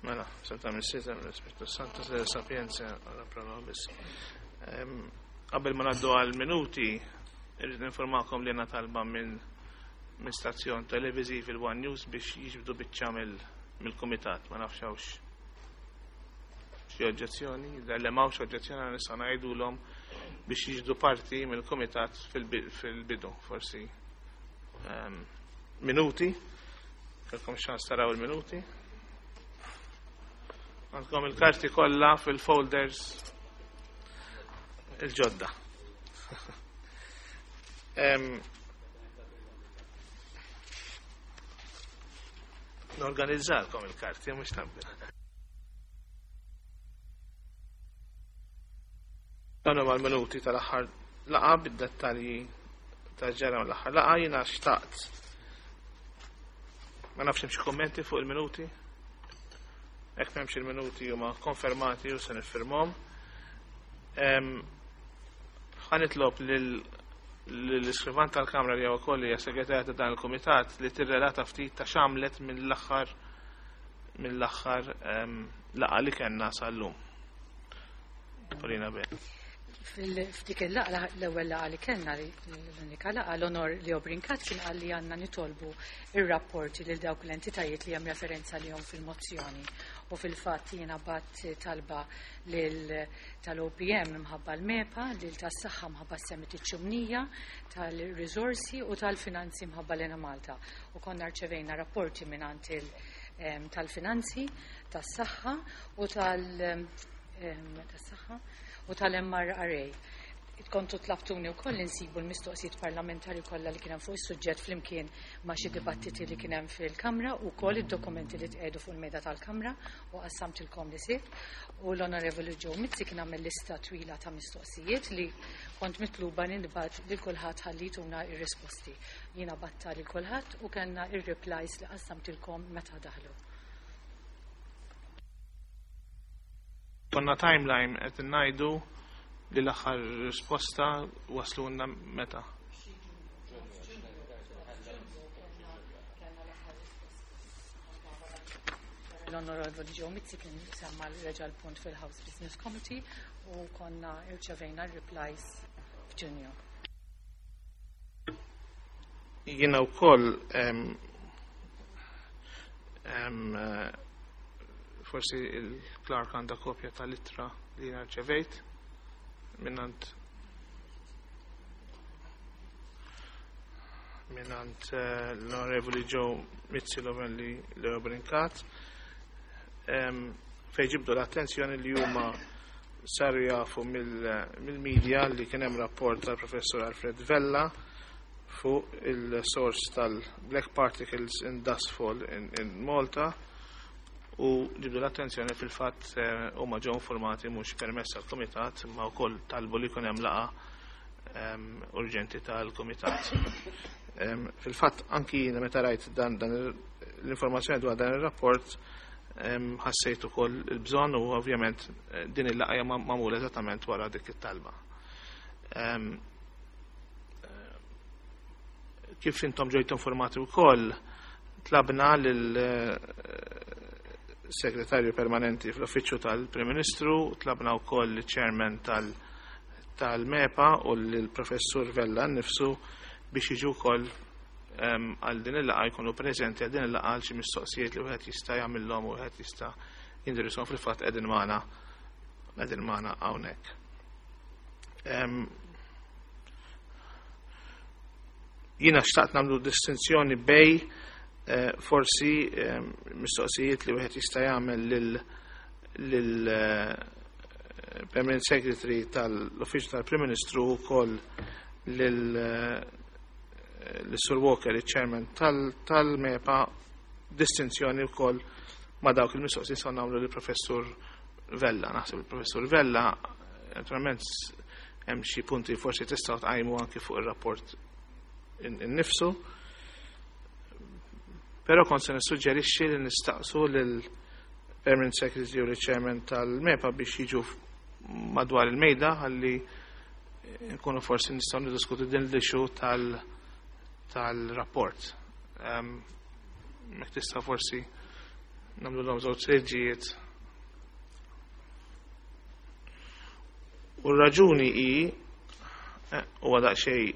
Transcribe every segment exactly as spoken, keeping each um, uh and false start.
Mela, Santa Missita, Spiritu Santo, se sapienza, ora pro nobis. Qabel ma ngħaddu għal minuti, irrid informakom li għandna talba minn minn stazzjon televiżiv il-One News biex jiġbdu biċċa mill-kumitat, ma nafx hawnx xi oġġezzjoni, jidher li m'hawnx oġġezzjoni nista' ngħidulhom biex jiġbdu parti mill-kumitat fil-bidu, forsi minuti, kellkom ċans taraw il-minuti. Għandkom il-karti kollha fil-folders il-ġodda. Norganizzalkom il-karti, mhux tabbi. Dan huma l-minuti tal-aħħar laqgħa bid-dettalji ta' ġara l-aħħar laqgħa. Jiena xtaqt. Ma nafx hemm xi kummenti fuq il-minuti. Hekk m'hemmx, il-minuti huma konfermati u se niffirmhom. Ħa nitlob lill-iskrivan tal-Kamra, li wkoll hija segretarja ta' dan il-kumitat, li tirrelata ftit ta' x'għamlet mill-aħħar mill-aħħar laqgħa li kellna sal-lum. Paulina Ben. F'dik il-laqgħa, l-ewwel laqgħa li kellna, l-unika laqgħa, l-Onor Leo Brincat kien qal li għandna nitolbu ir-rapporti lil dawk l-entitajiet li hemm referenza lihom fil-mozzjoni. U fil-fatt jiena bgħatt talba lil tal-O P M mħabba l-MEPA, lil tas-saħħa mħabba s-Summit Ċumnija, tal-risorsi u tal-finanzi mħabba l-Enemalta. U konna rċevejna rapporti mingħand tal-finanzi, tas-saħħa u tal- tas-saħħa u tal-M R R A. Kontu tlabtuni wkoll insibu l-mistoqsijiet parlamentari kollha li kien hemm fuq is-suġġett flimkien ma' xi dibattiti li kien hemm fil-Kamra u wkoll id-dokumenti li tqiegħdu fuq il-mejda tal-Kamra u qassamtilkom li sibt. U l-Onorevoli Joe Mizzi kien għamel lista twila ta' mistoqsijiet li kont mitluba nibgħat lil kulħadd ħalli tuna ir-risposti. Jiena bgħattha lil kulħadd u kellna ir-replies li qassamtilkom meta daħlu. Konna timeline qed ngħidu li l-aħħar risposta waslulna meta? L-Onorevoli Joe Mizzi kien semma reġa l-punt fil-House Business Committee u konna irċevejna replies f'Ġunju. Jiena wkoll em, em, eh, forsi il-clerk għandha kopja tal-ittra li jiena rċevejt mingħand mingħand eh, l-Onorevoli Joe Mizzi, l-Onorevoli Leo Brincat, em, fejn ġibdu l-attenzjoni li huma saru jafu mill-media li kien hemm rapport tal-Professor Alfred Vella fuq il-source tal-black particles in dustfall in, in Malta u ġibdu l-attenzjoni fil-fatt eh, huma ġew informati mhux permess għall-kumitat, imma wkoll talbu li jkun hemm laqgħa em, urġenti tal-kumitat. Em, Fil-fatt anki jiena meta rajt dan, dan l-informazzjoni dwar dan ir-rapport em, ħassejt ukoll il-bżonn u ovvjament eh, din il-laqgħa hija magħmula eżattament wara dik it-talba. Em, eh, Kif intom ġejtu informati wkoll, tlabna lil eh, segretarju permanenti fl-uffiċċju tal-Prim Ministru, tlabna wkoll il-chairman tal- tal-MEPA u l-professur Vella nnifsu biex jiġu wkoll em, għal din il-laqgħa, jkunu preżenti għal din il-laqgħa għal xi mistoqsijiet li wieħed jista' jagħmilhom u wieħed jista' jindirizzhom. Fil-fatt qegħdin magħna qegħdin magħna hawnhekk. Em, Jiena xtaqt nagħmlu distinzjoni bejn eh, forsi eh, mistoqsijiet li wieħed jista' jagħmel lil lil eh, Permanent Secretary tal-Uffiċċju tal-Prim Ministru u wkoll lil eh, l-Sur Walker, il-Chairman tal-MEPA, distinzjoni wkoll ma' dawk il-mistoqsijiet se nagħmlu lill-Professur Vella. Naħseb il-Professur Vella, naturalment hemm xi punti forsi tistgħu tqajmu anki fuq ir-rapport innifsu. Però kont se nissuġġerixxi li nistaqsu lil Permanent Secretary u l-Chairman tal-MEPA biex jiġu madwar il-mejda ħalli nkunu forsi nistgħu niddiskutu din l-issue tal- tal-rapport. Um, Mek tista' forsi Nagħmluhom żewġ siġġijiet. U r-raġuni hi huwa daqsxejn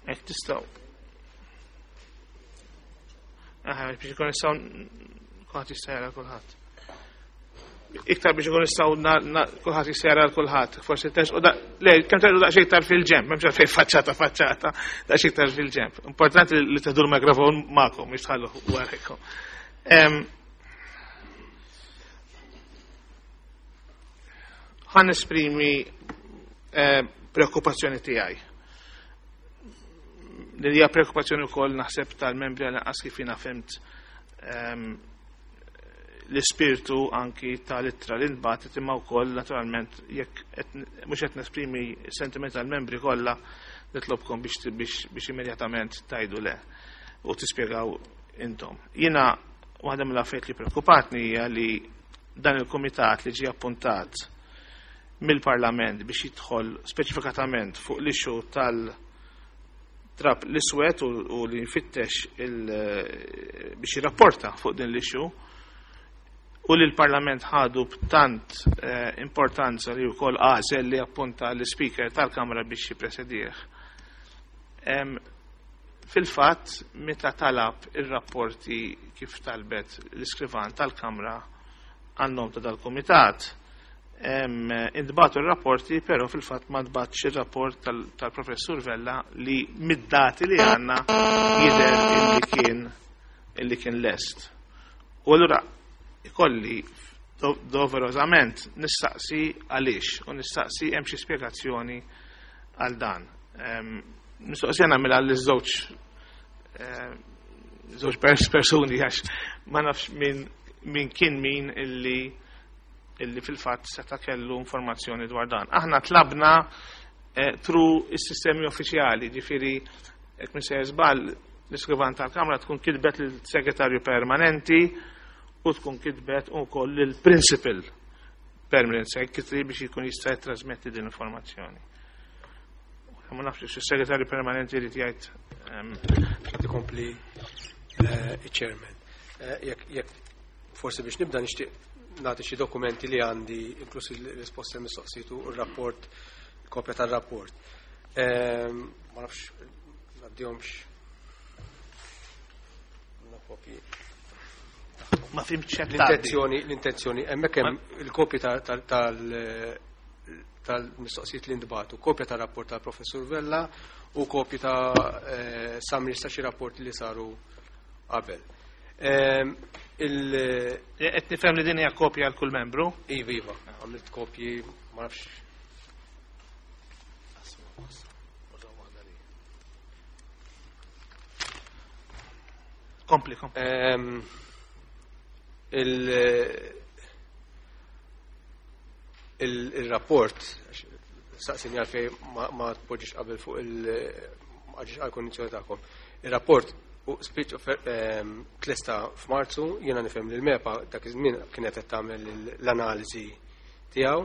hekk tistgħu. Aħna biex ikun nistgħu kulħadd jista' jara kulħadd. Iktar biex ikun nistgħu kulħadd jista' jara kulħadd. Forsi tersqu le kemm terqu daqsxejn iktar fil-ġenb, m'hemmx għalfejn faċċata faċċata, daqsxejn iktar fil-ġenb. Importanti li teħdu l-mikrofon magħkom biex tħallu warajkom. Ħa nesprimi preokkupazzjoni tiegħi. Li hija preokkupazzjoni wkoll naħseb tal-membri għal inqas kif jiena fhimt l-ispirtu anki tal-ittra li nbagħtet, imma wkoll naturalment jekk mhux qed nesprimi sentiment tal-membri kollha nitlobkom biex biex immedjatament tajdu le u tispjegaw intom. Jiena waħda mill-affarijiet li preokkupatni hija li dan il-kumitat li ġie appuntat mill-Parlament biex jidħol speċifikatament fuq l-issue tal-trap l-iswed u li jfittex biex jirrapporta fuq din l-issue, u li l-Parlament ħadu b'tant importanza li wkoll għażel li appunta l-Speaker tal-Kamra biex jippresedih. Fil-fatt, meta talab ir-rapporti kif talbet l-iskrivan tal-Kamra għan-nom ta' dal-Kumitat, intbagħtu r-rapporti, però fil-fatt ma ntbagħatx ir-rapport tal-Professur Vella li mid-dati li għandna jidher illi kien illi kien lest. U allura ikolli doverosament nistaqsi għaliex u nistaqsi hemm xi spjegazzjoni għal dan. Mistoqsija nagħmilha liż-żewġ żewġ persuni għax ma nafx min min kien min illi illi fil-fatt seta' kellu informazzjoni dwar dan. Aħna tlabna tru is-sistemi uffiċjali, ġifieri jekk minn sejjer żball l-iskrivan tal-Kamra tkun kitbet lill-Segretarju Permanenti u tkun kitbet ukoll lill-Principal Permanent Secretary biex jkun jista' jittrasmetti din l-informazzjoni. Ma nafx is-Segretarju Permanenti jrid jgħid. Qed ikompli iċ-Chairman. Jekk forsi biex nibda nixtieq nagħti xi dokumenti li għandi, inkluż il-risposta mistoqsijiet u r-rapport, kopja tar-rapport. Ma nafx ngħaddihomx kopji. Ma fimtx x'qed L-intenzjoni, l-intenzjoni, hemmhekk hemm il-kopji tal-mistoqsijiet li ntbagħtu, kopja tar-rapport tal-Professur Vella u kopji ta' summary ta' xi rapporti li saru qabel. Qed nifhem li din hija kopja għal kull membru? Iva, iva, għamilt kopji, ma nafx. Kompli, kompli. Il-rapport, saqsini għalfej ma tpoġġix qabel fuq il- għal kondizzjoni tagħkom. Il-rapport u speech tlesta f'Marzu, jiena nifhem li l-MEPA dak iż-żmien kienet qed tagħmel l-analiżi tiegħu.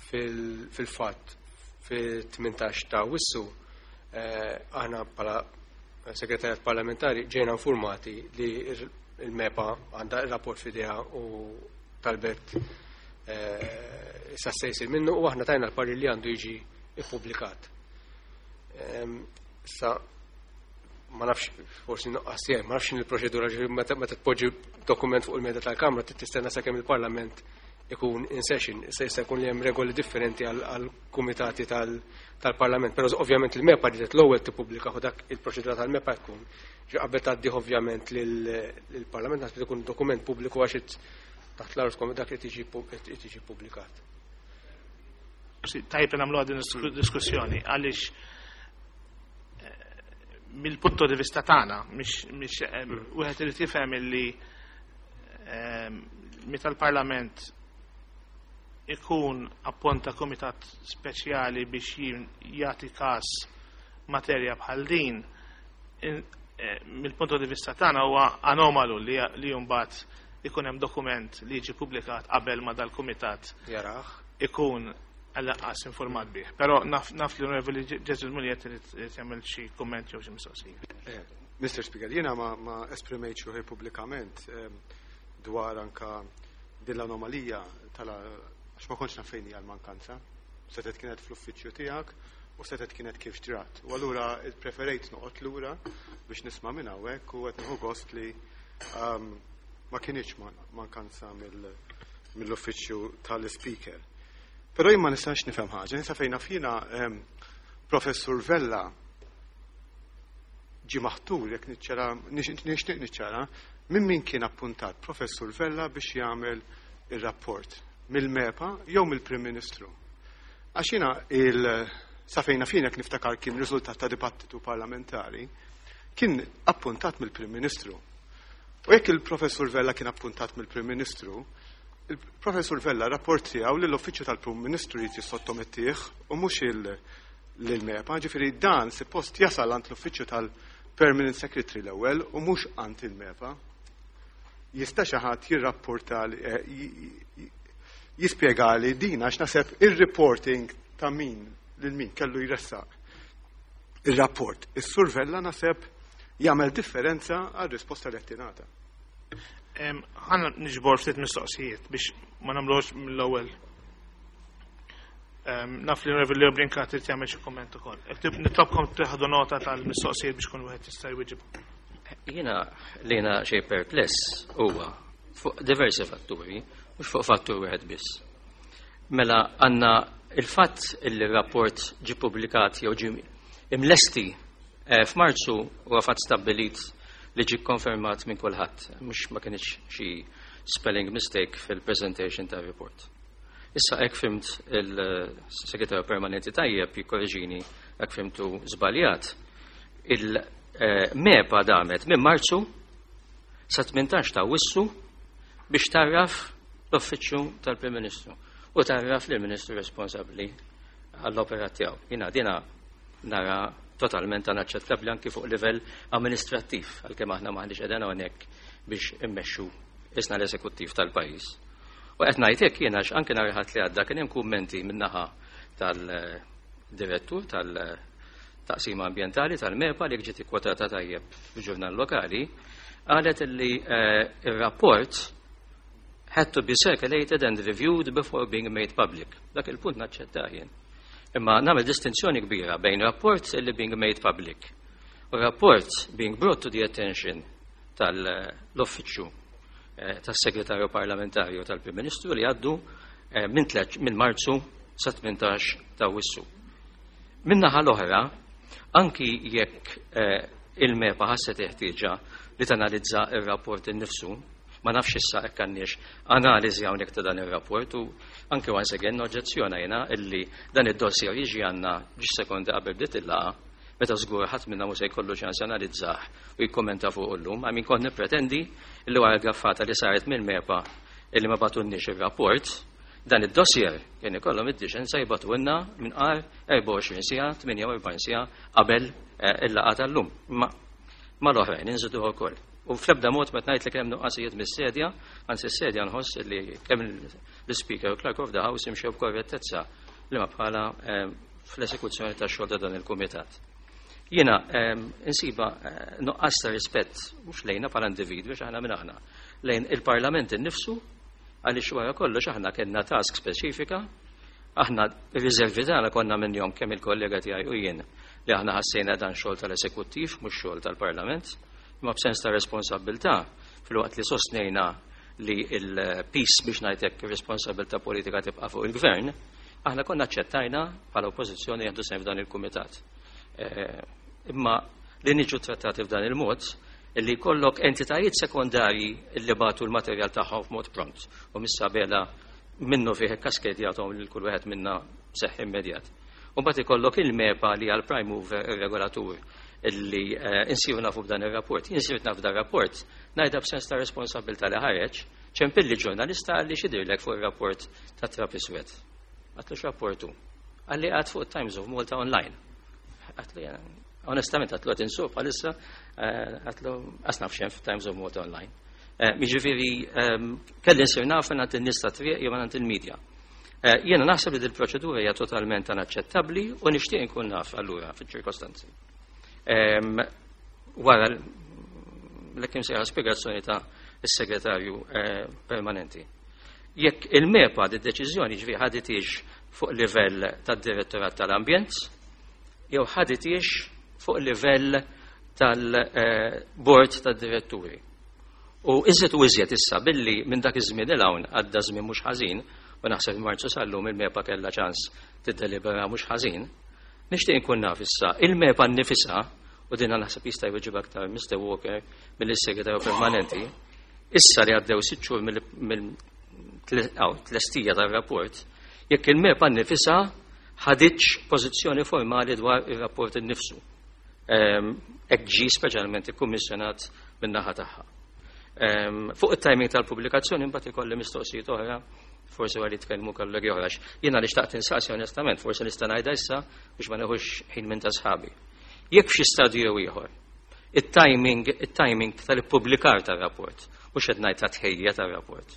Fil-fatt fil-tmintax ta' Awwissu aħna bħala segretarjat parlamentari ġejna informati li il-MEPA għandha ir-rapport f'idejha u talbet issa se jsir minnu u aħna tajna l-parir li għandu jiġi ippubblikat. Sa ma nafx, forsi nuqqas tiegħi, ma nafx il-proċedura, ġifieri meta tpoġġi dokument fuq il-mejda tal-Kamra trid tistenna sakemm il-Parlament ikun in session, se jista' jkun li hemm regoli differenti għal kumitati tal-Parlament, però ovvjament il-MEPA ridet l-ewwel tippubblika u dak il-proċedura tal-MEPA tkun. Ġi qabel tgħaddih ovvjament lill-Parlament naħseb ikun dokument pubbliku għax taħt l-art dak li tiġi ppubblikat. Tajjeb li nagħmluha din diskussjoni għaliex mill-punto di vista tagħna mhix wieħed irid jifhem illi meta l-Parlament ikun apponta komitat speċjali biex jagħti każ materja bħal din, mill-punto di vista tagħna huwa anomalu li mbagħad ikun hemm dokument li jiġi ppubblikat qabel ma dal-kumitat Jarah. ikun Għall-anqas informat bih. Però naf, naf li l-Onorevoli Jesmond Mugliett irid jagħmel xi kumment jew xi mistoqsija. Eh, Mister Speaker, jiena ma, ma esprimejtx ruħi pubblikament eh, dwar anka din l-anomalija tal għax ma kontx naf fejn hija l-mankanza. Setet kienet fl-uffiċċju tiegħek u setet kienet kif ġrat. U allura preferejt noqgħod lura biex nisma' minn hawnhekk u qed nieħu gost li um, ma kienx mankanza mill-uffiċċju tal-Speaker. Però jien ma nistax nifhem ħaġa, nisa fejn jiena Professur Vella ġi maħtur, jekk niċċara, nixtieq niċċara, minn min kien appuntat Professur Vella biex jagħmel ir-rapport, mill-MEPA jew mill-Prim Ministru? Għax jiena il sa fejn naf jien, niftakar kien riżultat ta' dibattitu parlamentari, kien appuntat mill-Prim Ministru. U jekk il-Professur Vella kien appuntat mill-Prim Ministru, il-Professur Vella rapport tiegħu lill-Uffiċċju tal-Prim Ministru jrid jissottomettih u mhux il-MEPA, ġifieri dan suppost jasal għand l-Uffiċċju tal-Permanent Secretary l-ewwel u mhux għand il-MEPA. Jista' xi ħadd jirrapporta, eh, jispjegali din, għax naħseb ir-reporting ta' min lil min kellu jressaq ir-rapport is-Sur Vella naħseb jagħmel differenza għal risposta li qed tingħata. Ħa niġbor ftit mistoqsijiet biex ma nagħmlux mill-ewwel. Naf li l-Onorevoli Leo Brincat irid jagħmel xi kumment ukoll. Nitlobkom tieħdu nota tal-mistoqsijiet biex kun wieħed jista' jwieġeb. Jiena li jiena xej perpless huwa fuq diversi fatturi, mhux fuq fattur wieħed biss. Mela għandna il-fatt il rapport ġi publikat jew ġi imlesti eh, f'Marzu huwa fatt stabbilit li ġi konfermat minn kulħadd, mhux ma kienx xi spelling mistake fil-presentation ta' report. Issa hekk fhimt il-segretarju permanenti, tajjeb jikkorreġini hekk fhimtu żbaljat. Il-MEPA damet minn Marzu sa tmintax ta' Awwissu biex tgħarraf l-uffiċċju tal-Prim Ministru u tgħarraf lill-Ministru responsabbli għall-operat tiegħu. Jiena dina nara totalment anaċċettabbli anki fuq livell amministrattiv, għalkemm aħna m'aħniex qegħdin hawnhekk biex immexxu isna l-eżekuttiv tal-pajjiż. U qed ngħid hekk jiena għax anke nhar li għadda kien hemm kummenti min-naħa tal-direttur tal-taqsima ambjentali tal-MEPA li ġiet ikkwotata tajjeb fil-ġurnal lokali, qalet li eh, ir-rapport had to be circulated and reviewed before being made public. Dak il-punt naċċetta jien. Imma nagħmel distinzjoni kbira bejn rapport li being made public u rapport being brought to the attention tal-uffiċċju eh, tas-segretarju parlamentarju tal-Prim Ministru li għaddu eh, minn minn Marzu sa tmintax ta' Awwissu. Min-naħa l-oħra, anki jekk eh, il-MEPA ħasset ħtieġa li tanalizza il-rapport innifsu, ma nafx issa hekk għandniex analiżi hawnhekk ta' dan ir-rapport, u anke once again oġġezzjona jiena illi dan id-dossier jiġi għandna ġiex sekondi qabel bdiet il-laqgħa, meta żgur ħadd minna mhux se jkollu ċans analizzah u jikkommenta fuq illum. Għamin kont nippretendi illi wara gaffata li saret mill-MEPA illi ma bagħtulniex ir-rapport, dan id-dossier kien ikollhom id-diċenza jibagħtulna minn qar erbgħa u għoxrin siegħa, tmienja u erbgħin siegħa qabel eh, il-laqgħa tal-lum. Ma mal-oħrajn inżidu ukoll. U fl-ebda mod ma ngħid li kemm nuqqasijiet mis-sedja, anzi s-sedja nħoss li kemm l-Speaker u Clerk of the House imxew b'korrettezza li ma bħala eh, fl-esekuzzjoni tax-xogħol ta' dan il-kumitat. Jiena eh, insiba eh, nuqqas ta' rispett mhux lejna bħala individwi, x'aħna minn aħna, lejn il-Parlament innifsu, għaliex wara kollox aħna kellna task speċifika, aħna riservi tagħna konna minnhom kemm il-kollega tiegħi u jien li aħna ħassejna dan xogħol tal-esekuttiv mhux xogħol tal-Parlament, imma b'sens ta' responsabilità, filwaqt li sostnejna li il-piż, biex ngħidlek, responsabilità politika tibqa' fuq il-gvern, aħna konna aċċettajna bħala oppożizzjoni jieħdu sehem f'dan il-kumitat. Eh, imma li niġu trattati f'dan il-mod, illi jkollok entitajiet sekondarji li bagħtu l-materjal tagħhom f'mod pront u missa bela minnu fih kaskedjatom lil kull wieħed minna seħ immedjat. U mbagħad ikollok il-MEPA li għal prime mover, ir-regolatur, illi eh, insiru nafu b'dan ir-rapport. Insiru nafu dan ir-rapport, ngħidha b'sens ta' responsabilità li ħareġ, ċempilli ġurnalista, għalli x'jidhirlek fuq ir-rapport ta' trab iswed. Għedtlu x'rapportu? Qalli għad fuq Times of Malta online. Għedtlu, onestament, għedtlu għad insuq bħalissa, eh, għedtlu qas naf x'hemm Times of Malta online. Eh, Jiġifieri, ehm, kelli nsir naf għand in-nies ta' triq jew għand il-medja. Eh, jiena naħseb li dil-proċedura hija totalment inaċċettabbli u nixtieq inkun naf allura fiċ-ċirkostanzi. Wara l-ekim sejħa spjegazzjoni ta' is-segretarju eh, permanenti. Jekk il-MEPA di deċiżjoni ġvi ħaditix fuq livell tad-direttorat tal-ambjent, jew ħaditix fuq livell tal-bord tad-diretturi. U iżjed u iżjed issa billi minn dak iż-żmien 'il hawn għadda żmien mhux ħażin, u naħseb Marzu sal-lum il-MEPA kellha ċans tiddelibera mhux ħażin, nixtieq inkun naf issa il-MEPA nnifisha, u dinna naħseb jista' jweġib aktar Mister Walker mill-segretarju permanenti, issa li għaddew sitt xhur mill-tlestija tar-rapport, jekk il-MEPA nnifisha ħaditx pożizzjoni formali dwar ir-rapport innifsu. Hekk ġie speċjalment ikkummissjonat min-naħa tagħha. Fuq it-timing tal-pubblikazzjoni imbagħad ikolli mistoqsijiet oħra, forsi għalli tkellmu kollegi oħra. Jiena li xtaqt insaqsi onestament, forsi nista' ngħidha issa biex ma neħux ħin minn ta' sħabi. Jekk f'xi stadju jew ieħor, it-timing, it-timing tal-ippubblikar tar-rapport, mhux qed ngħid ta' tħejja tar-rapport,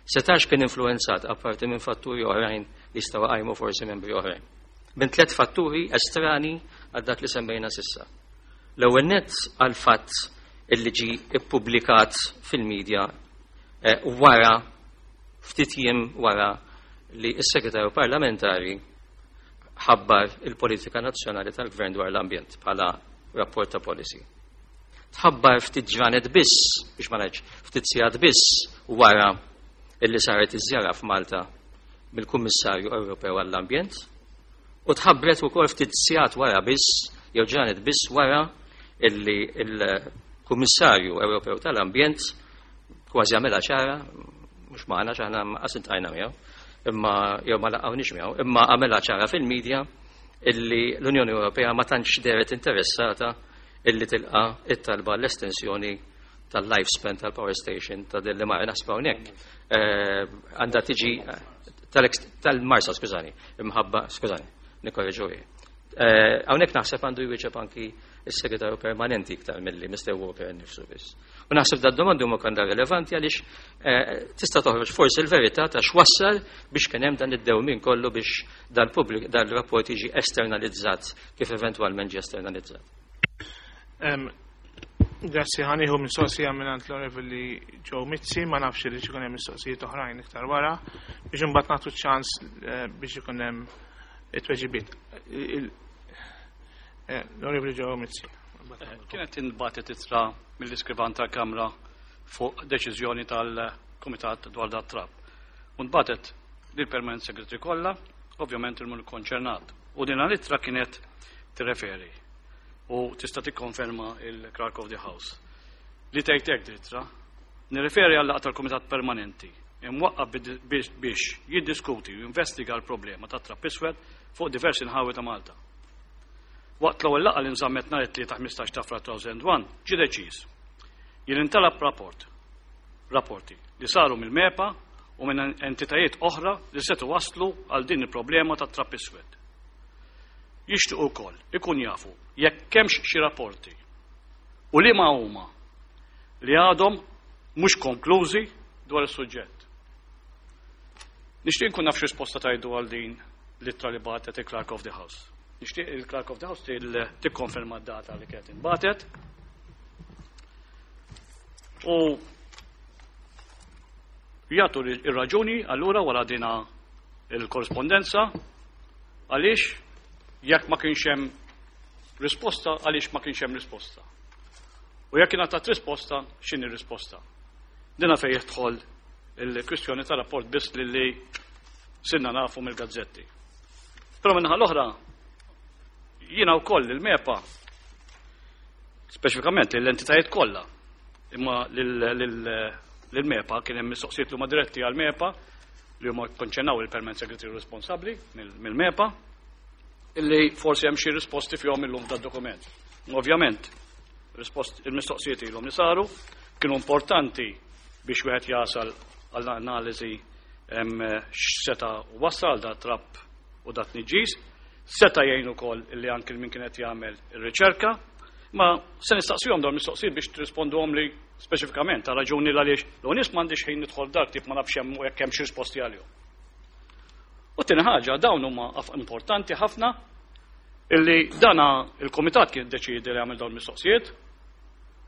setax kien influenzat apparti minn fatturi oħrajn li jistgħu qajmu forsi membri oħrajn. Minn tliet fatturi estrani għal dak li semmejna sissa. L-ewwel nett għal fatt illi ġi ippubblikat fil-medja eh, wara ftit jiem wara li s-segretarju parlamentari ħabbar il-politika nazzjonali tal-gvern dwar l-ambjent bħala rapport ta' policy. Tħabbar ftit ġranet biss, biex ma ngħidx ftit sigħat biss wara illi saret iż-żjara f'Malta mill-Kummissarju Ewropew għall-Ambjent, u tħabbret ukoll ftit sigħat wara biss, jew ġranet biss wara illi il-Kummissarju Ewropew tal-Ambjent kważi għamilha ċara, mhux magħna x'aħna qas iltqajna miegħu, imma jew ma laqgħunix miegħu, imma għamilha ċara fil-medja illi l-Unjoni Ewropea ma tantx deret interessata illi tilqa it-talba l-estensjoni tal-lifespan tal-power station ta' Delimara. Naħseb hawnhekk għandha tiġi tal-Marsa, skużani, imħabba, skużani, nikkorreġu. Hawnhekk naħseb għandu jwieġeb anki is-segretarju permanenti iktar milli Mister Walker nnifsu biss. U naħseb da domandi huma kanda rilevanti għaliex tista' toħroġ forsi l-verità ta' x'wassal biex kien hemm dan id-dewmien kollu biex dal-pubbliku dal-rapport jiġi esternalizzat kif eventwalment ġie esternalizzat. Grazzi, ħa nieħu mistoqsija minn l-Onorevoli Joe Mizzi, ma nafx li ikun hemm mistoqsijiet oħrajn iktar wara, biex imbagħad nagħtu ċans biex ikun hemm it-tweġibiet. L-Onorevoli Joe Mizzi. Kienet intbagħtet ittra mill-iskrivan tal-Kamra fuq deċiżjoni tal-Kumitat dwar dat trab. U ntbagħtet lill-Permanent Secretary kollha, ovvjament il-mun konċernat. U din l-ittra kienet tirreferi u tista' tikkonferma il-Clerk of the House. Li tgħid hekk ittra, nirreferi għal laqgħa tal-Kumitat Permanenti imwaqqaf biex jiddiskuti u jinvestiga l-problema ta' trab iswed fuq diversi nħawi ta' Malta. Waqt l-ewwel laqgħa li nżammet nhar it-tlieta ħmistax ta' Frar elfejn u wieħed ġie deċiż jien intalab rapport rapporti li saru mill-MEPA u minn entitajiet oħra li setgħu waslu għal din il-problema ta' trab iswed. Jixtiequ wkoll ikun jafu jekk hemmx xi rapporti u li ma huma li għadhom mhux konklużi dwar is-suġġett. Nixtieq nkun naf x'risposta tajdu għal din l-ittra li bagħtet il-Clerk of the House. Nixtieq il-Clerk of the House tikkonferma d-data li kienet inbagħtet. U jagħtu ir-raġuni allura wara dina il-korrespondenza għaliex jekk ma kienx hemm risposta, għaliex ma kienx hemm risposta. U jekk ingħatat risposta, x'inhi risposta? Dina fejn jidħol il-kwistjoni ta' rapport biss li li sirna nafu mill-gazzetti. Però minnaħa l-oħra, jiena wkoll il-MEPA, speċifikament l-entitajiet kollha, imma lill-MEPA kien hemm mistoqsijiet li huma diretti għall-MEPA li huma konċernaw il-permanent secretary responsabbli mill-MEPA, illi forsi hemm xi risposti fihom illum tad-dokument. Ovvjament, il-mistoqsijiet ilhom li saru kienu importanti biex wieħed jasal għall-analiżi x'seta' wassal da trab u dat tniġġis, seta' jgħin ukoll illi anke min kien qed jagħmel ir-riċerka, ma se nistaqsihom dawn mistoqsijiet biex tirrisponduhom li speċifikament għal raġuni l għaliex l nies m'għandix ħin nidħol dak tip ma nafx hemm jekk hemm xi risposti għalihom. U tieni ħaġa, dawn huma importanti ħafna illi dana il-komitat kien deċidi li għamil dawn mistoqsijiet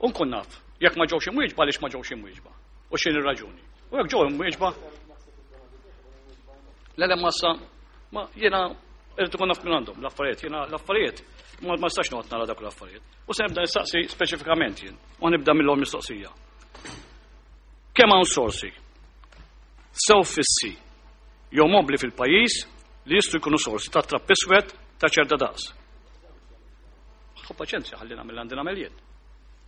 u nkun naf jekk ma ġewx imwieġba għaliex ma ġewx imwieġba u x'inhi r-raġuni. U jekk ġew imwieġba le le massa ma jiena irid ikun naf minn għandhom l-affarijiet, jiena l-affarijiet ma nistax noqgħod nara dak l-affarijiet. U se nibda nistaqsi speċifikament jien, u nibda mill-ewwel mistoqsija. Kemm hawn sorsi sew fissi jew mobli fil-pajjiż li jistgħu jkunu sorsi ta' trapp iswed ta' ċerta daqs. Ħu paċenzja ħalli nagħmel għandi nagħmel jien.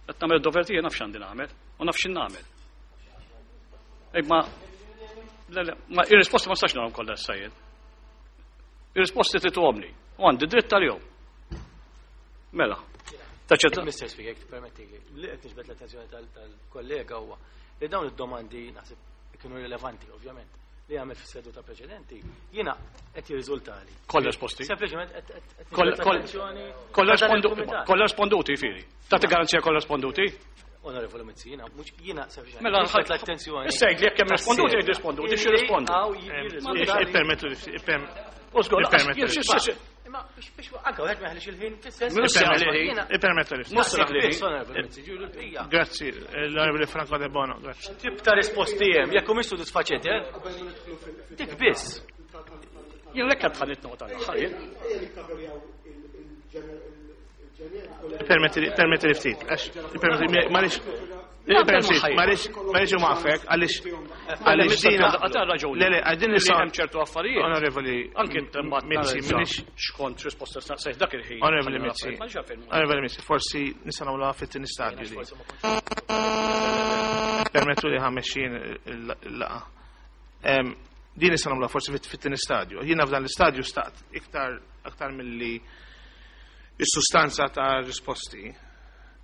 Qed nagħmel id-dover tiegħi naf x'għandi nagħmel u naf x'in nagħmel. Ej ma le le, ma ir-risposti ma nistax narhom kollha issa jien. Ir-risposti tituhomli u għandi dritt tal-jum. Mela. Ta' ċerta. Mister Speaker, jekk tippermettili, li qed niġbed l-attenzjoni tal-kollega huwa li dawn id-domandi naħseb kienu rilevanti ovvjament li għamel fis-seduta preċedenti, jiena qed jirriżultali. Kollha risposti. Sempliċement qed qed Kollha niġbed l-attenzjoni kollha ta' dan rispondu- il-kumitat. kollha risponduti fieri. Tagħti garanzija kollha risponduti? Onorevoli Mizzi, jiena mhux jiena sempliċement Mela niġbed l-attenzjoni. Issa jgħid li jekk hemm risponduti jgħid risponduti, xi rispondu. Hawn jirriżultali. Ippermettu li ipperm- U żgur, Ippermettu li- xi- xi- xi- Imma biex biex anke wieħed ma jħallix il-ħin fis-sens. Mhux se jħalli il-ħin. Ippermettu li Mhux se jħalli il-ħin. Onorevoli Mizzi, ġieli l-bqija. Grazzi, l-Onorevoli Franco De Bono, grazzi. Tip ta' risposti hemm, jekk humiex sodisfaċenti, eh? Dik biss. Jien lekk qed ħallit nota l-aħħar jien. Permetti permetti li ftit, għax permetti m'għaliex permetti m'għaliex m'għaliex imwaqfek għaliex għaliex dina Għata raġuni. Le le, għal din Li nistgħu hemm ċertu affarijiet. Onorevoli Anke mbagħad Mizzi, minix minix xkont risposta staqsejt dak il-ħin. Onorevoli Mizzi, Ma nix għalfejn. Onorevoli Mizzi, forsi nistgħu nagħmluha fit-tieni stadju di. Permettu li ħammexxin il-laqgħa. Em, Din nistgħu nagħmluha forsi fit- fit-tieni stadju. Jiena f'dan l-istadju staqt iktar aktar milli is-sustanza ta' risposti.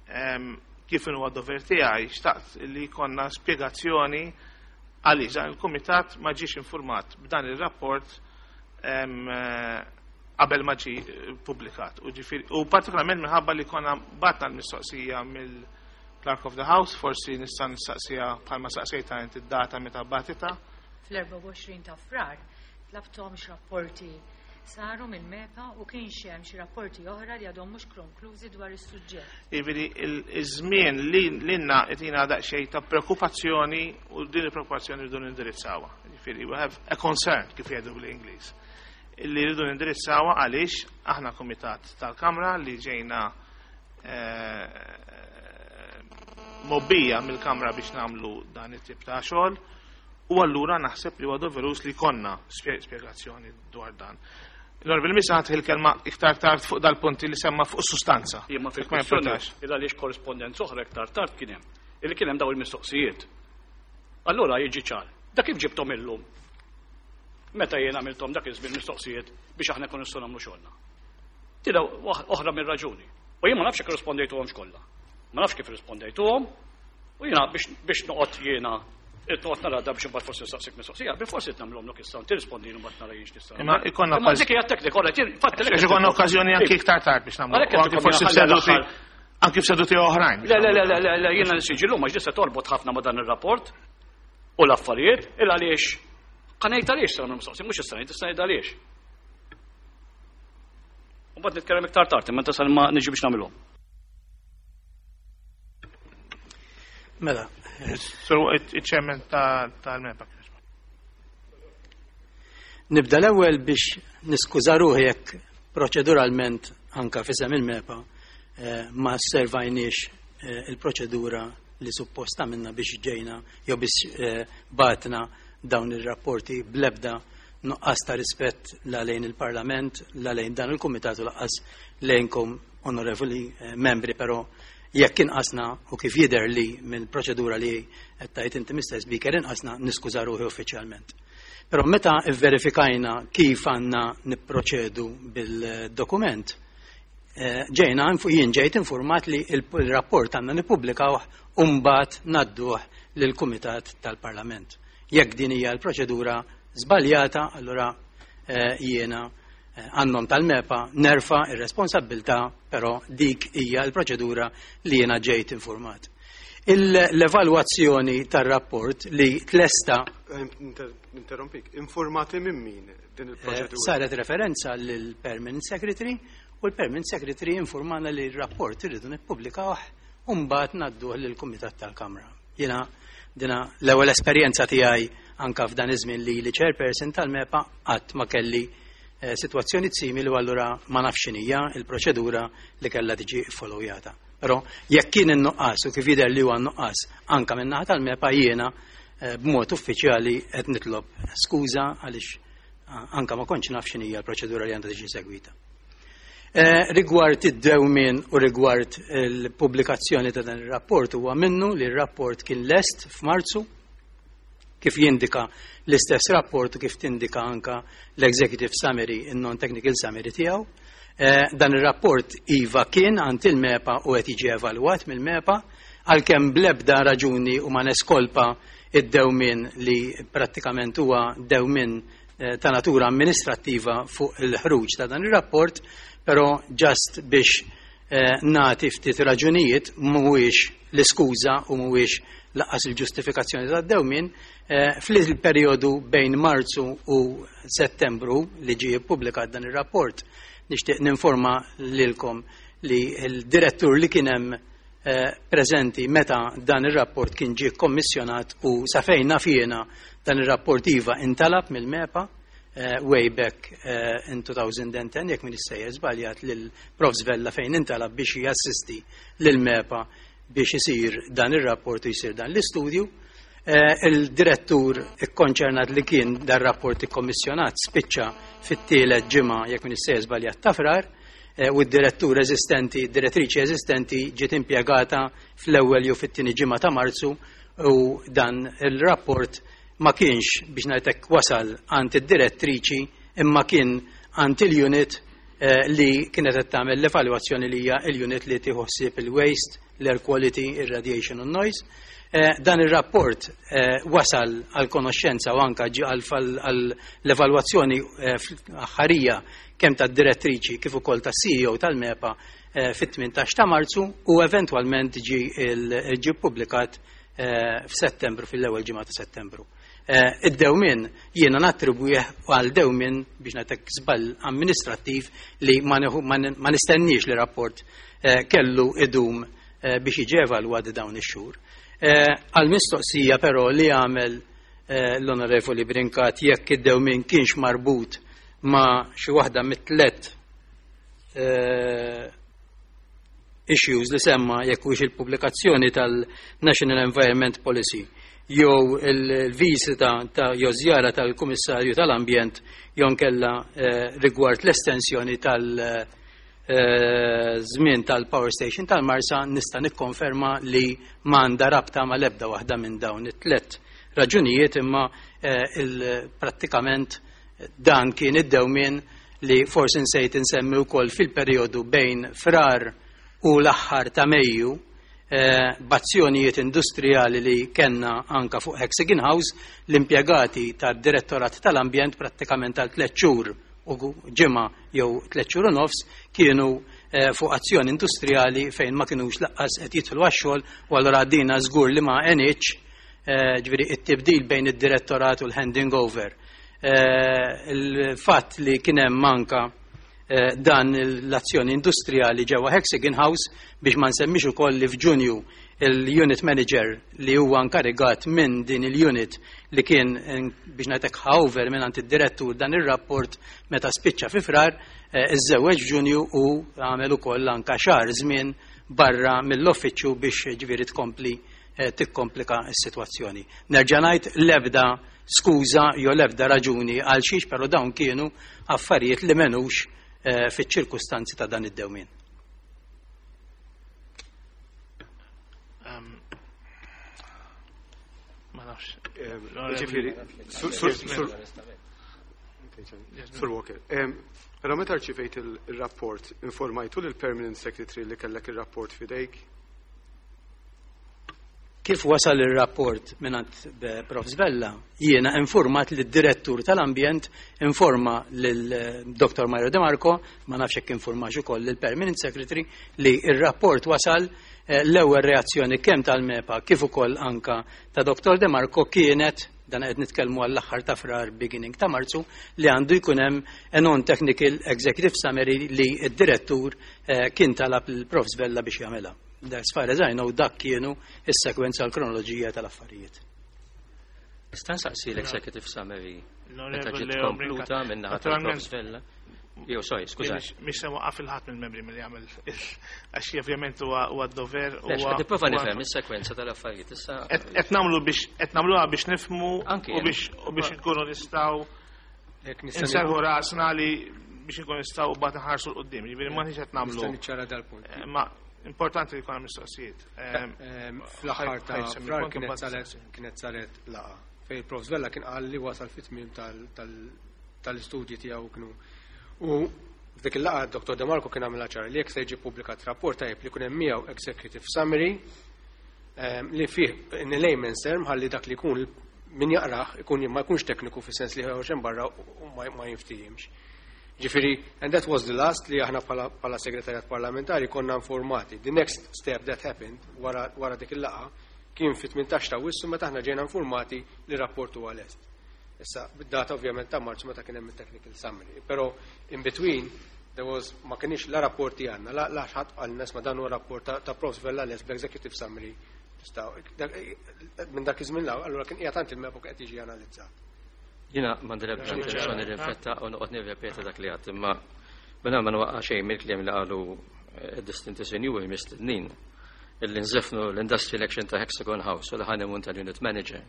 Em, Kif huwa dover tiegħi xtaqt li jkollna spjegazzjoni għaliex dan il-kumitat ma ġiex informat b'dan ir-rapport em, eh, qabel ma ġie publikat. U ġifieri u partikolarment minħabba li konna batna l-mistoqsija mill-Clerk of the House, forsi nista' nistaqsija bħalma saqsejta inti id-data meta batita. Fl-erbgħa u għoxrin ta' Frar tlabthom x'rapporti saru mill-MEPA u kien hemm xi rapporti oħra li għadhom mhux konklużi dwar is-suġġett. Jiġifieri iż-żmien li lilna qed daqsxejn ta' preokkupazzjoni u din il-preokkupazzjoni rridu nindirizzawha. Jiġifieri we have a concern kif jgħidu bl-Ingliż. Illi rridu nindirizzawha għaliex aħna kumitat tal-Kamra li ġejna eh, mobbija mill-Kamra biex nagħmlu dan it-tip ta' xogħol u allura naħseb li huwa doverus li konna spje- spjegazzjoni dwar dan. L-Onorevoli Mizzi ħadd il-kelma iktar tard fuq dal-punti li semma fuq sustanza. Jien ma Jekk ma fil-kwestjoni jimportax. il għaliex korrespondenza oħra iktar tard kien hemm. Illi kien hemm daw il-mistoqsijiet. Allura jiġi ċar. Da kif ġibtom illum? Meta jien għamiltom dak iż-żmien mistoqsijiet biex aħna nkunu nistgħu nagħmlu xogħolna. Tila oħra mir-raġuni. U jien ma nafx kif rispondejtuhomx kollha. Ma nafx kif rispondejtuhom. U jiena biex biex noqgħod jiena noqgħod nara da biex imbagħad forsi nistaqsik mistoqsija, bil forsi nagħmluhom lok issa tirrispondin mbagħad nara jien x'nista' Imma ikonna Imma okkaż- dik hija teknika, ora, fatt Għax ikonna okkażjoni anki iktar tard biex nagħmlu. Għalhekk U anki qed forsi ikun f'seduti l-aħħar. anki f'seduti oħrajn. Le, le, le, le, le, le, jiena nsiġi l-lum, għax dissa torbot ħafna ma dan il-rapport u l-affarijiet, il għaliex, qanejt għaliex sa' mistoqsi, mhux issa ngħid, issa ngħid għaliex. U mbagħad nitkellem iktar tard, imma tasal ma niġi biex nagħmilhom. Mela, So, iċ-chairman tal-MEPA. Nibda l-ewwel biex niskuża ruħi jekk proċeduralment anka f'isem il-MEPA eh, ma servajniex eh, il-proċedura li supposta minna biex ġejna jew biex eh, batna dawn ir-rapporti blebda nuqqas ta' rispett la lejn il-Parlament, la lejn dan il-Kumitat u laqqas lejnkom onorevoli eh, membri, però jekk inqasna u kif jidher li mill-proċedura li qed tgħid inti Mister Speaker inqasna niskuża ruħi uffiċjalment. Però meta verifikajna kif għandna nipproċedu bil-dokument, eh, ġejna infu-, jien ġejt informat li il-, il-rapport għandna nippubblikawh u mbagħad ngħadduh lill-Kumitat tal-Parlament. Jekk din hija l-proċedura żbaljata, allura, eh, jiena, eh, għannom tal-MEPA nerfa ir-responsabbiltà, però dik hija l-proċedura li jiena ġejt informat. L-evalwazzjoni tar-rapport li tlesta Interrompik, informati minn min din il-proċedura? Saret referenza lill-Permanent Secretary u l-Permanent Secretary informana li r-rapport irridu nippubblikawh u mbagħad ngħadduh lill-Kumitat tal-Kamra. Jiena dina l-ewwel esperjenza tiegħi anka f'dan iż-żmien li li chairperson tal-MEPA, qatt ma kelli eh, sitwazzjoni simili u allura ma nafx x'inhija il-proċedura li kellha tiġi followjata. Però jekk kien in-nuqqas u kif jidher li huwa n-nuqqas anka minn naħa tal-MEPA, jiena eh, b'mod uffiċjali qed nitlob skuża għaliex eh, anka ma kontx naf x'inhija l-proċedura li għandha tiġi segwita. Eh, rigward id-dewmien u rigward il-pubblikazzjoni ta' dan ir-rapport, huwa minnu li r-rapport kien lest f'Marzu, kif jindika l-istess rapport u kif tindika anka l-executive summary, il-non-technical summary tiegħu. Eh, dan ir-rapport iva kien għand il-MEPA u qed jiġi evalwat mill-MEPA, għalkemm blebda raġuni u ma neskolpa id-dewmien li prattikament huwa dewmien eh, ta' natura amministrattiva fuq il-ħruġ ta' dan ir-rapport, però just biex eh, nagħti ftit raġunijiet, mhuwiex l-iskuża u mhuwiex lanqas il-ġustifikazzjoni ta' dewmien, eh, fil-perjodu bejn Marzu u Settembru li ġie ppubblikat dan ir-rapport, nixtieq ninforma lilkom li l-direttur li kien hemm eh, preżenti meta dan ir-rapport kien ġie kommissjonat, u sa fejn naf jiena dan ir-rapport iva intalab mill-MEPA eh, way back eh, in twenty ten, jekk m'iniex sejjer żbaljat, lil Profs Vella, fejn intalab biex jassisti lil MEPA biex isir dan ir-rapport u jisir dan l-istudju. Eh, il-direttur ikkonċernat li kien dan rapport ikkommissjonat spiċċa fit-tielet ġimgħa, jekk m'iniex sejjer żbaljat, ta' Frar, eh, u d-direttur eżistenti, direttriċi eżistenti ġiet impjegata fl-ewwel jew fit-tieni ġimgħa ta' Marzu u dan il-rapport ma kienx, biex ngħidlek, wasal għand id-direttriċi imma kien għand il-unit eh, li kienet qed tagħmel l-evalwazzjoni, li hija il-unit li tieħu ħsieb il-waste, l-air quality, ir-radiation u noise. Eh, dan il-rapport eh, wasal għal konoxxenza u anka ġi għal l-evalwazzjoni aħħarija kemm tad-direttriċi kif ukoll tas-C E O tal-MEPA fit-tmintax ta' Marzu u eventwalment ġi ġi ppubblikat f'Settembru, fil-ewwel ġimgħa ta' Settembru. Id-dewmien jiena nattribwih għal dewmien, biex ngħidlek, żball amministrattiv li ma nistenniex li rapport kellu idum biex jiġi evalwat dawn ix-xhur. Għal-mistoqsija però li għamel l-Onorevoli Brincat jekk id-dewmien kienx marbut ma' xi waħda mit-tlet issues li semma, jekk hux il-pubblikazzjoni tal-National Environment Policy jew il-visita ta' jew żjara tal-Kummissarju tal-Ambjent jew kella rigward l-estensjoni tal- żmien tal-Power Station tal-Marsa, nista' nikkonferma li m'għandha rabta ma' l-ebda waħda minn dawn it-tlet raġunijiet, imma prattikament dan kien id-dewmien li forsi nsejt insemmi wkoll fil-perjodu bejn Frar u l-aħħar ta' Mejju, b'azzjonijiet industrijali li kellna anka fuq Hexagon House, l-impjegati tad-Direttorat tal-Ambjent prattikament għal tliet xhur u ġimgħa jew tliet xhur u nofs kienu fuq azzjoni industrijali fejn ma kinux lanqas qed jidħlu għax-xogħol, u allura dina żgur li ma għenitx, ġifieri it-tibdil bejn id-direttorat u l-handing over. Il-fatt li kien hemm manka dan l-azzjoni industrijali ġewwa Hexagon House, biex ma nsemmix ukoll li f'Ġunju il-unit manager li huwa inkarigat minn din il-unit li kien, biex ngħidlek, over minn għand id-direttur dan ir-rapport meta spiċċa fi Frar, iżżewweġ f'Ġunju u għamel ukoll anka xahar żmien barra mill-uffiċċju biex ġifieri tkompli tikkomplika s-sitwazzjoni. Nerġa' ngħid, l-ebda skuża jew l-ebda raġuni għal xiex, però dawn kienu affarijiet li m'għenux fiċ-ċirkustanzi ta' dan id-dewmien. Um, ma nafx. Ġifieri, Sur Walker, però meta rċivejt il-rapport, informajtu lill-Permanent Secretary li kellek il-rapport fidejk? Kif wasal il-rapport mingħand Profs Vella, jiena informat li d-direttur tal-ambjent informa lil Dottor Mario De Marco, ma nafx jekk informax ukoll lill-Permanent Secretary li il-rapport wasal. L-ewwel reazzjoni kemm tal-MEPA kif ukoll anka ta' Dottor De Marco kienet, dan qed nitkellmu għall-aħħar ta' Frar, beginning ta' Marzu, li għandu jkun hemm a non-technical executive summary li d-direttur kien talab il-Profs Vella biex jagħmilha. As far as I know, dak kienu is-sekwenza, l-kronoloġija tal-affarijiet. Nista' nsaqsi l-executive summary meta ġiet kompluta minn naħa tal-Profs Vella? Jew, sorry, skuża. Mhix se waqqaf il-ħadd mill-membri milli jagħmel, għax ovvjament huwa d-dover. Qed nipprova nifhem is-sekwenza tal-affarijiet issa. Qed nagħmlu biex qed nagħmluha biex nifhmu u biex u biex nkunu nistgħu nserħu rasna li biex nkunu nistgħu mbagħad nħarsu 'l quddiem. Jiġifieri ma qed nagħmlu. Nista' niċċara dal-punt. Ma importanti li jkun hemm mistoqsijiet. Fl-aħħar ta' Frar kienet saret kienet saret laqgħa fejn il-Profs Vella kien qal li wasal fit-tmiem tal-istudji tiegħu kienu. U f'dik il-laqgħa Dottor De Marco kien għamilha ċara li jekk se jiġi pubblikat rapport, tajjeb li jkun hemm miegħu executive summary li fih in layman's term, ħalli dak li jkun min jaqrah ikun ma jkunx tekniku fis-sens li ħorġ barra u ma jinftihimx. Ġifieri, and that was the last li aħna bħala segretarjat parlamentari konna informati. The next step that happened wara, wara dik il-laqgħa kien fit-tmintax ta' Awwissu, meta aħna ġejna informati li rapport huwa lest. Issa, bid-data ovvjament ta' Marzu, meta kien hemm il-technical summary. Però in between there was ma kienx la rapporti għandna, la la ħadd għal ma dan huwa rapport ta', ta Profs Vella lest bl-executive summary. Minn dak iż-żmien, allura kien qiegħed il-MEPA qed jiġi analizzat. Jiena m'għandi l-ebda intenzjoni li nfetta u noqgħod nirrepeta dak li għedt, imma minn ma nwaqqa' xejn mill-kliem li qalu distinti sinjuri mistednin, illi nżefnu l-Industrial Action ta' Hexagon House u l-honeymoon tal-unit manager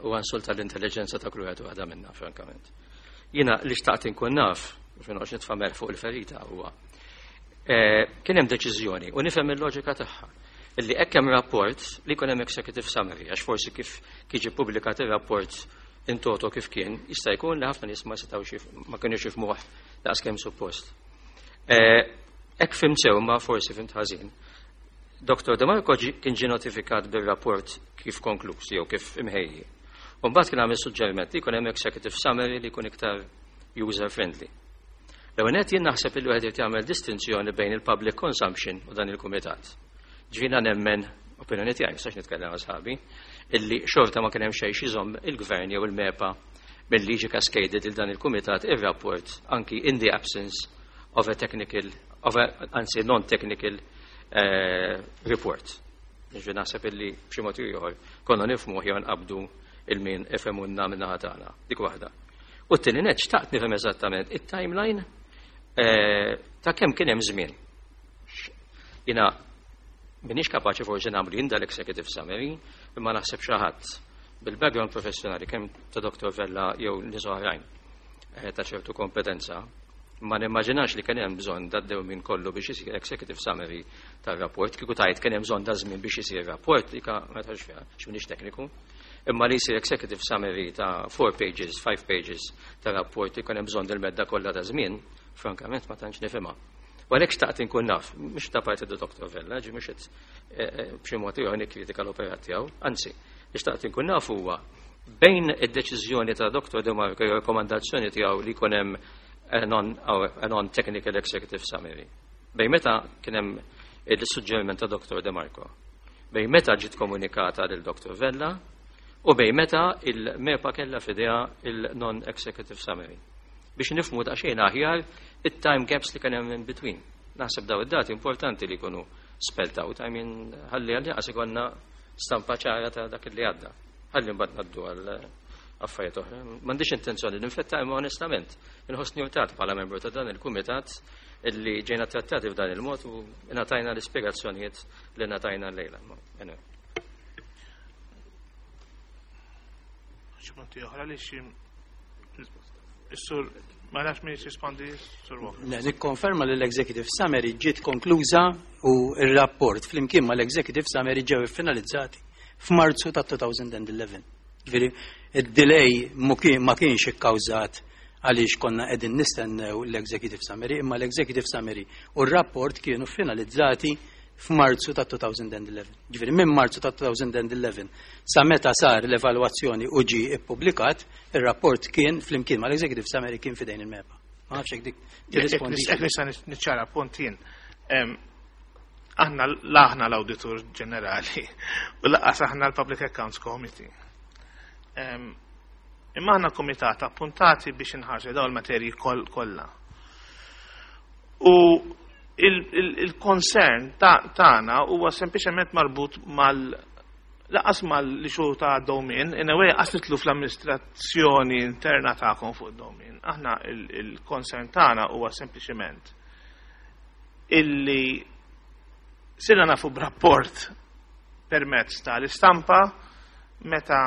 u insult tal-intelligenza ta' kull wieħed waħda minna, frankament. Jiena li xtaqt inkun naf, biex noqgħodx nitfa' fuq il-ferita, huwa kien hemm deċiżjoni, u nifhem il-loġika tagħha, illi hekk hemm rapport li jkun hemm executive summary, għax forsi kif jiġi ppubblikat ir-rapport in toto kif kien, jista' jkun li ħafna nies ma setgħux, ma kienux jifhmuh daqs kemm suppost. Hekk fhimt sew, ma forsi fhimt ħażin. Dottor De Marco kien ġie notifikat bir-rapport kif konkluż jew kif imħejji. U mbagħad kien għamel suġġeriment li jkun hemm executive summary li jkun iktar user friendly. L-ewwel nett, jien naħseb li wieħed irid jagħmel distinzjoni bejn il-public consumption u dan il-kumitat. Ġifieri nemmen, opinjoni tiegħi, nistax nitkellem għal sħabi, illi xorta ma kien hemm xejn iżomm il-gvern jew il-MEPA milli jiġi cascaded il dan il-kumitat ir-rapport anki in the absence of a technical, of a, anzi, non-technical uh, report. Ġifieri naħseb illi b'xi mod ieħor konna nifhmu jew nqabdu il-min ifhemuna min-naħa tagħna. Dik waħda. U t-tieni nett, xtaqt nifhem eżattament it-timeline eh, ta' kemm kien hemm żmien. Jiena minix kapaċi forsi nagħmlu jien dal-executive summary, imma naħseb xi ħadd bil-background professjonali kemm ta' Dottor Vella jew nies oħrajn eh, ta' ċertu kompetenza, ma nimmaġinax li kien hemm bżonn daddew minn kollu biex isir executive summary tar-rapport. Kieku tajt kien hemm bżonn da żmien biex isir rapport, dika ma tħallx fiha, x'minix tekniku. Imma li jsir executive summary ta' four pages, five pages ta' rapport li kien hemm bżonn del-medda kollha ta' żmien, frankament ma tantx nifhimha. U għalhekk xtaqt inkun naf, mhux ta' parti Dottor Vella, ġi mhux qed eh, eh, b'xi mod ieħor nikkritika l-operat tiegħu, anzi, li xtaqt inkun naf huwa bejn id-deċiżjoni ta' Dottor De Marco jew rekomandazzjoni tiegħu li jkun hemm a non-technical executive summary. Bejn meta kien hemm il-suġġeriment ta' Dottor De Marco, bejn meta ġiet komunikata lil Dottor Vella u bejn meta il-MEPA kella f'idejha il-non-executive summary. Biex nifhmu daqsxejn aħjar it-time gaps li kien hemm in between. Naħseb daw id-dati importanti li jkunu spelled out, I mean, ħalli għalli għas ikollna stampa ċara ta' dak li għadda. Ħalli mbagħad ngħaddu għal affarijiet oħra. M'għandix intenzjoni li nfetta, imma onestament inħossni urtat bħala membru ta' dan il-kumitat illi ġejna trattati f'dan il-mod u ngħatajna l-ispjegazzjonijiet li ngħatajna llejla. Anyway. Xi punti oħra li xi Is-sur, ma nafx min jisrispondi, Sur Walker. Le, nikkonferma li l-executive summary ġiet konkluża u il-rapport flimkien ma l-executive summary ġew finalizzati f'Marzu ta' elfejn u għaxra. Ġifieri, id-delay ma kienx ikkawżat għaliex konna qegħdin nistennew l-executive summary, imma l-executive summary u r-rapport kienu finalizzati f'Marzu ta' elfejn u għaxra. Ġifieri minn Marzu ta' elfejn u għaxra sa meta sar l-evalwazzjoni u ġi ippubblikat, ir-rapport kien flimkien mal-executive summary kien fidejn il-MEPA. Ma nafx hekk dik tirrispondi. Jekk nista' niċċara punt jien. Aħna l'aħna l-Awditur Ġenerali u lanqas aħna l-Public Accounts Committee. Imma aħna komitat appuntati biex inħarsu dawn il-materji kollha. U il-concern tagħna huwa sempliċement marbut mal lanqas mal-issue ta' dewmien, in a way qas nidħlu fl-amministrazzjoni interna tagħkom fuq dewmien. Aħna il-concern tagħna huwa sempliċement illi sirna nafu b'rapport permezz tal-istampa, meta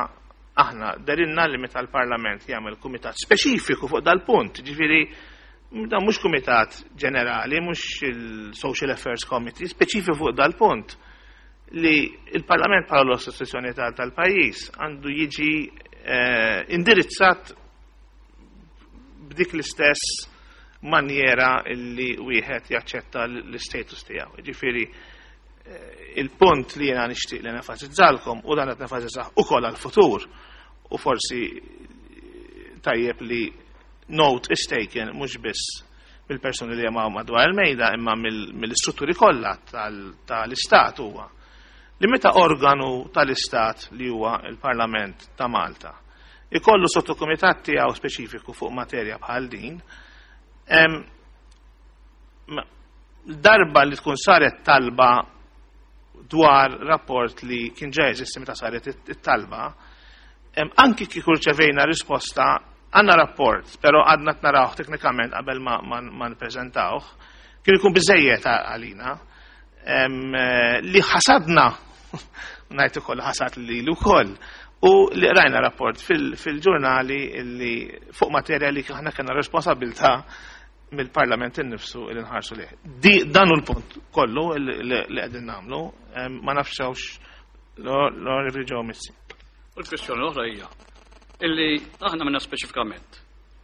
aħna dehrilna li meta l-Parlament jagħmel kumitat speċifiku fuq dal-punt, ġifieri dan mhux kumitat ġenerali, mhux il-Social Affairs Committee, speċifiku fuq dal-punt, li il-Parlament bħala l-istituzzjoni tal-pajjiż għandu jiġi eh, indirizzat b'dik l-istess manjera li wieħed jaċċetta l-status tiegħu. Ġifieri eh, il-punt li jiena nixtieq li nenfasizzalkom, u dan qed nenfasizzah ukoll għall-futur, u forsi tajjeb li note is taken mhux biss mill-persuni li jemaw madwar il-mejda imma mill-istrutturi kollha tal-istat, huwa li meta organu tal-istat li huwa il-Parlament ta' Malta ikollu sottokumitat tiegħu speċifiku fuq materja bħal din, darba li tkun saret talba dwar rapport li kien ġa jeżisti meta saret it-talba, anki kieku rċevejna risposta, "Għandna rapport, pero għadna narawh teknikament qabel ma, ma, ma nippreżentawh", kien ikun biżejjed għalina li ħasadna, ngħid ukoll ħasad li wkoll, u li rajna rapport fil-ġurnali li fuq materja li aħna kellna responsabbiltà mill-Parlament innifsu li nħarsu lejh. Di dan hu l-punt kollu li qegħdin nagħmlu, ma nafx hawnx l-Onorevoli Joe Mizzi. U l-kwestjoni l-oħra hija illi aħna minna speċifikament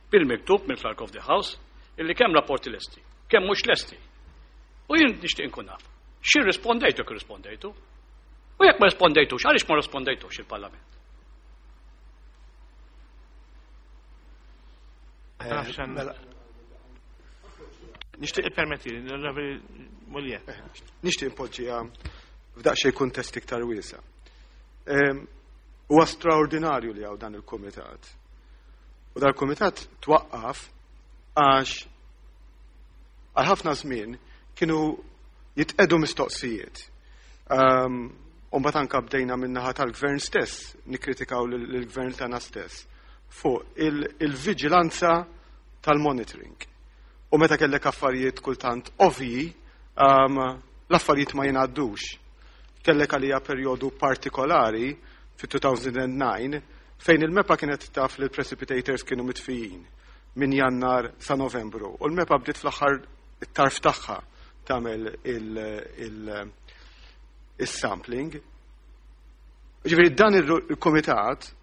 bil-miktub mill-Clerk of the House illi kemm rapporti lesti, kemm mhux lesti. U jien nixtieq inkun naf. Xi rispondejtu, kif rispondejtu? U jekk ma rispondejtux, għaliex ma rispondejtux il-Parlament? Mela. Nixtieq permetti, l-Onorevoli Mugliett. Nixtieq impoġġiha f'daqsxejn kuntest iktar wiesa'. Huwa straordinarju li hawn dan il-kumitat. U dan il-kumitat twaqqaf għax għal ħafna żmien kienu jitqedu mistoqsijiet. U mbagħad anke bdejna min-naħa tal-gvern stess nikkritikaw lill-gvern tagħna stess fuq il-viġilanza tal-monitoring. U meta kellek affarijiet kultant ovvji, l-affarijiet ma jingħaddux. Kellek għalija perjodu partikolari fit-elfejn u disgħa fejn il-MEPA kienet taf li l-precipitators kienu mitfijin minn Jannar sa Novembru. U l-MEPA bdiet fl-aħħar it-tarf tagħha tagħmel il-sampling. Ġifieri dan il-komitat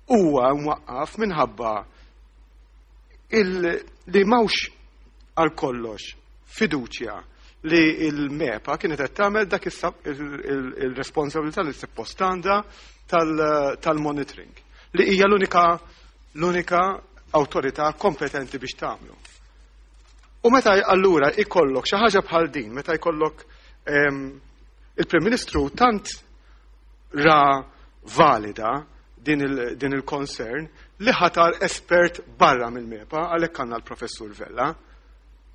huwa mwaqqaf minħabba li m'hawnx għal kollox fiduċja li il-MEPA kienet qed tagħmel dak il-responsabilità li suppost għandha tal-monitoring li hija l-unika l-unika awtorità kompetenti biex tagħmlu. U meta allura ikollok xi ħaġa bħal din, meta jkollok il-Prim Ministru tant ra valida din il-concern li ħatar espert barra mill-MEPA, għalhekk għandna l-Professur Vella,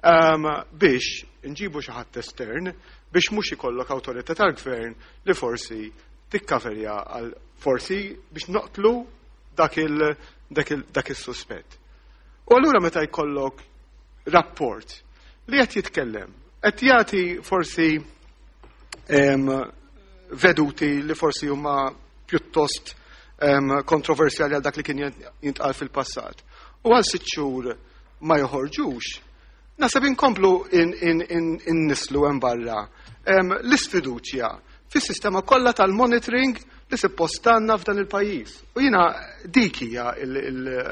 biex nġibu xi ħadd estern biex mhux ikollok awtorità tal-gvern li forsi tikkaverja għal forsi biex noqtlu dak il dak il-suspett. U allura meta jkollok rapport li qed jitkellem, qed jagħti forsi veduti li forsi huma pjuttost kontroversjali għal dak li kien jintqal fil-passat. U għal sitt xhur ma joħorġux, naħseb inkomplu innislu hemm barra l-isfiduċja fis-sistema kollha tal-monitoring li suppost għandna f'dan il-pajjiż. U jiena dik hija,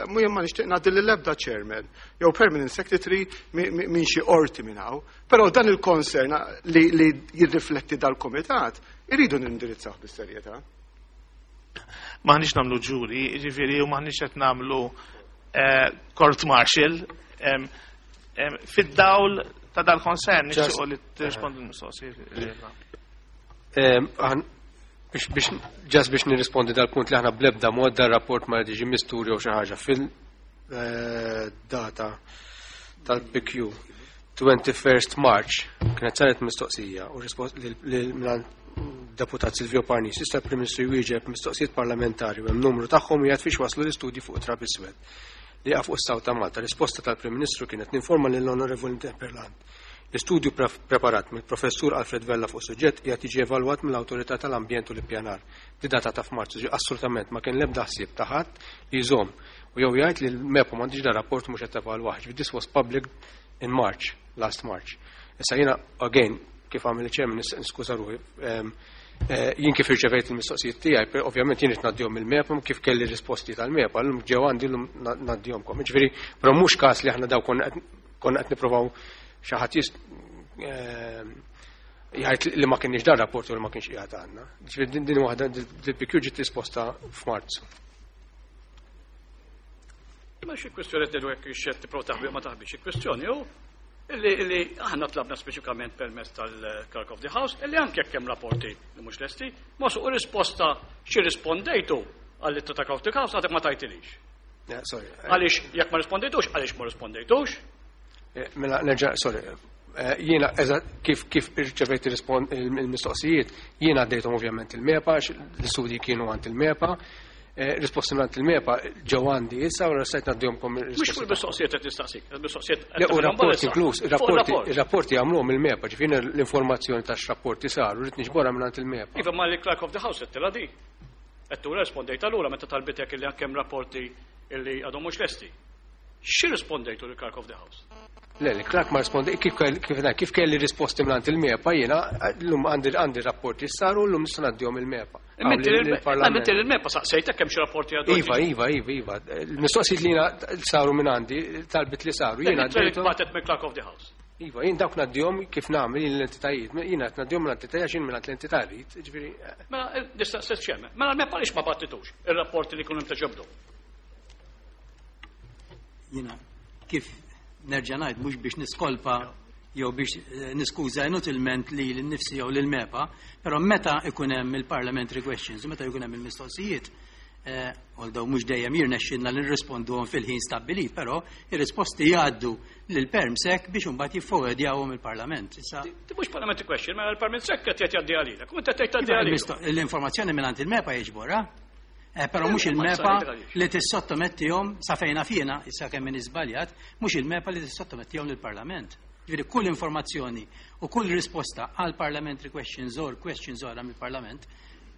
mhu ma nixtieq ngħaddi lill-ebda chairman jew permanent secretary minn xi qorti minn hawn, però dan il-concern li, li jirrifletti dal-komitat irridu nindirizzaw bis-serjetà. M'aħniex nagħmlu ġuri, ġifieri, u m'aħniex qed nagħmlu eh, court martial. Fid-dawl ta' dal-concern nixtiequ li tirrispondu l-mistoqsijiet. Biex just biex nirrispondi dal-punt li aħna bl-ebda mod dar-rapport ma jiġi mistur jew xi ħaġa fil-data tal-P Q twenty-first March kienet saret mistoqsija u rispost lil deputat Silvio Parnis, jista' Prim Ministru jwieġeb mistoqsijiet parlamentari u hemm numru tagħhom jgħid fiex waslu l-istudji fuq trab iswed li jaqa' fuq is-Saw ta' Malta. Risposta tal-Prim Ministru kienet ninforma lill-Onorevoli Interpellant. L-istudju preparat mill-Professur Alfred Vella fuq suġġett qiegħed jiġi evalwat mill-Awtorità tal-Ambjent u l-Ippjanar. Di data ta' f'Marzu, ġi assolutament ma kien l-ebda ħsieb ta' ħadd li jżomm u jew jgħid li l-MEPA m'għandix da rapport mhux qed tevalwah. Ġifieri this was public in March, last March. Issa jiena again kif għamel il-chairman niskuża ruħi, ehm, eh, jien kif irċevejt il-mistoqsijiet tiegħi, per-, ovvjament jien qed ngħaddihom il-MEPA kif kelli risposti tal-MEPA, llum ġew għandi llum na-, ngħaddihomkom. Ġifieri, però mhux każ li aħna daw konna qed, konna qed nippruvaw xi ħadd jist-, ehm, jgħid li ma kienx dar rapport u li ma kienx qiegħed għandna. Ġifieri din, din waħda dil P Q ġiet risposta f'Marzu. Ma xi kwestjoni qed ngħidu hekk ix-xed tipprova taħbi ma taħbix, xi kwestjoni hu illi, illi aħna tlabna speċifikament permezz tal-Clerk of the House illi anke jekk hemm rapporti li mhux lesti, ma suq risposta xi rispondejtu għall-ittra ta' Clerk of the House għadek ma tajtilix. Yeah, sorry. Għaliex jekk ma rispondejtux, għaliex ma rispondejtux? Eh, mela, nerġa', sorry. Eh, jiena, eżatt, kif, kif irċevejt il-rispon-, il-mistoqsijiet, jiena għaddejthom ovvjament il-MEPA, l-istudji kienu għand il-MEPA, eh, risposti minn il-MEPA ġew għandi issa u stajt ngħaddihomkom Mhux il-risposti. fuq il-mistoqsijiet qed nistaqsik, il-mistoqsijiet qed Le, u nagħmlu rapporti issa. inkluż, Fuq il-rapporti, il-rapport. il-rapporti għamluhom il-MEPA, ġifieri l-informazzjoni ta' x-rapporti saru, rrid niġborha minn il-MEPA. Iva, ma li Clerk of the House qed tilha di. Qed tura rispondejt allura meta talbitek illi anke hemm rapporti illi għadhom mhux lesti. Xi rispondejtu lil Clerk of the House? Le, le, Clerk ma rispondi, kif kell-, kif, kif kelli risposti minn il-MEPA, jiena llum għandi, għandi rapporti saru, llum nista' ngħaddihom il-MEPA. Imma inti Għamli lil- lill-Parlament. imma inti lill-MEPA saqsejtek kemm xi rapporti għadu. Iva, iva, iva, iva. Il-mistoqsijiet li jiena saru minn għandi, talbit li saru, jiena Li għaddejthom. bagħtet minn Clerk of the House. Iva, jien dawk ngħaddihom kif nagħmel jien l-entitajiet, jiena qed ngħaddihom l-entitajiet għax jien minn l-entità rrid, ġifieri, eh. Mela, nista' stess xemm. Mela l-MEPA għaliex ma battitux ir-rapporti li kienu imtaġobdu? Jiena kif nerġa' ngħid mhux biex niskolpa jew biex, eh, niskuża inutilment li lin-nifsi jew lil-MEPA, però meta ikun hemm il-parliamentary questions, meta jkun hemm il-mistoqsijiet, eh, although mhux dejjem jirnexxilna li nirrisponduhom fil-ħin stabbilit, però ir-risposti jgħaddu lil PermSec biex imbagħad jifforwardjawhom il-Parlament. Issa Ti mhux parliamentary question, mela l-Perm Sec qed jgħaddi għalilek. U inti qed tgħaddi Iva, għalilek. il-misto-, l-informazzjoni mingħand il-MEPA jiġborha. Eh, però mhux Eh, ma il-MEPA tsarri għaliex. li tissottomettihom sa fejna fjena, issa kemm min iżbaljat, mhux il-MEPA li tissottomettihom lill-Parlament. Ġifieri kull informazzjoni u kull risposta għal parliamentary questions or questions oħra mill-Parlament,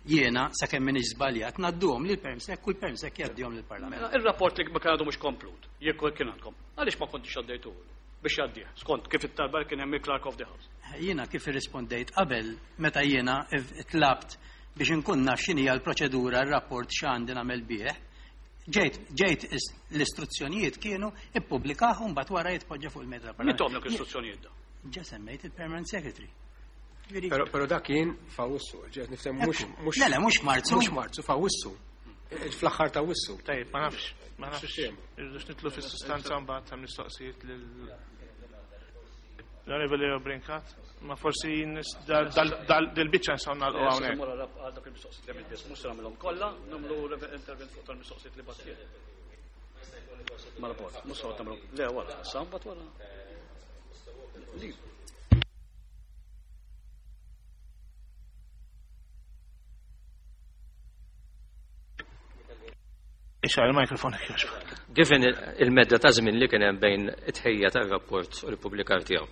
jiena sa kemm min iżbaljat ngħadduhom lil PermSec u l-PermSec jgħaddihom lill-Parlament. Mela, ir-rapport li ma kien għadu mhux komplut, jekk kien għandkom, għaliex ma kontix għaddejtuhu biex jgħaddih, skont kif it-talba kien hemm il-Clerk of the House. Jiena kif irrispondejt qabel meta jiena tlabt biex inkun naf x'inhi l-proċedura, r-rapport x'għandi nagħmel bih, ġejt, ġejt is-, l-istruzzjonijiet kienu ippubblikah u mbagħad wara jitpoġġa fuq il-mezz tal-Parlament. Min tomlok l-istruzzjonijiet da? Ġa semmejt il-Permanent Secretary. Ġifieri- Però, però dak kien f'Awwissu, ġejt nifhem mhux Ekku. mhux Le, le, mhux Marzu. Mhux Marzu, f'Awwissu. Eh, fl-aħħar ta' Wissu. Tajjeb, ma nafx, ma nafx. Sistema. Irridux nitlu fis-sustanza mbagħad ta' mistoqsijiet lil l-Onorevoli Leo Brincat, ma forsi nis-, dal-, dal-, dal-, dil-biċċa nistgħu nagħlqu hawnhekk. Mura rab għal dak il-mistoqsijiet li għamilt biss, mhux se nagħmilhom kollha, nagħmlu intervent fuq tal-mistoqsijiet li bagħtiet. Ma rapport, mhux se nagħmlu. Le, wara, sa mbagħad wara. Li. Ixgħal il-mikrofon jekk jogħġbok. Given il-medda ta' żmien li kien hemm bejn it-tħejja tar-rapport u l-ippubblikar tiegħu.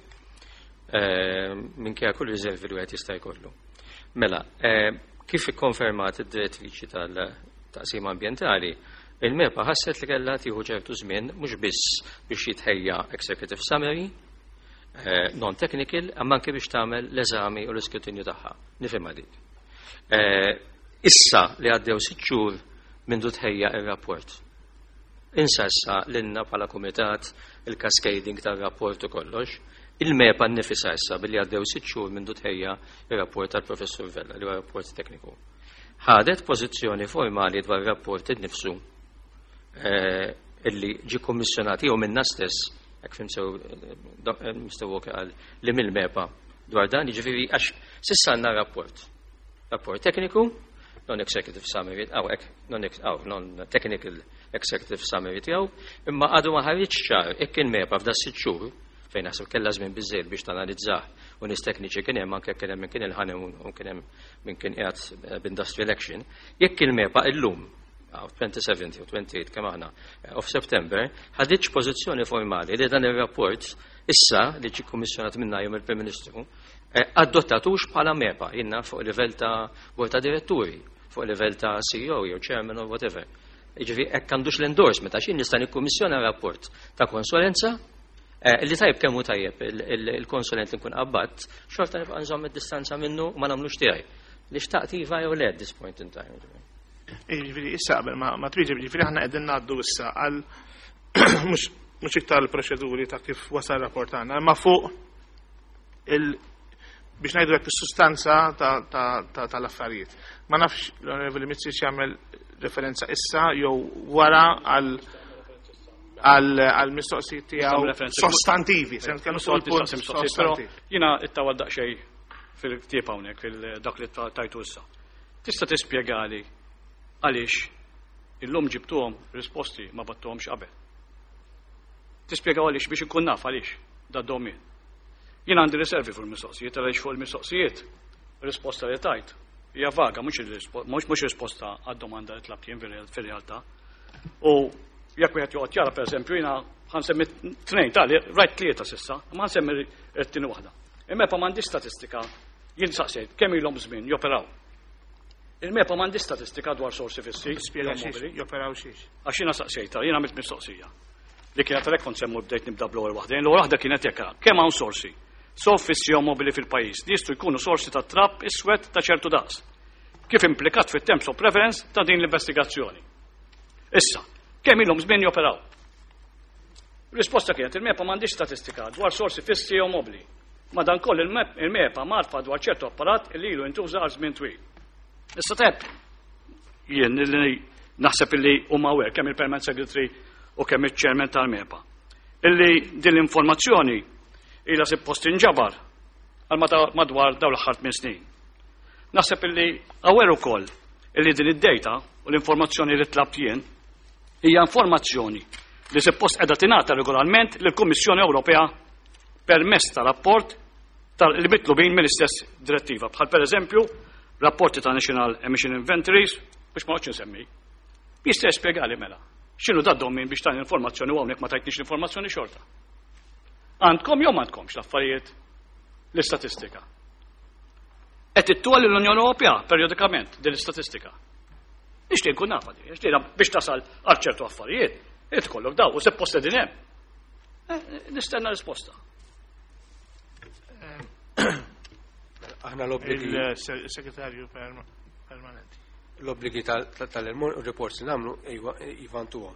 Eh, minkejja kull riservi li wieħed jista' jkollu. Mela, eh, kif ikkonfermat id-direttriċi tal-taqsima ambjentali, il-MEPA ħasset li kellha tieħu ċertu żmien mhux biss biex jitħejja executive summary, eh, non-technical, imma anke biex tagħmel l-eżami u l-iskrutinju tagħha. Nifhimha dik. Eh, issa li għaddew sitt xhur mindu tħejja ir-rapport. Insa issa lilna bħala kumitat il-cascading tar-rapport u kollox, il-MEPA nnifisha issa billi għaddew sitt xhur mindu tħejja ir-rapport tal-Professur Vella, li huwa rapport tekniku. Ħadet pożizzjoni formali dwar ir-rapport innifsu, eh, illi ġie kommissjonat jew minna stess Hekk fhimt sew, Mister Walker qal li mill-MEPA dwar dan, jiġifieri għax s'issa għandna rapport. Rapport tekniku, non-executive summary, aw, non-technical executive summary tiegħu, imma għadu ma ħareġ ċar jekk il-MEPA f'da sitt xhur fejn naħseb kellha żmien biżejjed biex tanalizzah u nies tekniċi kien hemm, anke kien hemm min kien il-honeymoon u kien hemm min kien qiegħed b'industrial action, jekk il-MEPA illum twenty-seven u twenty-eight kemm aħna of September ħaditx pożizzjoni formali li dan ir-rapport issa li ġie kummissjonat minna jum il-Prim Ministru adottatux bħala MEPA jiena fuq livell ta' bord ta' diretturi, fuq livell ta' C E O jew chairman or whatever. Jiġifieri hekk għandux l-endorsement, għax jien nista' nikkummissjona rapport ta' konsulenza li tajb kemm hu tajjeb il-konsulent li nkun qabbadt, xorta nibqa' nżomm id-distanza minnu u ma nagħmlux tiegħi. Li xtaqt iva jew le at this point in time. Jiġifieri issa qabel ma twieġeb, jiġifieri aħna qegħdin ngħaddu issa għal mhux mhux iktar l-proċeduri ta' kif wasal rapport tagħna, imma fuq il biex ngħidu hekk is-sustanza tal-affarijiet. Ma nafx l-Onorevoli Mizzi jagħmel referenza issa jew wara għal għal mistoqsijiet tiegħu sostantivi, se nitkellmu fuq il-punt sostantiv. Jiena ittawal daqsxejn fil-ktieb hawnhekk fil-dak li tajtu issa. Tista' tispjegali għaliex illum ġibtuhom risposti ma bgħattuhomx qabel? Tispjegaw għaliex biex ikun naf għaliex da domin. Jien għandi riservi fuq il-mistoqsijiet, għaliex fuq il-mistoqsijiet risposta li tajt hija vaga, mhux risposta għad-domanda li tlabt jien fir-realtà. U jekk wieħed joqgħod jara, pereżempju, jiena ħa nsemmi tnejn tali, rajt tlieta s'issa, ma ħa nsemmi t-tieni waħda. Il-MEPA m'għandi statistika, jien saqsejt kemm ilhom żmien joperaw. Il-MEPA m'għandi statistika dwar sorsi fissi. Spjega xiex, joperaw xiex. Għax jiena saqsejta, jiena għamilt mistoqsija. Li kienet għalhekk kont semmu bdejt nibda bl-ewwel waħda. L-ewwel waħda kienet jekk kemm hawn sorsi so fissi jew mobili fil-pajjiż li jistgħu jkunu sorsi ta' trab iswed ta' ċertu daqs, kif implikat fit-terms of reference ta' din l-investigazzjoni. Issa, kemm ilhom żmien joperaw? Risposta kienet: il-MEPA m'għandix statistika dwar sorsi fissi jew mobili. Madankollu il-MEPA mgħarrfa dwar ċertu apparat li ilu jintuża għal żmien twil. Issa teb, jien li naħseb illi huma aware kemm il-Permanent Secretary u kemm il-Chairman tal-MEPA, illi din l-informazzjoni ila suppost inġabar għal madwar dawn l-aħħar tmien snin. Naħseb illi aware ukoll illi din id-data u l-informazzjoni li tlabt jien hija informazzjoni li suppost qiegħda tingħata regolarment lill-Kummissjoni Ewropea permezz ta' rapport li mitlubin mill-istess direttiva. Bħal per eżempju, rapporti ta' National Emission Inventories, biex ma nsemmi. Jista' jispjegali mela x'inhu da domin biex tan informazzjoni u hawnhekk ma tajtniex l-informazzjoni xorta? Għandkom jew m'għandkomx l-affarijiet, l-istatistika? Qed ittuha l-Unjoni Ewropea periodikament din l-istatistika? Nixtieq nkun nafa din, nixtieq biex tasal għal ċertu affarijiet, irid ikollok daw u suppost din hemm. Eh, nistenna risposta. Aħna l-obbligi. Il-segretarju permanenti. L-obbligi tal-reports li nagħmlu, iva, ntuhom.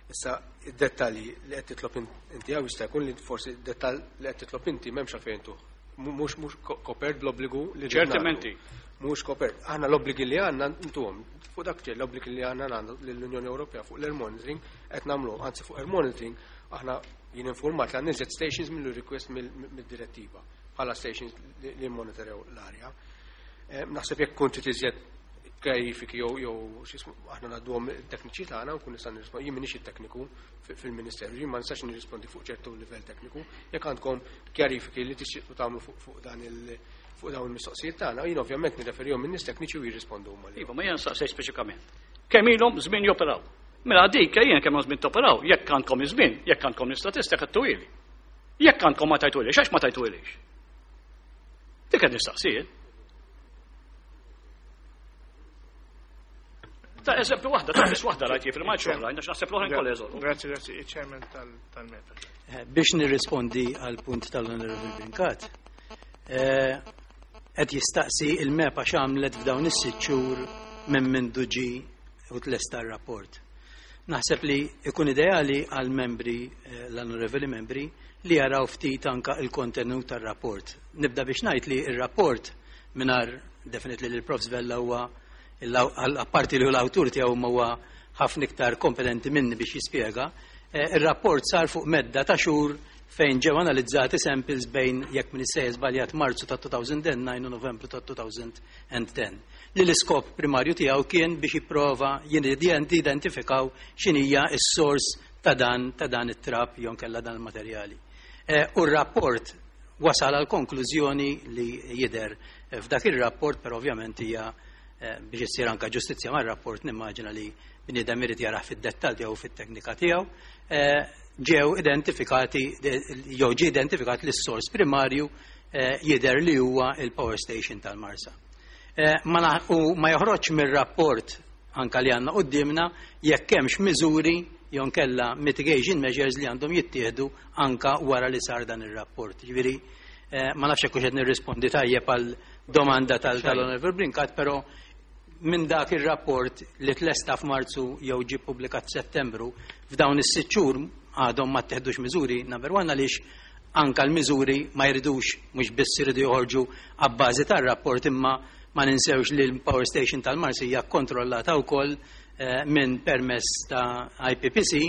Issa, id-dettalji li qed titlob inti hawn, jista' jkun li forsi id-dettall li qed titlob inti m'hemmx għalfejn tuh. Mhux mhux kopert bl-obbligu li Ċertamenti. Mhux kopert. Aħna l-obbligi li għandna ntuhom. Fuq dak l-obbligi li għandna għandna l-Unjoni Ewropea fuq l-air monitoring qed nagħmlu, anzi fuq air monitoring aħna jien informat li għandna stations mill-request mill-direttiva bħala stations li monitorjaw l-arja. Eh, naħseb jekk kont iżjed kjarifiki jew jew aħna ngħadduhom it-tekniċi tagħna u nkun nista' nirrispondi. Jien m'iniex it-tekniku fil-Ministeru, jien ma nistax nirrispondi fuq ċertu livell tekniku. Jekk għandkom kjarifiki li tixtiequ tagħmlu fuq dan il fuq dawn il-mistoqsijiet tagħna, jien ovvjament nirreferihom min-nies tekniċi u jirrispondu huma. Iva, ma jien saqsej speċifikament. Kemm ilhom żmien joperaw? Mela dik jien kemm żmien toperaw, jekk għandkom iż-żmien, jekk għandkom l-istatistika twili. Jekk għandkom ma tajtulix, għax ma tajtulix? Dik qed nistaqsijiet. Ta' eżempju waħda, ta' biss waħda rajt jifri ma' oħrajn, għax naħseb l-oħrajn kollha jeżolu. Grazzi, grazzi, il-chairman tal-MEPA. Eh, biex nirrispondi għal punt tal-Onorevoli Brincat, eh, qed jistaqsi il-MEPA x'għamlet f'dawn is-sitt xhur minn mindu ġie u tlesta r-rapport. Naħseb li ikun ideali għal membri, eh, l-onorevoli membri, li jaraw ftit anka il-kontenut tar-rapport. Nibda biex ngħid li il-rapport mingħajr definitely li l-Profs Vella huwa apparti li l-awtur tiegħu huwa ħafna iktar kompetenti minni biex jispjega, eh, ir-rapport sar fuq medda ta' xhur fejn ġew analizzati samples bejn, jekk m'iniex sejjer żbaljat, Marzu ta' elfejn u disa u Novembru ta' elfejn u għaxra, li l-iskop primarju tiegħu kien biex jipprova jidentifikaw x'inhija s-sors ta' dan ta' dan it-trab jew kella dan il-materjali. Eh, u r-rapport wasal għal konklużjoni li jidher f'dak ir-rapport, però ovvjament hija eh, biex issir anka ġustizzja mar-rapport, nimmaġina li bniedem irid jarah fid-dettall tiegħu, fit-teknika tiegħu, eh, ġew identifikati jew ġie identifikat li s-sors primarju eh, jidher li huwa il-power station tal-Marsa. Ma, u ma joħroġ mir-rapport anka li għandna qudiemna jekk hemmx miżuri jew kella mitigation measures li għandhom jittieħdu anka wara li sar dan ir-rapport. Ġifieri ma nafx hekk qed nirrispondi tajjeb għal domanda tal-Honorable Brincat, però minn dak ir-rapport li tlesta f'Marzu jew ġie publikat f'Settembru, f'dawn is-sitt xhur għadhom ma tteħdux miżuri, number one għaliex anka l-miżuri ma jridux, mhux biss iridu joħorġu abbażi tar-rapport, imma ma ninsewx li l-power station tal-Marsa hija kontrollata wkoll eh, minn permess ta' I P P C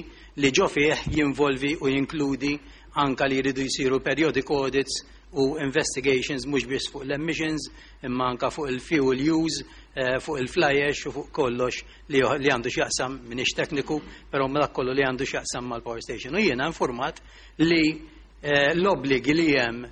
li ġo fih jinvolvi u jinkludi anka li jridu jsiru periodic audits u investigations mhux biss fuq l-emissions imma anka fuq il-fuel use, eh, fuq il-fly ash u fuq kollox li li għandu x'jaqsam, minix tekniku, però ma dak kollu li għandu x'jaqsam mal-power station. U jiena informat li eh, l-obbligi li hemm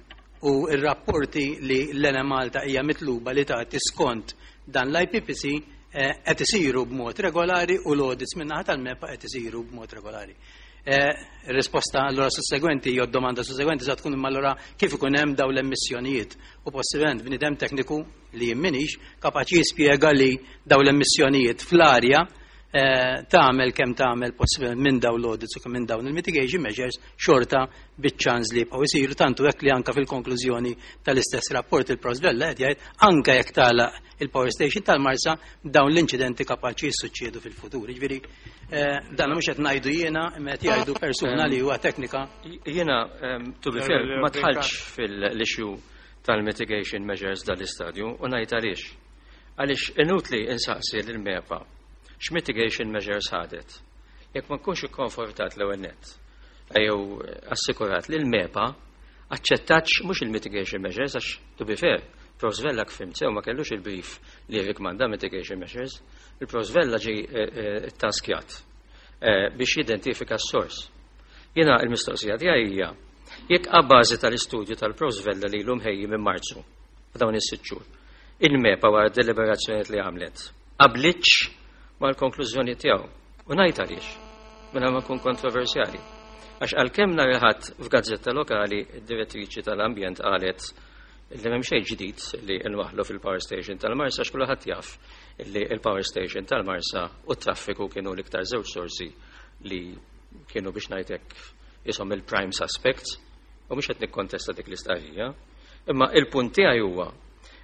u il-rapporti li l-Enemalta hija mitluba li tagħti skont dan l-I P P C eh, qed isiru b'mod regolari u l-audits min-naħa tal-MEPA qed isiru b'mod regolari. Eh, risposta allora sussegwenti jew domanda sussegwenti sa tkun imma allora kif ikun hemm dawn l-emissjonijiet, u possibilment bniedem tekniku li jien minix kapaċi jispjega li dawn l-emissjonijiet fl-arja eh, tagħmel kemm tagħmel possibilment minn dawn l-audits u kemm minn dawn il-mitigation measures, xorta biċ-ċans li jibqgħu isiru, tantu hekk li anka fil-konklużjoni tal-istess rapport il-Profs Vella qed jgħid anka jekk tagħlaq il-power station tal-Marsa, dawn l-inċidenti kapaċi jissuċċedu fil-futur. Jiġifieri eh, dan mhux qed ngħidu jiena, imma qed jgħidu persuna li huwa teknika. Jiena, um, to be fair, ma dħaltx fil-issue tal-mitigation measures dal-istadju u ngħid għaliex. Għaliex inutli insaqsi l-MEPA x'mitigation measures ħadet jekk ma nkunx ikkonfortat l-ewwel nett jew assikurat li l-MEPA aċċettatx mhux il-mitigation measures, għax to be fair, Profs Vella, fhimt sew, ma kellux il-brief li rikmanda mitigation measures. Il-Profs Vella ġi eh, eh, taskjat eh, biex jidentifika s-sors. Jiena il-mistoqsija tiegħi hija jekk abbażi tal-istudju tal-Profs Vella li l ħejji minn Marzu, f'dawn is-sitt xhur, il-MEPA wara deliberazzjoniet li għamlet, qablitx mal-konklużjoni tiegħu. U ngħid għaliex, minn ma nkun kontroversjali. Għax għalkemm nhar il-Ħadd f'gazzetta lokali id-direttriċi tal-ambjent qalet li m'hemm xejn ġdid li nwaħlu fil-power station tal-Marsa, għax kulħadd jaf li il-power station tal-Marsa u t-traffiku kienu l-iktar żewġ sorsi li kienu, biex ngħidlek, jisom il-prime suspects, u mhux qed nikkontesta dik l-istqarrija. Imma il-punt tiegħi huwa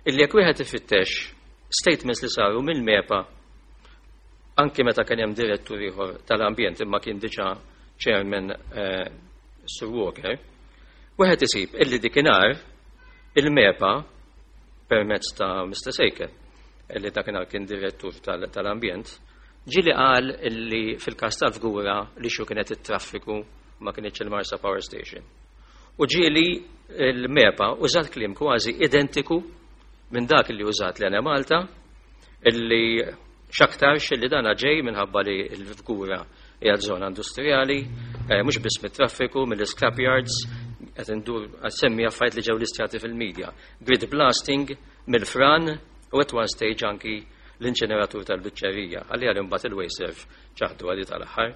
illi jekk wieħed ifittex statements li saru mill-MEPA anki meta kien hemm direttur ieħor tal-ambjent imma kien diġà chairman eh, Sir Walker, wieħed isib illi dikinhar il-MEPA permezz ta' Mister Sejker, illi dakinhar kien direttur tal-ambjent, ġieli qal illi fil-kas tal-Fgura li xu kienet it-traffiku, ma kienx il-Marsa Power Station. U ġieli il-MEPA użat kliem kważi identiku minn dak li użat l-Enemalta, illi xaktarx li dana ġej minħabba li l-Fgura hija żona industrijali, eh, mhux biss mit-traffiku, mill-scrapyards, qed indur semmi affarijiet li ġew listjati fil-medja. Grit blasting, mill-fran u at one stage anki l-inċeneratur tal-biċċerija. Għalli għal imbagħad il-WasteServ ċaħdu għadi tal-aħħar.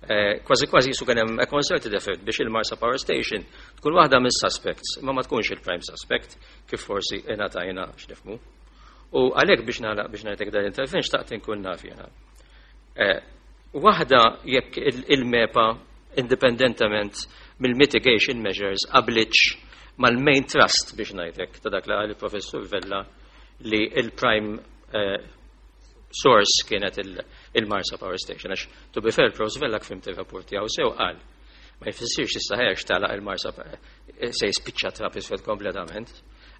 Eh, kważi kważi jisu kien hemm a concerted effort biex il-Marsa Power Station tkun waħda mis-suspects, ma ma tkunx il-prime suspect kif forsi ingħatajna x'nifhmu. U għalhekk biex nagħlaq, biex ngħidlek dan l-intervent, xtaqt inkun naf jiena. Eh, waħda jekk il-MEPA indipendentament mill-mitigation measures qablitx mal-main thrust, biex ngħidlek, ta' dak li qal il-professur Vella li il-prime eh, source kienet il-Marsa Power Station. Għax, to be fair, Profs Vella, fhimt il-rapport tiegħu sew, qal ma jfissirx issa ħerx tagħlaq il-Marsa eh, se jispiċċa trab iswed kompletament.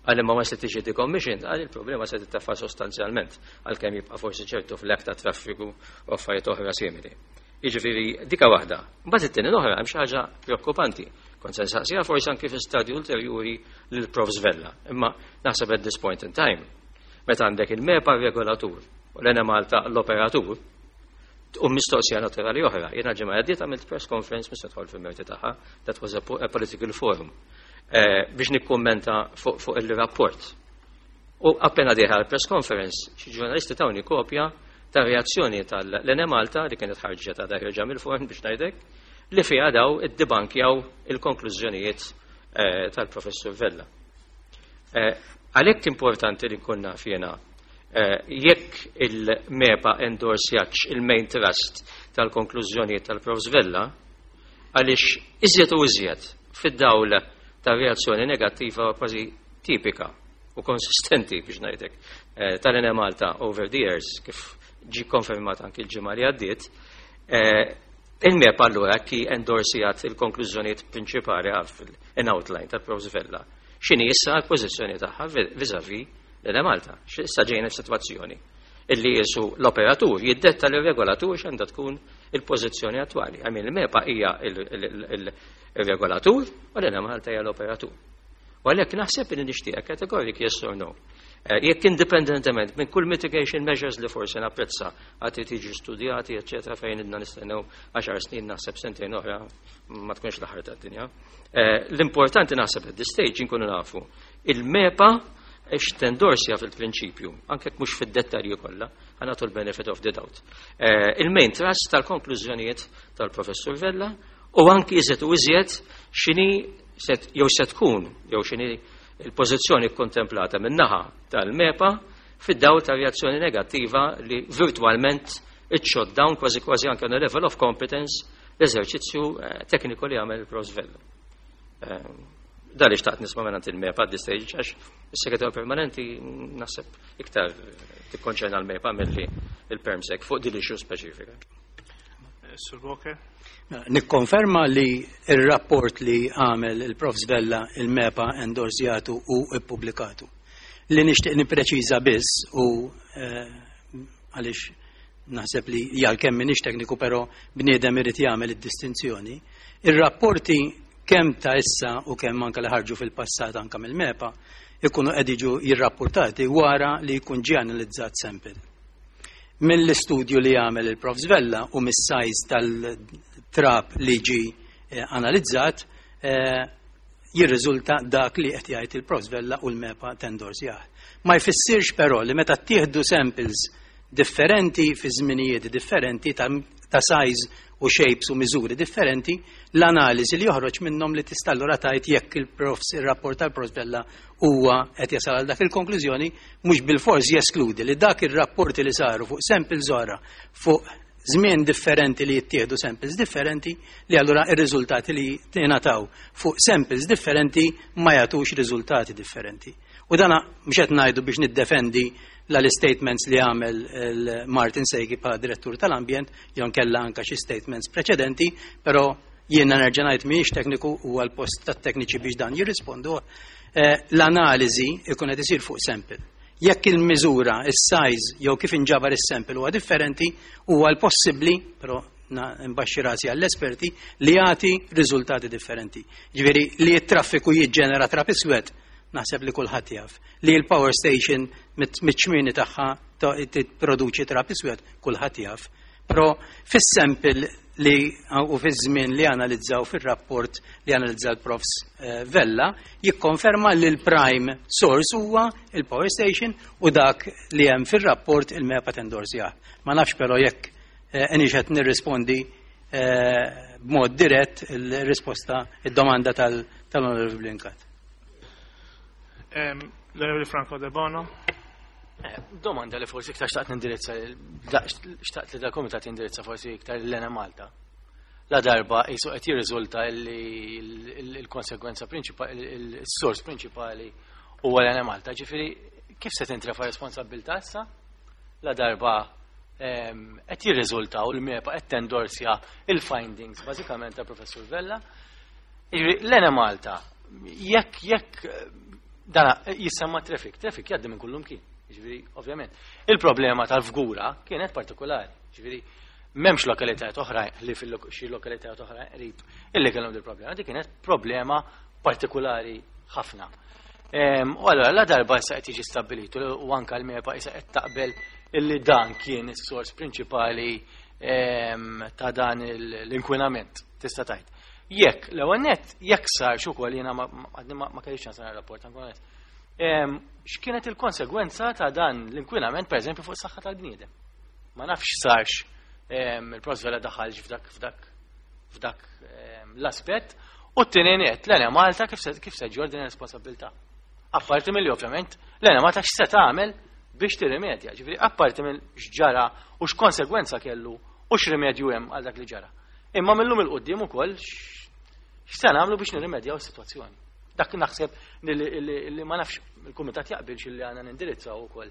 Għal imma ma se tiġi decommissioned, għal il-problema se tittaffa sostanzjalment, għalkemm jibqa' forsi ċertu flek ta' traffiku u affarijiet oħra simili. Jiġifieri dika waħda. Mbagħad it-tieni l-oħra hemm xi ħaġa preokkupanti. Kont se nsaqsiha forsi anke fi stadju ulterjuri lil Profs Vella. Imma naħseb at this point in time, meta għandek il-MEPA regolatur u l-Enemalta l-operatur, u mistoqsija naturali oħra. Jiena ġimgħa għaddiet għamilt press conference, mhux nidħol fil-merti tagħha, that was a, a political forum, eh, biex nikkummenta fuq fu il-rapport. U appena dieħla l-press conference, xi ġurnalisti tawni kopja ta' reazzjoni tal-Enemalta li kienet ħarġet ta' ħerġa mill-forn biex ngħidlek, li fiha daw iddibankjaw il-konklużjonijiet eh, tal-professur Vella. Eh, Għalhekk importanti li nkun naf jiena eh, jekk il-MEPA endorsjatx il-main thrust tal-konklużjonijiet tal-Profs Vella, għaliex iżjed u iżjed fid-dawl ta' reazzjoni negattiva kważi tipika u konsistenti biex ngħidlek eh, tal-Enemalta over the years, kif ġi konfermat anki l-ġimgħa li għaddiet, eh, il-MEPA allura ki endorsjat il-konklużjonijiet prinċipali għaf in outline tal-Profs Vella. X'inhi issa l-pożizzjoni tagħha vis-à-vis l-Enemalta? Issa ġejna f'sitwazzjoni illi jisu l-operatur jiddetta l-regolatur x'għandha tkun il-pożizzjoni attwali. I mean, il-MEPA hija il-regolatur u l-Enemalta hija l-operatur. U għalhekk naħseb li nixtieq categoric yes or no. Eh, jekk indipendentement minn kull mitigation measures li forsi napprezza għad tiġi studjati, eccetera, fejn idna nistennew għaxar snin, naħseb sentejn oħra ma tkunx l-aħħar tad-dinja. Eh, l-importanti naħseb at this stage inkunu nafu il-MEPA x'tendorsja fil-prinċipju, anke mhux fid-dettalji kollha, ħa nagħtu l-benefit of the doubt. Eh, il-main thrust tal-konklużjonijiet tal-Professur Vella u anki iżjed u iżjed x'inhi jew se tkun jew x'inhi il-pożizzjoni kontemplata min-naħa tal-MEPA fid-dawl ta' reazzjoni negattiva li virtualment it shot down kważi kważi anke on a level of competence l-eżerċizzju eh, tekniku li għamel il-Profs Vella. Eh, Da li xtaqt nisma' minn il-MEPA at this stage, għax is-segretarju permanenti naħseb iktar tikkonċerna l-MEPA milli il-PermSec fuq din l-issue speċifika. Sur Walker? Nikkonferma li il-rapport li għamel il-Profs Vella il-MEPA endorsjatu u ippubblikatu. Li nixtieq nippreċiża biss u eh, għaliex naħseb li għalkemm m'iniex tekniku, però bniedem irid jagħmel id-distinzjoni. Ir-rapporti kemm ta' issa u kemm anke li ħarġu fil-passat anke mill-MEPA ikunu qed jiġu jirrapportati wara li jkun ġie analizzat sample. Mill-istudju li għamel il-Profs Vella u mis-size tal-trap li ġi eh, analizzat eh, jirriżulta dak li qed jgħid il-Profs Vella u l-MEPA tendorsjah. Ma jfissirx però li meta tieħdu samples differenti fi żminijiet differenti ta', ta size u shapes u miżuri differenti, l-analiżi li joħroġ minnhom li tista' allura tgħid jekk il-profs ir-rapport tal-Profs Vella huwa qed jasal għal dak il-konklużjoni, mhux bil-fors jeskludi li dak ir-rapporti li saru fuq samples oħra fuq żmien differenti li jittieħdu samples differenti, li allura ir-riżultati li tingħataw fuq samples differenti ma jagħtux riżultati differenti. U dana mhux qed ngħidu biex niddefendi l-statements li għamel Martin Sejgi bħala direttur tal-ambjent, jew kella anka xi statements preċedenti, però jiena nerġa' ngħid mhijiex tekniku u għal post tat-tekniċi biex dan jirrispondu. Eh, l-analiżi ikun qed isir fuq sample. Jekk il-miżura, is-size jew kif inġabar is-sample huwa differenti, huwa l-possibbli, però nbaxxi rasi għall-esperti, li jagħti riżultati differenti. Ġifieri li t-traffiku jiġġenera trap iswed, naħseb li kulħadd jaf. Li l-power station mit-ċmini tagħha tipproduċi trap iswed, kulħadd jaf. Però fis-sample li u fiż-żmien li analizzaw fir-rapport li analizza l-Profs eh, Vella jikkonferma li l-prime source huwa il-power station u dak li hemm fir-rapport il-MEPA tendorsjah. Ma nafx però jekk eh, qed nirrispondi eh, b'mod dirett il-risposta, id-domanda tal-Onorevoli Brincat. L-Onorevoli Franco Debono. Eh, domanda li forsi iktar xtaqt nindirizza, xtaqt li dal-komitat jindirizza forsi iktar l-Enemalta. La darba jisu qed jirriżulta li il-konsekwenza prinċipali, il-sors prinċipali huwa l-Enemalta. Ġifieri kif se tintrefa responsabbiltà issa? La darba qed jirriżulta u l-MEPA qed tendorsja il-findings bażikament ta' Professur Vella. L-Enemalta, jekk jekk dana jissemma traffic, traffic jgħaddi minn kullum kien. Ġifieri, ovvjament. Il-problema tal-Fgura kienet partikolari. Ġifieri, M'hemmx lokalitajiet oħra li fil-xi lokalitajiet oħra qrib illi kellhom dil problema. Dik kienet problema partikolari ħafna. U allura la darba issa qed jiġi stabbilitu u anke l-MEPA issa qed taqbel illi dan kien is-sors prinċipali ta' dan l-inkwinament, tista' tgħid. Jekk l-ewwel nett jekk sar ukoll jiena ma kellix ċans nara rapport ankun onest. X'kienet il-konsegwenza ta' dan l-inkwinament pereżempju fuq is-saħħa tal-bniedem? Ma nafx sarx il-Profs Vella daħalx f'dak f'dak f'dak l-aspett u t-tieni nett l-Enemalta kif se kif se ġġorr din ir-responsabilità. Apparti mill ovvjament l-Enemalta x'se tagħmel biex tirrimedja, ġifieri apparti minn x'ġara u x'konsegwenza kellu u x'rimedju hemm għal dak li ġara. Imma millum 'il quddiem ukoll x'se nagħmlu biex nirrimedjaw is-sitwazzjoni. Dak naħseb li ma nafx il-kumitat jaqbilx li għandna nindirizzaw ukoll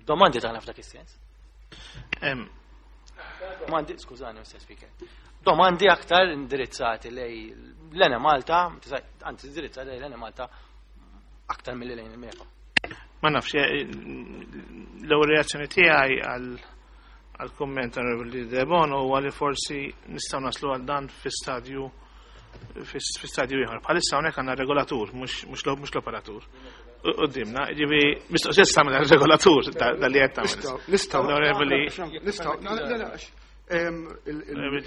domandi tagħna f'dak is-sens. Domandi, skużani, Mister Speaker. Domandi aktar indirizzati lej l-Enemalta, anzi indirizzati lej l-Enemalta aktar milli lejn il-MEPA. Ma nafx, l-ewwel reazzjoni tiegħi għal kumment Onorevoli Debono huwa li forsi nistgħu naslu għal dan fi stadju fi stadju ieħor. Bħalissa hawnhekk għandna regolatur, mhux l-operatur. Qudiemna, ġifieri mistoqsija tagħmel regolatur dal-li qed tagħmel. Nistgħu, nistgħu,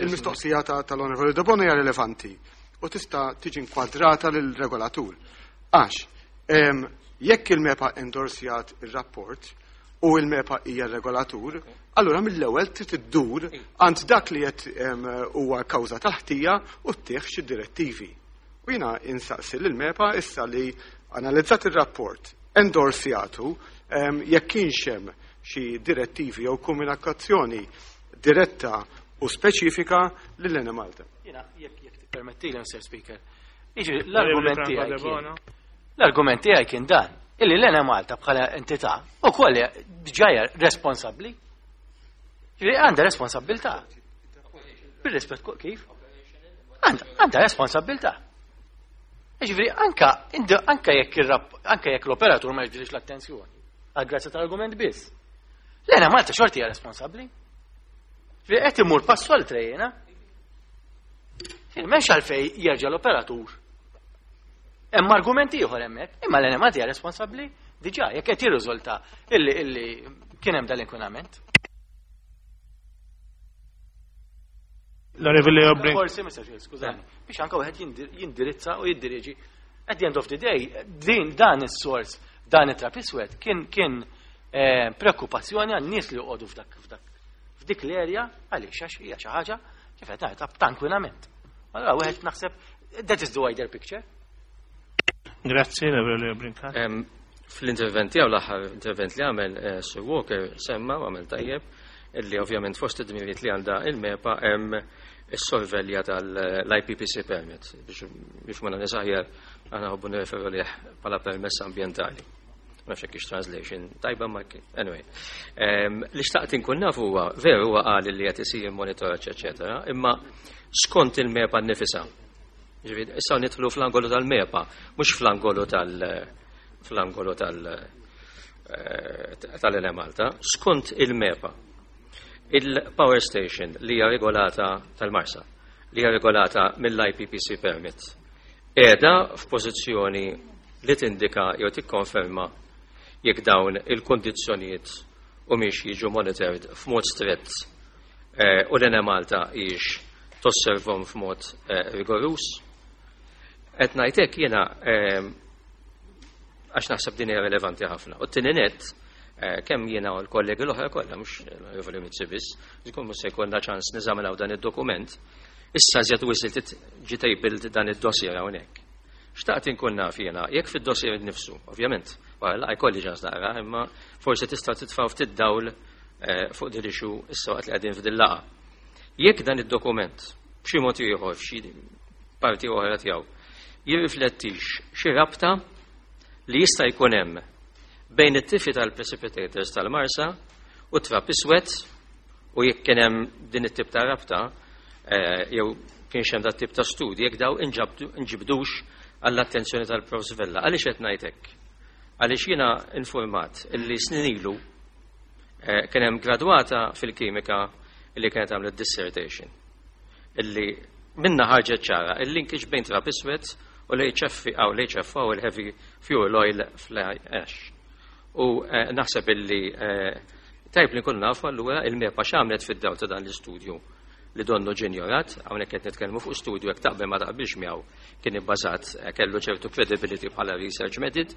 il-mistoqsija tal-Onorevoli Debono hija rilevanti u tista' tiġi inkwadrata lill-regolatur. Għax, jekk il-MEPA endorsjat ir-rapport u il-MEPA hija regolatur, allura mill-ewwel trid iddur għand dak li qed huwa kawża tal-ħtija u ttieħ xi direttivi. U jiena insaqsi lill-MEPA issa li analizzat ir-rapport, endorsjatu, jekk kienx hemm xi direttivi jew komunikazzjoni diretta u speċifika lil Enemalta. Jiena jekk jekk tippermettili, Mister Speaker. Jiġi l-argument tiegħi kien l-argument tiegħi kien dan, illi l-Enemalta bħala entità ukoll diġà responsabbli. Ġifieri għandha responsabbiltà. Bir-rispett kif? Għandha responsabbiltà. Ġifieri anka anka jekk anka jekk l-operatur ma jiġbidx l-attenzjoni, għal grazzi tal-argument biss. L-Enemalta xorti hija responsabbli. Ġifieri qed imur passu għal trejjena. M'hemmx għalfejn jerġa' l-operatur. Hemm argument ieħor hemmhekk, imma l-Enemalta hija responsabbli diġà jekk qed jirriżulta illi illi kien hemm dal-inkwinament. L-Onorevoli Obrin. Forsi, Mister Skużani, biex anke wieħed jindirizza u jiddiriġi. At the end of the day, din dan is-sors, dan it-trap iswed kien kien preokkupazzjoni għan-nies li joqogħdu f'dak f'dak f'dik l-erja għaliex għax hija xi ħaġa kif qed ngħid ta' inkwinament. Allura wieħed naħseb that is the wider picture. Grazzi, l-Onorevoli Brincat. Fl-intervent tiegħu l-aħħar intervent li għamel Sir Walker semma u għamel tajjeb illi ovvjament fost id-dmirijiet li għandha il-MEPA hemm is-sorvelja tal-I P P C permit biex biex ma nies aħjar aħna ħobbu nirreferu lih bħala permess ambjentali. Ma nafx hekk translation tajba ma anyway. Li xtaqt inkun naf huwa veru huwa qal li qed isir monitoraġġ eċetera, imma skont il-MEPA nnifisha. Ġifieri issa nidħlu fl-angolu tal-MEPA, mhux fl-angolu tal fl-angolu tal tal-Enemalta, skont il-MEPA. Il-power station li hija regolata tal-Marsa, li hija regolata mill-I P P C permit, qiegħda f'pożizzjoni li tindika jew tikkonferma jekk dawn il-kondizzjonijiet humiex jiġu monitored f'mod strett u l-Enemalta hijiex tosservhom f'mod rigorus. Qed ngħid hekk jiena għax naħseb din hija rilevanti ħafna. U t-tieni nett kemm jiena u l-kollegi l-oħra kollha mhux l-Onorevoli Mizzi biss, żgur mhux se jkollna ċans niżaminaw dan id-dokument, issa żjed wisil ġi tabled dan id-dossier hawnhekk. Xtaqt inkun naf jiena, jekk fid-dossier innifsu, ovvjament, wara laqgħa jkolli ċans naqra, imma forsi tista' titfgħu ftit dawl fuq din l-issue issa waqt li qegħdin f'din laqgħa. Jekk dan id-dokument b'xi mod ieħor f'xi parti oħra tiegħu jirriflettix xi rabta li jista' jkun hemm bejn it-tifi tal-precipitators tal-Marsa u trap iswed u jekk kien hemm din it-tip ta' rabta jew kienx hemm dat tip ta' studji jekk daw inġibdux għall-attenzjoni tal-Profs Vella. Għaliex qed ngħid hekk? Għaliex jiena informat illi snin ilu kien hemm gradwata fil-kimika Illi kienet għamlet dissertation. Illi minna ħarġet ċara, il-linkage bejn trab iswed u l-H F għaw l-H F O, il-heavy fuel oil fly ash. U eh, naħseb illi eh, tajb li nkunu nafu allura il-MEPA x'għamlet fid-dawl ta' dan l-istudju li donnu ġie njorat. Hawnhekk qed nitkellmu fuq studju, jekk taqbel ma taqbilx miegħu, kien ibbażat, eh, kellu ċertu credibility bħala research method.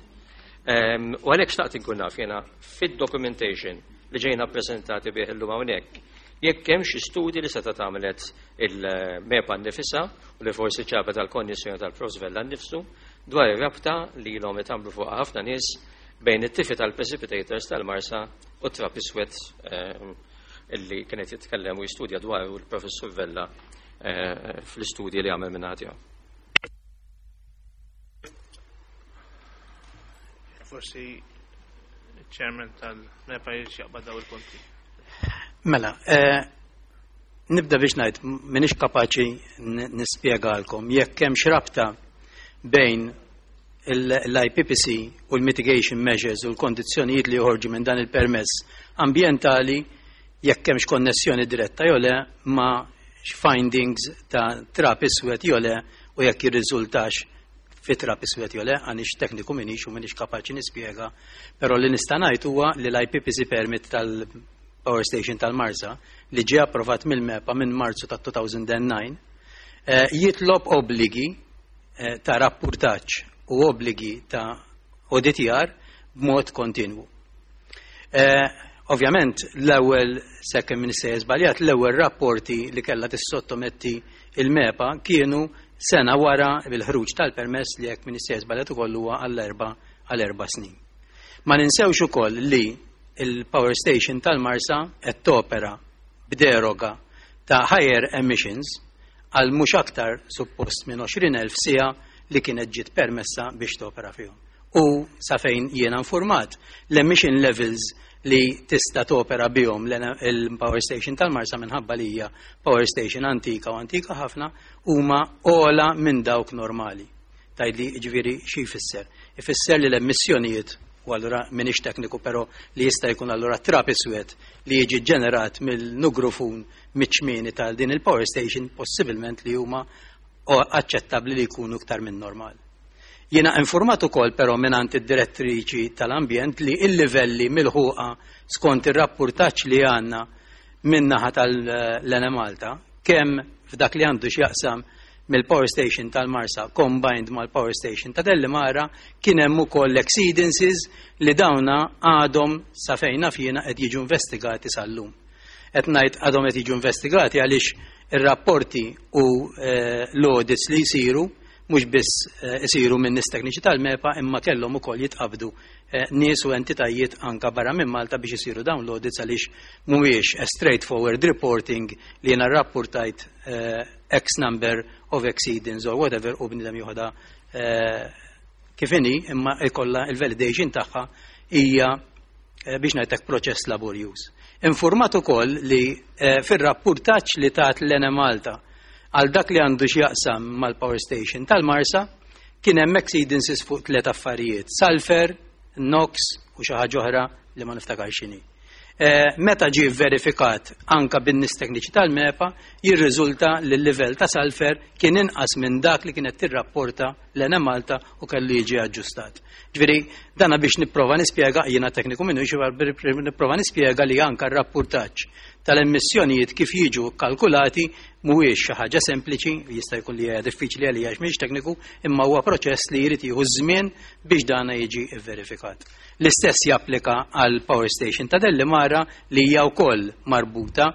Em, U għalhekk xtaqt inkun naf jiena fid-documentation li ġejna ppreżentati bih illum hawnhekk, jekk hemm xi studji li seta' tagħmelet il-MEPA nnifisha u li forsi ġabet għal-konjizzjoni tal-Profs Vella nnifsu dwar ir-rabta li ilhom itamlu fuq ħafna nies bejn it-tifi tal-precipitators tal-Marsa u trab iswed ehm, illi kienet jitkellem u jistudja dwar il-Professur Vella eh, fl-istudji li għamel minn tiegħu. Forsi il-chairman tal-MEPA jaqbad daw il-punti. Mela, eh, nibda biex ngħid m'iniex kapaċi n- nispjegalkom jekk hemm rabta bejn l-I P P C u l-mitigation measures u l-kondizzjonijiet li joħorġu minn dan il-permess ambientali, jekk hemmx konnessjoni diretta jew le ma' findings ta' trab iswed jew le u jekk jirriżultax fi trab iswed jew le, għanix tekniku minix u minix kapaċi nispjega, però li nista' ngħid huwa li l-I P P C permit tal-Power Station tal-Marsa li ġie approvat mill-MEPA minn Marzu ta' elfejn u disa' eh, jitlob obbligi eh, ta' rapportaġġ u obbligi ta' auditjar b'mod kontinwu. Eh, Ovvjament, l-ewwel, sakemm m'iniex sejjer żbaljat, l-ewwel rapporti li kellha tissottometti il-MEPA kienu sena wara bil-ħruġ tal-permess li, jekk m'iniex sejjer żbaljat ukoll, huwa għall-erba' għal erba' snin. Ma ninsewx ukoll li il-Power Station tal-Marsa qed topera b'deroga ta' higher emissions għal mhux aktar suppost minn għoxrin elf siegħa li kienet ġiet permessa biex topera fihom. U sa fejn jiena informat, l-emission levels li tista' topera bihom il-Power Station tal-Marsa, minħabba li hija power station antika u antika ħafna, huma ogħla minn dawk normali. Tgħidli ġifieri xi jfisser? Ifisser li l-emissjonijiet, u allura minix tekniku, però li jista' jkun allura trab iswed li jiġi ġenerat mill-nugrufun miċ-ċmieni tal din il-power station possibilment li huma aċċettabbli li jkunu iktar minn normal. Jiena informat ukoll però mingħand id-direttriċi tal-ambjent li il-livelli milħuqa skont ir-rapportaġġ li għandna min-naħa tal-Enemalta, kemm f'dak li għandu x'jaqsam mill-power station tal-Marsa combined mal-power station ta' Delimara, kien hemm ukoll exceedances li dawna għadhom, sa fejn naf jiena, qed jiġu investigati sal-lum. Qed ngħid għadhom qed jiġu investigati għaliex ir-rapporti u eh, l-audits li jsiru mhux biss eh, isiru minn nies tekniċi tal-MEPA, imma kellhom ukoll jitqabdu eh, nies u entitajiet anka barra minn Malta biex isiru dawn l-audits, għaliex mhuwiex a straightforward reporting li jiena rapportajt eh, X number of exceedance or whatever u bnidem joħodha kif inhi, imma ikolla il-validation tagħha hija, biex ngħidlek, proċess laborjuż. Informat ukoll li fir-rapportaġġ li tat l-Enemalta għal dak li għandu x'jaqsam mal-power station tal-Marsa kien hemm exceedances fuq tliet affarijiet: sulfur, NOx u xi ħaġa oħra li ma niftakar x'inhi. Eh, meta ġie verifikat anka bin-nies tekniċi tal-MEPA, jirriżulta li l-livell ta' sulfur kien inqas minn dak li kienet tirrapporta l-Enemalta u kellu jiġi aġġustat. Ġifieri, dana biex nipprova nispjega, jiena tekniku minnu, nipprova nispjega li anka r-rapportaġġ tal-emissjonijiet kif jiġu kalkulati mhuwiex xi ħaġa sempliċi, jista' jkun li hija diffiċli għalija għax mhix tekniku, imma huwa proċess li jrid jieħu żmien biex dana jiġi verifikat. L-istess japplika għal power station ta' Delimara li hija wkoll marbuta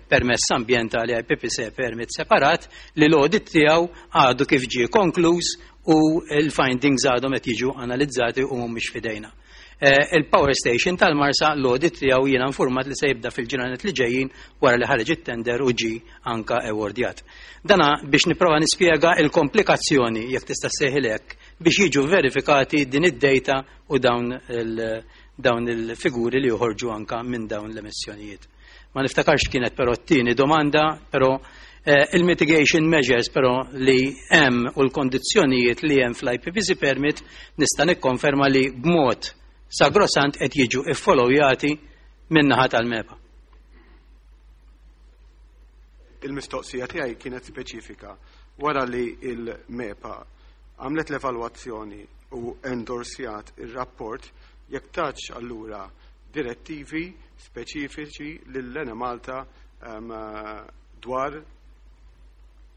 permess ambientali I P P C permit separat li l-audit tiegħu għadu kif ġie konkluż u l-findings għadhom qed jiġu analizzati u mhumiex fidejna. Eh, il-power station tal-Marsa, l-audit tiegħu jiena informat li se jibda fil-ġranet li ġejjin wara li ħareġ it-tender u ġi anka awardjat. Dana biex nipprova nispjega il-komplikazzjoni, jekk tista' ssejħilek, biex jiġu verifikati din id-data u dawn il- dawn il-figuri li joħorġu anka minn dawn l-emissjonijiet. Ma niftakarx kienet però t-tieni domanda, però eh, il-mitigation measures però li hemm u l-kondizzjonijiet li hemm fl-I P P C permit nista' nikkonferma li b'mod sagrosant qed jiġu iffollowjati min-naħa tal-MEPA. Il-mistoqsija tiegħi kienet speċifika. Wara li il-MEPA għamlet l-evalwazzjoni u endorsjat il-rapport, jekk tatx allura direttivi speċifiċi lill-Enemalta um, dwar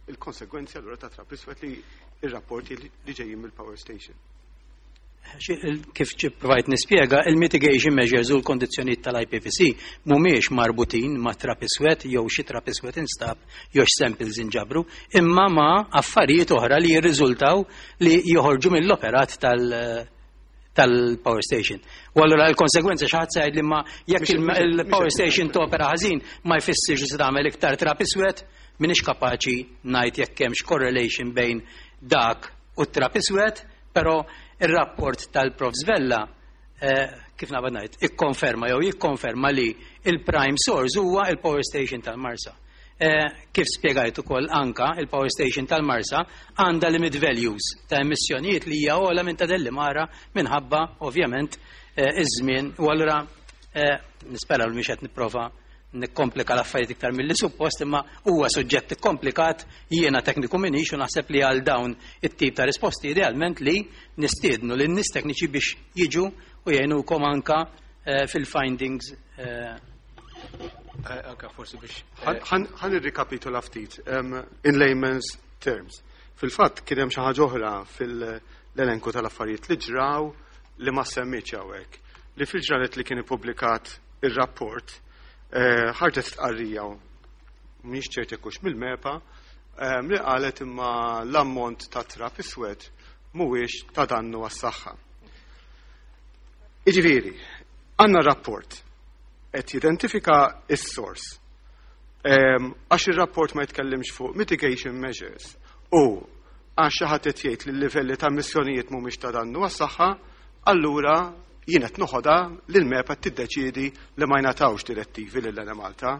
il-konsegwenzi allura ta' trap iswed li il-rapporti li ġejjin mill-power station. Kif provajt nispjega, il-mitigation measures u l-kondizzjonijiet tal-I P C C mhumiex marbutin ma' trap iswed jew xi trap iswed instab jew samples inġabru, imma ma' affarijiet oħra li jirriżultaw li joħorġu mill-operat tal- tal-power station. U allura l-konsegwenza, xi ħadd li ma jekk il-power station topera ħażin ma jfissirx li se tagħmel iktar trap iswed, m'iniex kapaċi ngħid jekk hemmx correlation bejn dak u trap iswed, però il-rapport tal-Profs Vella, eh, kif nabad ngħid, ikkonferma jew jikkonferma li il-prime source huwa il-power station tal-Marsa. Eh, kif spjegajt ukoll anka, il-power station tal-Marsa għandha limit values ta' emissjonijiet li hija ogħla minn ta' Delimara minħabba ovvjament eh, iż-żmien, u allura eh, nispera li mhix qed nipprova nikkomplika l-affarijiet iktar mill-li suppost, imma huwa suġġett komplikat, jiena tekniku minix u naħseb li għal dawn it-tip ta' risposti idealment li nistiednu lin nies tekniċi biex jiġu u jgħinukom anka eh, fil-findings. eh, Eh, Anka forsi biex. Ħa nirrikapitula ftit um, in layman's terms. Fil-fatt kien hemm xi ħaġa oħra fil-elenku tal-affarijiet li ġraw li ma semmitx hawnhekk. Li fil-ġranet li kien ippubblikat ir-rapport eh, ħarġet stqarrija, mhix ċert hux mill-MEPA, em, li qalet imma l-ammont ta' trap iswed mhuwiex ta' dannu għas-saħħa. Iġifieri, għandna rapport qed jidentifika is-source. Em, Għax ir-rapport ma jitkellimx fuq mitigation measures u għax xi ħadd qed jgħid li l-livelli ta' emissjonijiet mhumiex ta' dannu għas-saħħa, allura jien qed noħodha li l-MEPA tiddeċiedi li ma jingħatawx direttivi lil Malta.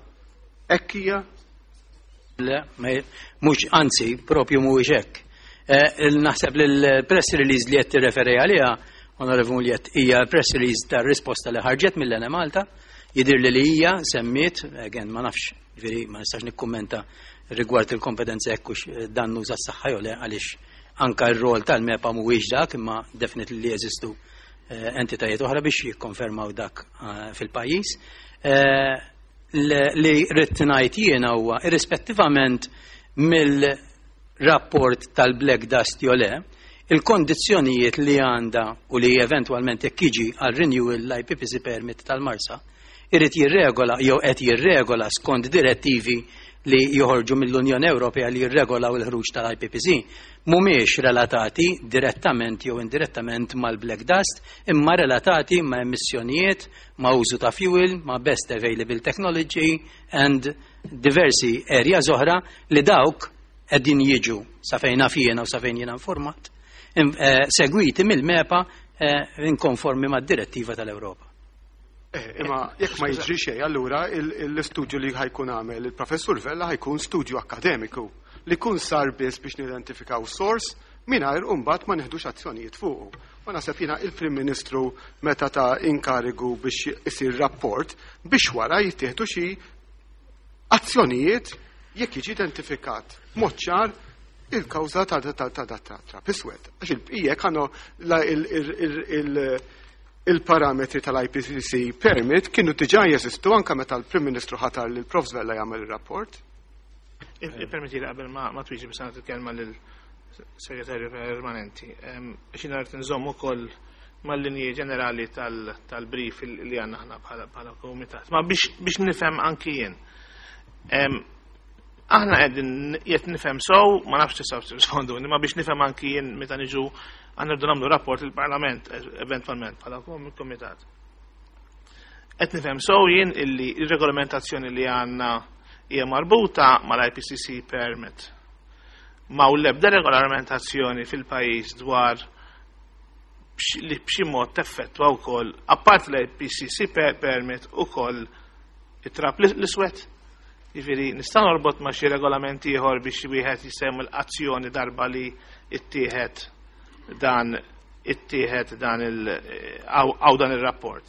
Hekk hija? Le, ma- mhux, anzi, propju mhuwiex hekk. Eh, il- Naħseb li l-press release li qed tirreferi għaliha, Onorevoli Mugliett, hija press release tar-risposta li ħarġet mill-Enemalta, jidir li li hija semmiet, again, ma nafx, ġifieri ma nistax nikkummenta rigward il-kompetenza jekk hux dannu għas-saħħa jew le, għaliex anka r-rol tal-MEPA mhuwiex dak, imma definitely li jeżistu eh, entitajiet oħra biex jikkonfermaw dak eh, fil-pajjiż. Eh, Li rrid ngħid jiena huwa, irrispettivament mill-rapport tal-Black Dust jew le, il-kondizzjonijiet li għandha u li eventwalment jekk jiġi għal renewal l-I P C C permit tal-Marsa, irid jirregola jew qed jirregola skont direttivi li joħorġu mill-Unjoni Ewropea li jirregolaw il-ħruġ tal-I P P C, mhumiex relatati direttament jew indirettament mal-black dust, imma relatati ma' emissjonijiet, ma' użu ta' fuel, ma' best available technology and diversi areas oħra li dawk qegħdin jiġu, sa fejn naf jiena u sa fejn jiena informat, in- eh, segwiti mill-MEPA eh, in konformi mad-direttiva tal-Ewropa. Eh, Imma jekk ma jiġri xejn, allura il- l-istudju li ħa jkun għamel il-professur Vella ħa jkun studju akademiku li kun sar biss biex nidentifikaw source mingħajr imbagħad ma neħdux azzjonijiet fuqu. Ma naħseb jiena il-Prim Ministru meta ta inkarigu biex isir rapport biex wara jittieħdu xi azzjonijiet jekk jiġi identifikat mod ċar il-kawża ta' ta' ta' ta' ta' trap iswed. Għax il-bqija kienu il-parametri tal-I P C C permit kienu diġà jeżistu anka meta l-Prim Ministru ħatar li l-Profs Vella jagħmel ir-rapport. Permetti li qabel ma ma twieġeb biex nagħti il-kelma lill-Segretarju Permanenti. Biex ngħid nżomm ukoll mal-linji ġenerali tal-brief li għandna aħna bħala bħala komitat. Ma biex biex nifhem anki jien. Em, Aħna qegħdin qed nifhem sew, ma nafx tistgħu tirrisponduni, ma biex nifhem anki jien meta niġu għandna rridu nagħmlu rapport il-Parlament eventwalment bħala komitat. Qed nifhem sew jien illi ir-regolamentazzjoni li għandna hija marbuta mal-I P C C permit. Ma u l-ebda regolamentazzjoni fil-pajjiż dwar b'x- li b'xi mod teffettwa wkoll, apart l-I P C C permit, ukoll it-trap l-iswed. Jiġifieri nista' norbot ma' xi regolamenti ieħor biex wieħed jissemmi l-azzjoni darba li ittieħed dan ittieħed dan il għaw dan il-rapport.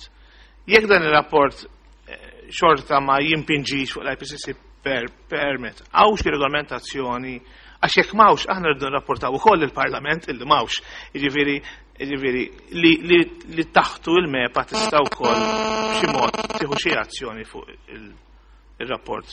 Jekk dan il-rapport eh, xorta ma jimpinġix fuq l-I P C C per permit. Hawn xi regolamentazzjoni, għax jekk m'hawnx aħna rridu nrapportaw ukoll il-Parlament illi m'hawnx. Jiġifieri jiġifieri li, li, li taħtu il-MEPA tista' wkoll b'xi mod tieħu xi azzjoni fuq il-rapport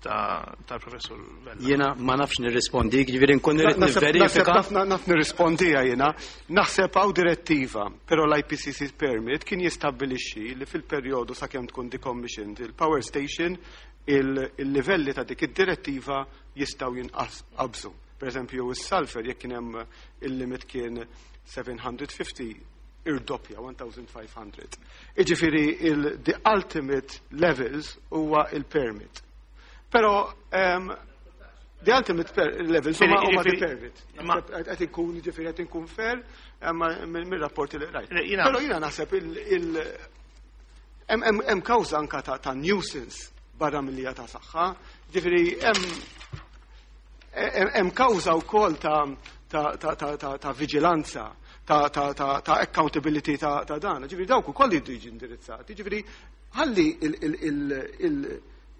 tal-professur Vella. Jiena ma nafx nirrispondi, jiġifieri nkun irid nivverifika. Naf nirrispondija jiena. Naħseb hawn direttiva, però l-I P C C permit kien jistabbilixxi li fil-perjodu sakemm tkun decommissioned il-power station, il-livelli ta' dik id-direttiva jistgħu jinqabżu. Per eżempju, is-sulfur, jekk kien hemm il-limit kien seba' mija u ħamsin, irdoppja elf u ħames mija. Iġifieri il-the ultimate levels huwa il-permit. Però um, the ultimate levels huma huma the permit. Qed inkun, ġifieri, qed inkun fair mir-rapporti li rajt. Però jiena naħseb il hemm kawża anka ta' nuisance barra mill ta' saħħa, ġifieri hemm kawża wkoll ta' ta' ta' vigilanza, ta' ta' accountability ta' dan. Ġifieri dawk ukoll jridu jiġi indirizzati. Ġifieri ħalli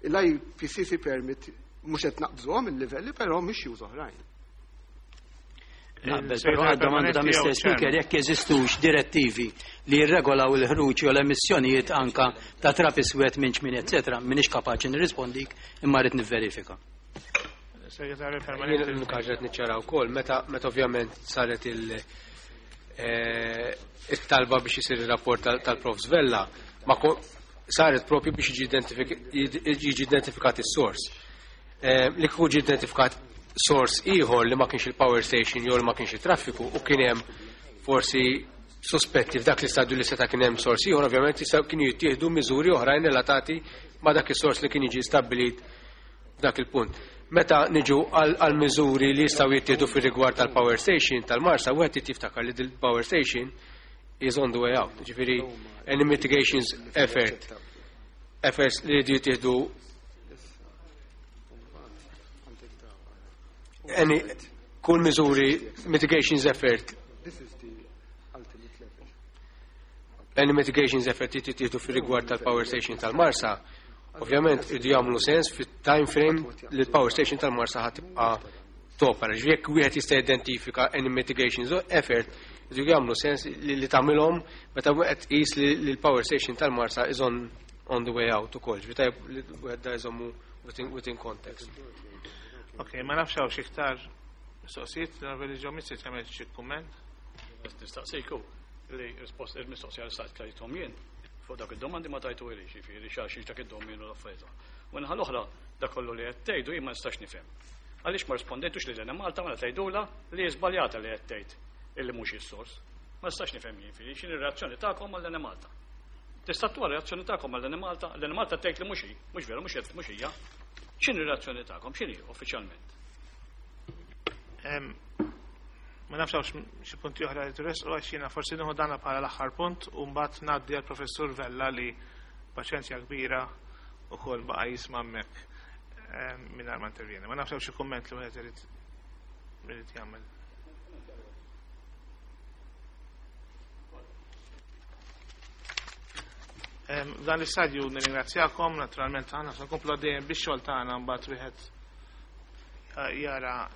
l-I P C C permit mhux qed naqbżuhom il-livelli, però mhix issues oħrajn. Naqbel, però għad-domanda ta' Mister Speaker, jekk jeżistux direttivi li jirregolaw il-ħruġ u l-emissjonijiet anka ta' trab iswed minn ċmini, eccetera, m'iniex kapaċi nirrispondik, imma rrid nivverifika. Segretarju Permanenti. L-unika niċċara wkoll, meta meta ovvjament saret il- eh, it-talba biex isir il-rapport tal-Prof Vella, ma saret propju biex jiġi identifikat is-sors. Eh, li kieku ġi identifikat sors ieħor li ma kienx il-power station jew li ma kienx il-traffiku u kien hemm forsi sospetti f'dak l-istadju li seta' kien hemm sors ieħor, ovvjament kienu jittieħdu miżuri oħrajn relatati ma' dak is-sors li kien jiġi stabbilit f'dak il-punt. Meta niġu għal miżuri li jistgħu jittieħdu fir-rigward tal-power station tal-Marsa, wieħed jiftakar li il-power station is on the way out. Ġifieri, any mitigations effort efforts li jridu jittieħdu, any kull miżuri mitigations effort any mitigations effort li jittieħdu fir-rigward tal-power station tal-Marsa, ovvjament jridu jagħmlu sens fit-time frame li l-power station tal-Marsa ħa tibqa' topera. Jekk wieħed jista' identifika any mitigations effort, jridu jagħmlu sens li, li tagħmilhom meta wieħed qis li l-power station tal-Marsa is on on the way out ukoll. Ġifieri tajjeb li wieħed da jżommu within, within context. Ok, ma nafx hawn xi iktar mistoqsijiet, l-Onorevoli Joe Mizzi tagħmel xi kumment. Nistaqsiku li rispost il-mistoqsija li staqsejthom jien fuq dak id-domandi ma tajtu li ġifieri xi dak id-domin u l-affarijiet. U naħa l-oħra, dak kollu li qed tgħidu jien ma nistax nifhem. Għaliex ma rispondejtux li l Malta ma tgħidula li żbaljata li qed tgħid illi mhux is-sors? Ma nistax nifhem jien ġifieri x'inhi r-reazzjoni tagħkom għall Malta. Tista' tuha reazzjoni tagħkom għall Malta, l Malta tgħid li mhux hi, mhux veru, mhux mhux hija. X'inhi r-reazzjoni tagħkom? X'inhi uffiċjalment? Ma nafx hawnx xi punti oħra li tressqu, għax jiena forsi nieħu dana bħala l-aħħar punt u mbagħad ngħaddi għall-Professur Vella li paċenzja kbira ukoll baqa' jisma' hemmhekk mingħajr ma intervjeni. Ma nafx hawn xi kumment li wieħed irid irid jagħmel. Dan l-istadju nirringrazzjakom, naturalment aħna se nkomplu għaddejjem bix-xogħol tagħna, mbagħad wieħed jara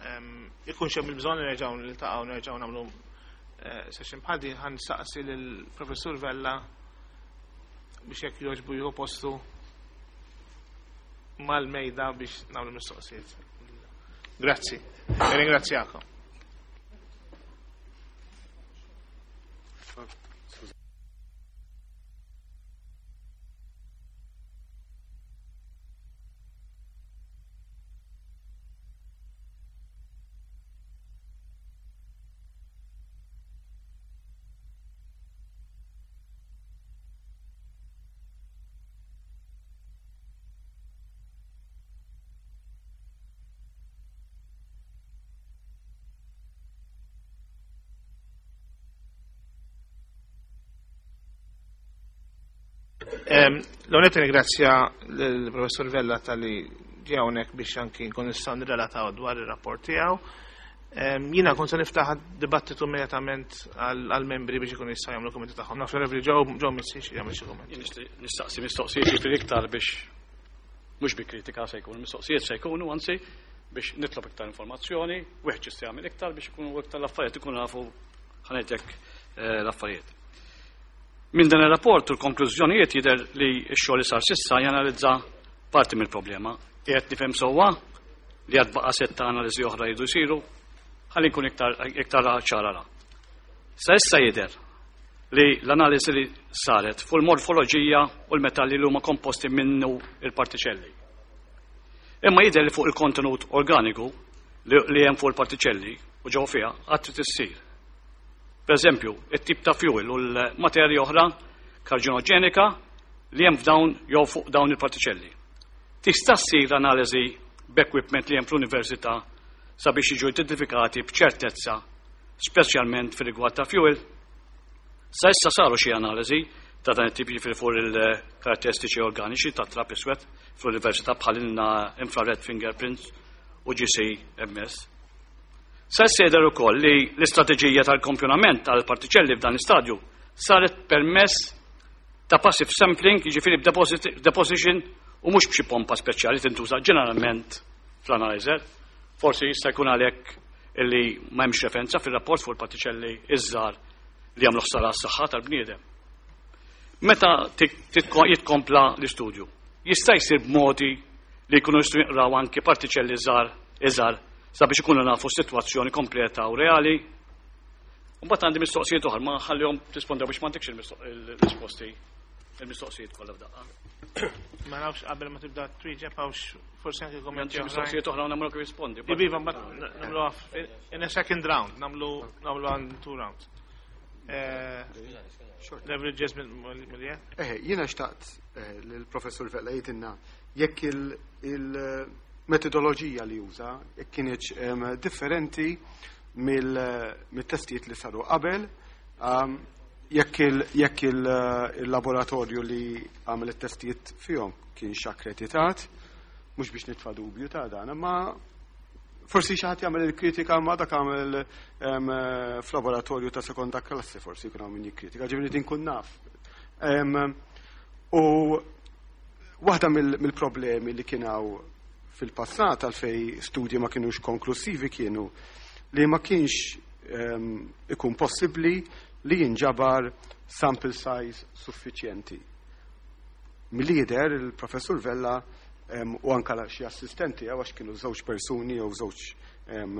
ikun hemm il-bżonn nerġgħu niltaqgħu, nerġgħu nagħmlu eh, session bħal din. Ħa nsaqsi lill-Professur Vella biex jekk jogħġbu jieħu postu mal-mejda biex nagħmlu mistoqsijiet. Grazzi. Ringrazzjakom. L-għonet ringrazzja l-Professor Vella tal-li ġie hawnhekk biex anki nkun nistgħu nirrelataw dwar ir-rapport tiegħu. Jiena kont se niftaħ dibattitu immedjatament għal-membri biex ikun jistgħu jagħmlu kummenti tagħhom. Naf li Joe Joe Mizzi jagħmel xi kumment. Nistaqsi mistoqsijiet ġifieri iktar biex Mhux bi kritika se jkunu, mistoqsijiet se jkunu, anzi biex nitlob iktar informazzjoni, wieħed jista' jagħmel iktar biex ikunu iktar l-affarijiet, ikunu nafu, ħa ngħidlek, eh, l-affarijiet. Minn dan ir-rapport u l-konklużjonijiet jidher li x-xogħol li sar s'issa janalizza parti mill-problema. Qiegħed nifhem sewwa li għad baqa' setta analiżi oħra jridu jsiru, ħalli nkun iktar iktar ċara la. Sa issa jidher li l-analiżi li saret fuq il-morfoloġija u l-metalli li huma komposti minnu il-partiċelli. Imma jidher li fuq il-kontenut organiku li, li hemm fuq il-partiċelli u ġew fiha għad trid issir. Per eżempju, it-tip ta' fuel u l-materja oħra karċinoġenika li hemm f'dawn jew fuq dawn il-partiċelli. Tista' ssir analiżi b'equipment li hemm fl-università sabiex jiġu identifikati b'ċertezza, speċjalment fir-rigward ta' fuel. Sa issa saru xi analiżi ta' dan it-tip, jiġifieri fuq il-karatteristiċi organiċi ta' trab iswed fl-università, bħal infrared fingerprints u G C M S. Sa issa jidher ukoll li l-istrateġija tal-kampjonament tal-partiċelli f'dan l-istadju saret permezz ta' passive sampling, jiġifieri b'deposition u mhux b'xi pompa speċjali tintuża ġeneralment fl-analyzer. Forsi jista' jkun għalhekk illi ma hemmx referenza fir-rapport fuq il-partiċelli iż-żgħar li jagħmlu ħsara għas-saħħa tal-bniedem. Meta jitkompla l-istudju, jista' jsir b'modi li jkunu jistgħu jinqraw anke partiċelli żgħar iżgħar sabiex ikunu nafu s-sitwazzjoni kompleta u reali? Mbagħad għandi mistoqsijiet oħra, ma ħallihom tispondew biex m'għandekx il-risposti il-mistoqsijiet kollha f'daqqa. Ma nafx, qabel ma tibda twieġeb hawnx forsi anke kommenti Għandi mistoqsijiet oħra u nagħmlu kif rispondi. Iva, mbagħad nagħmlu in a second round, nagħmlu nagħmlu għan two rounds. Leverage Jasmine Mullier. Eh, jiena xtaqt eh, l-professur Vella jgħidilna jekk il-metodoloġija li juża jekk kienieċ em, differenti mill-testijiet li saru qabel, um, jekk il- jekk il-laboratorju li għamel it-testijiet fihom kienx akkreditat, mhux biex nitfa' dubju ta' dan, ma forsi xi ħadd jagħmel il-kritika, ma dak għamel em, f'laboratorju ta' sekonda klassi, forsi jkun hawn min jikkritika, ġifieri din kun naf. Em, U waħda mill- mill-problemi li kien hawn fil-passat għalfej studji ma kienux konklusivi kienu li ma kienx em, ikun possibbli li jinġabar sample size suffiċjenti. Mill-lider il-professur Vella em, u anka xi assistenti, għax kienu żewġ persuni jew żewġ em,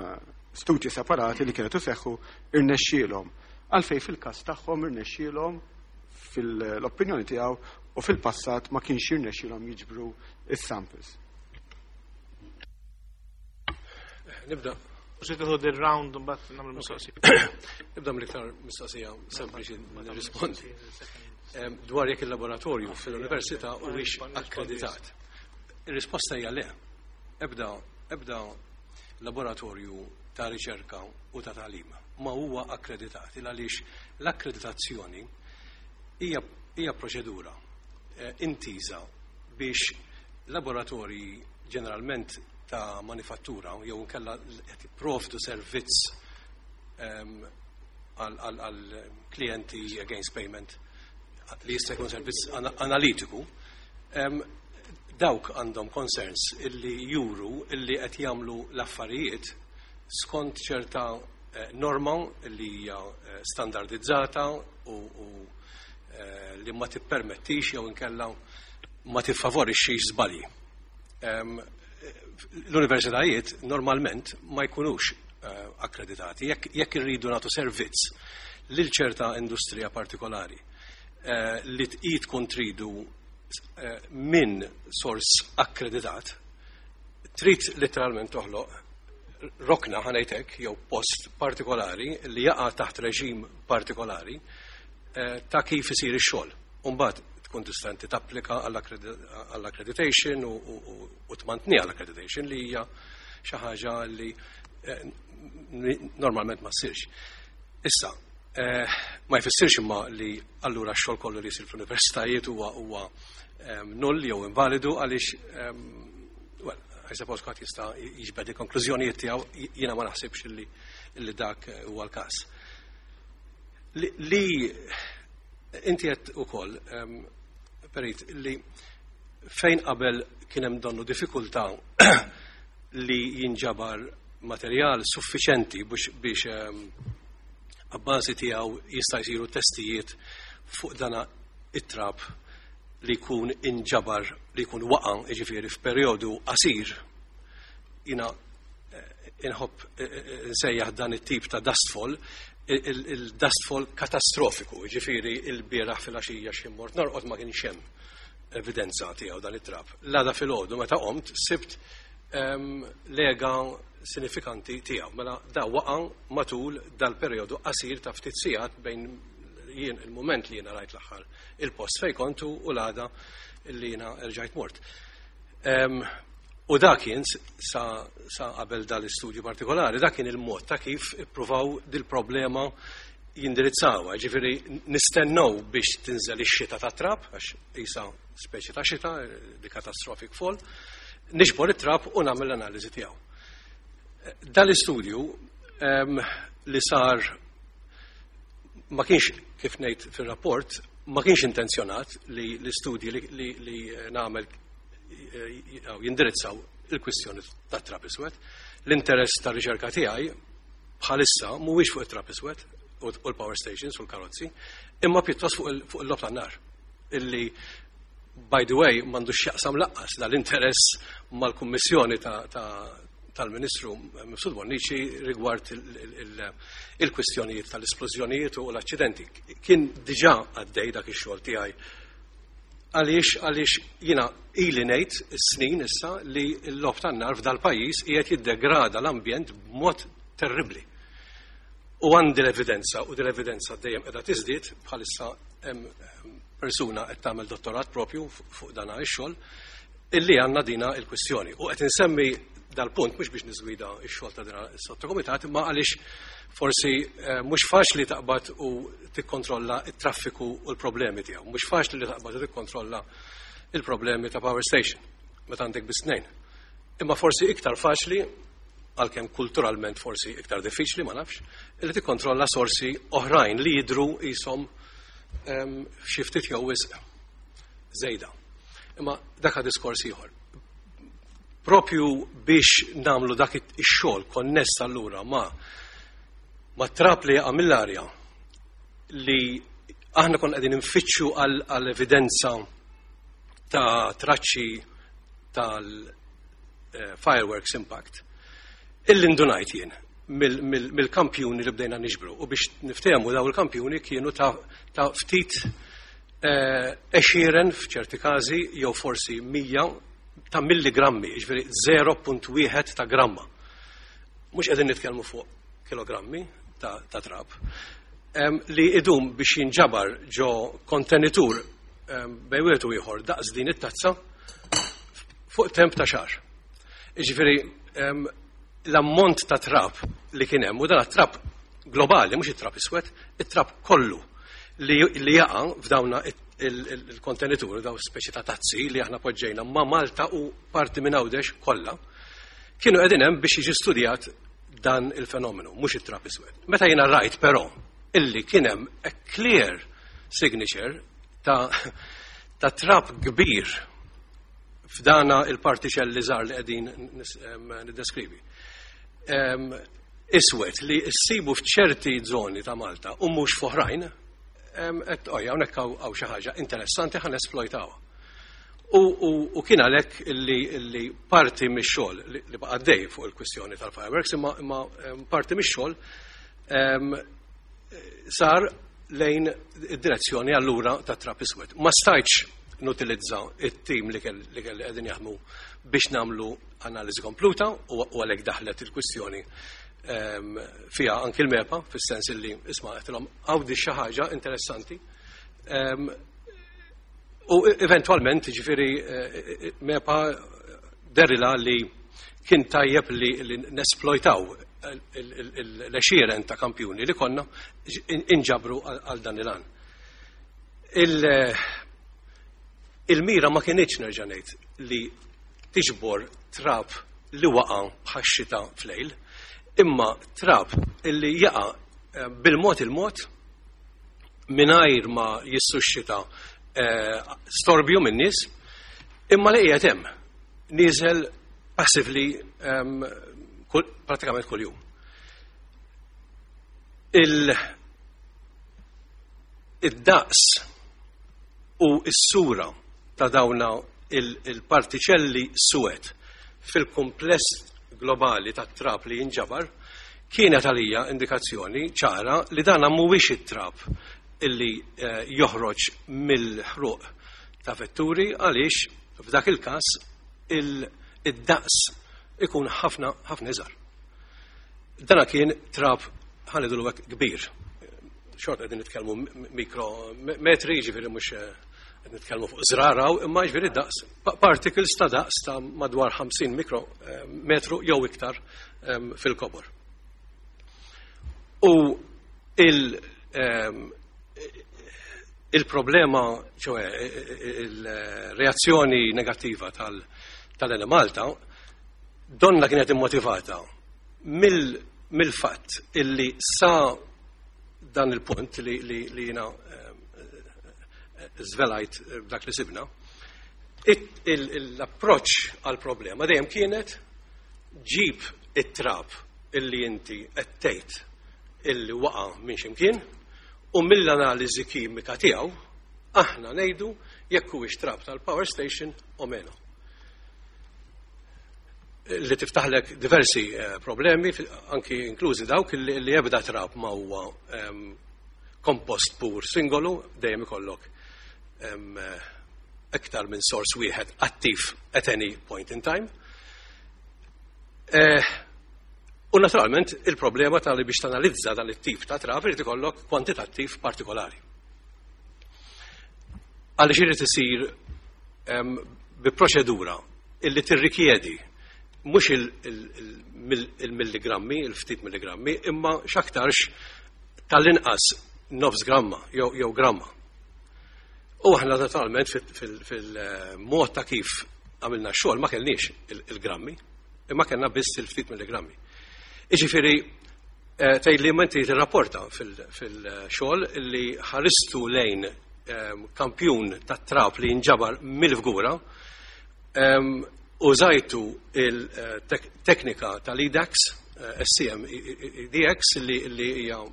studji separati li kienu seħħu, irnexxielhom. Għalfej fil-każ tagħhom irnexxielhom fil-opinjoni tiegħu u fil-passat ma kienx jirnexxielhom jiġbru is-samples? Nibda. U se tieħu round u mbagħad nagħmlu mistoqsija. Nibda mill-iktar mistoqsija sempliċi nirrispondi. Em, Dwar jekk il-laboratorju fil-università huwiex akkreditat. Ir-risposta hija le. Ebda ebda laboratorju ta' riċerka u ta' tagħlim ma huwa akkreditat il għaliex l-akkreditazzjoni hija hija proċedura eh, intiża biex laboratorji ġeneralment ta' manifattura jew inkella qed jipprovdu servizz em, għal għal- għal klijenti against payment li jista' jkun servizz ana- analitiku, em, dawk għandhom concerns illi juru illi qed jagħmlu l-affarijiet skont ċerta eh, norma li hija eh, standardizzata u, u eh, li ma tippermettix jew inkella ma tiffavorixxix żbalji. Em, L-universitajiet normalment ma jkunux eh, akkreditati. Jekk jekk irridu nagħtu servizz lil ċerta industrija partikolari eh, li tqid tkun tridu eh, minn sors akkreditat, trid letteralment toħloq rokna, ħa ngħidlek, jew post partikolari li jaqa' taħt reġim partikolari eh, ta' kif isir ix-xogħol. Umbagħad tkun tista' inti tapplika għall-accreditation u, u, u, u tmantni għall-accreditation, li hija xi ħaġa li eh, normalment ma ssirx. Issa, eh, ma jfissirx imma li allura x-xogħol kollu li jsir fl-universitajiet huwa huwa em, null jew invalidu għaliex em, well, I suppose kulħadd jista' jiġbed il-konklużjonijiet tiegħu, jiena ma naħsibx li, li dak huwa l-każ. Li, li inti qed ukoll em, Perit, li fejn qabel kien hemm donnu diffikultà li jinġabar materjal suffiċenti biex biex ehm, abbażi tiegħu jista' jsiru testijiet fuq dana it-trab li jkun inġabar, li jkun waqa', jiġifieri f'perjodu qasir. Jiena eh, inħobb eh, eh, nsejjaħ dan it-tip ta' dustfall il-dustfall katastrofiku, jiġifieri il-bieraħ fil-għaxija xi mort norqod ma kienx hemm evidenza tiegħu dan it-trab. L-għada filgħodu meta qomt sibt em, lega sinifikanti tiegħu. Mela da waqa' matul dal-perjodu qasir ta' ftit sigħat bejn jien il-moment li jiena rajt l-aħħar il-post fej kontu u l-għada li jiena rġajt mort. Em, U da kien sa, sa qabel dal-istudju partikolari, da kien il-mod ta' kif ippruvaw dil-problema jindirizzawha. Ġifieri nistennew biex tinżel ix-xita ta' trab, għax isa speċi ta' xita, di catastrophic fall, niġbor it-trab u nagħmel l-analiżi tiegħu. Dal-istudju em, li sar ma kienx, kif ngħid fir-rapport, ma kienx intenzjonat li l-istudji li, li, li nagħmel eh, jindirizzaw il-kwistjoni ta' trab iswed. L-interess ta' riċerka tiegħi bħalissa mhuwiex fuq it-trab iswed u l-power stations u l-karozzi, imma pjuttost fuq il-logħob tan-nar. Illi, by the way, m'għandux x'jaqsam lanqas dal-interess mal-Kummissjoni tal-Ministru Mifsud Bonnici rigward il-kwistjonijiet tal-esplużjonijiet u l-accidenti. Kien diġà għaddej dak ix-xogħol tiegħi. Għaliex għaliex jiena ili ngħid snin issa li l-logħob tan-nar f'dal-pajjiż qiegħed jiddegrada l-ambjent b'mod terribbli. U għandi l-evidenza, u l-evidenza dejjem qiegħda tiżdied, bħalissa hemm persuna qed tagħmel dottorat propju fuq dan ix-xogħol, illi għandna dina il-kwistjoni. U qed insemmi dal-punt mhux biex niżgwida x-xogħol ta' dina is-sottokumitat, imma għaliex forsi eh, mhux faċli taqbad u tikkontrolla it-traffiku u l-problemi tiegħu. Mhux faċli li taqbad u tikkontrolla il-problemi ta' power station meta għandek biss tnejn. Imma forsi iktar faċli, għalkemm kulturalment forsi iktar diffiċli, ma nafx, li tikkontrolla sorsi oħrajn li jidru jisom xi ftit jew wisq żejda. Imma dak diskors ieħor. Propju biex namlu dak ix-xogħol konness allura ma ma trab li jaqa' mill-arja li aħna kon qegħdin nfittxu għal evidenza ta' traċċi tal-fireworks impact. Illi ndunajt jien mill-kampjuni li bdejna niġbru, u biex niftehmu, daw il-kampjuni kienu ta' ftit għexieren f'ċerti każi jew forsi mija ta' milligrammi, ġifieri zero punt wieħed ta' gramma. Mhux qegħdin nitkellmu fuq kilogrammi ta', ta trab. Um, li idum biex jinġabar ġo kontenitur um, bejn wieħed u ieħor daqs din it-tazza fuq temp ta' xahar. Ġifieri um, l-ammont ta' trab li kien hemm, u dan trab globali, mhux it-trab iswed, it-trab kollu li, li jaqa' f'dawna il-kontenitur, daw speċi ta' tazzi li aħna poġġejna ma' Malta u parti minn Għawdex kollha, kienu qegħdin hemm biex jiġi studjat dan il-fenomenu, mhux it-trab iswed. Meta jiena rajt però illi kien hemm a clear signature ta' ta' trab kbir f'dana il-partiċelli żgħar li qegħdin niddeskrivi. Iswed li issibu f'ċerti zoni ta' Malta u mhux f'oħrajn, qed ojja, hawnhekk hawn xi ħaġa interessanti, ħa nesplojtawha. U, u, u kien għalhekk illi, illi parti mix-xogħol li, li baqa' dej fuq il-kwistjoni tal-fireworks, imma, imma parti mix-xogħol sar lejn id-direzzjoni allura ta' trab iswed. Ma stajtx nutilizza it-tim li kelli qegħdin jaħdmu biex namlu analiżi kompluta u għalhekk daħlet il-kwistjoni fiha anki l-MEPA, fis-sens illi isma' għedtilhom hawn xi ħaġa interessanti. U eventualment, ġifieri, MEPA derilha li kien tajjeb li, li nesplojtaw l-għexieren ta' kampjuni li konna inġabru għal dan il-għan. Il-mira ma kienx, nerġa' ngħid, li tiġbor trab li waqa' bħax-xita flejl, imma trab illi jaqa' bil-mod il-mod mingħajr ma jissuxxita storbju min-nies, imma li qiegħed hemm. nieżel passively um, kull, pratikament kull jum. Il, id-daqs u s-sura ta' dawna il-partiċelli suwed fil-kompless globali ta' trab li jinġabar kienet għalija indikazzjoni ċara li dana mhuwiex it-trab illi eh, joħroġ mill-ħruq ta' vetturi, għaliex f'dak il-każ id-daqs ikun ħafna ħafna iżgħar. Dana kien trab, ħa ngħidu kbir. Xorta qegħdin nitkellmu mikrometri, ġifieri mhux eh, qed nitkellmu fuq żraraw, imma ġifieri daqs, particles ta' daqs ta' madwar ħamsin mikrometru jew iktar fil-kobor. U il- il-problema, ċoè, il-reazzjoni negattiva tal-Enemalta, donna kienet immotivata mill-fatt illi sa dan il-punt li, li, li jiena żvelajt dak li sibna, l-approċ għal-problema dejjem kienet ġib it-trab illi inti qed illi waqa' minn ximkien u mill-analiżi kimika tiegħu aħna ngħidu jekk huwiex trab tal-power station o meno. Li tiftaħlek diversi eh, problemi, anki inklużi dawk li, li ebda trab ma huwa um, kompost pur singolu, dejjem ikollok um, iktar minn sors wieħed attiv at any point in time. Eh, u naturalment il-problema tal biex tanalizza dan it-tip ta' trab irid ikollok kwantitattiv partikolari. Għaliex irid isir um, bi proċedura illi tirrikjedi mhux il-milligrammi, il-ftit milligrammi, imma x'aktarx tal-inqas nofs gramma jew jew gramma. U aħna naturalment fil-mod ta' kif għamilna xogħol ma kellniex il-grammi, imma kellna biss il-ftit milligrammi. Iġifieri eh, tgħid li inti tirrapporta fil-xogħol li ħaristu lejn ehm, kampjun ta' trab li jinġabar mill-Fgura, ehm, użajtu il-teknika tal-E D A X, eh, S E M E D X, li hija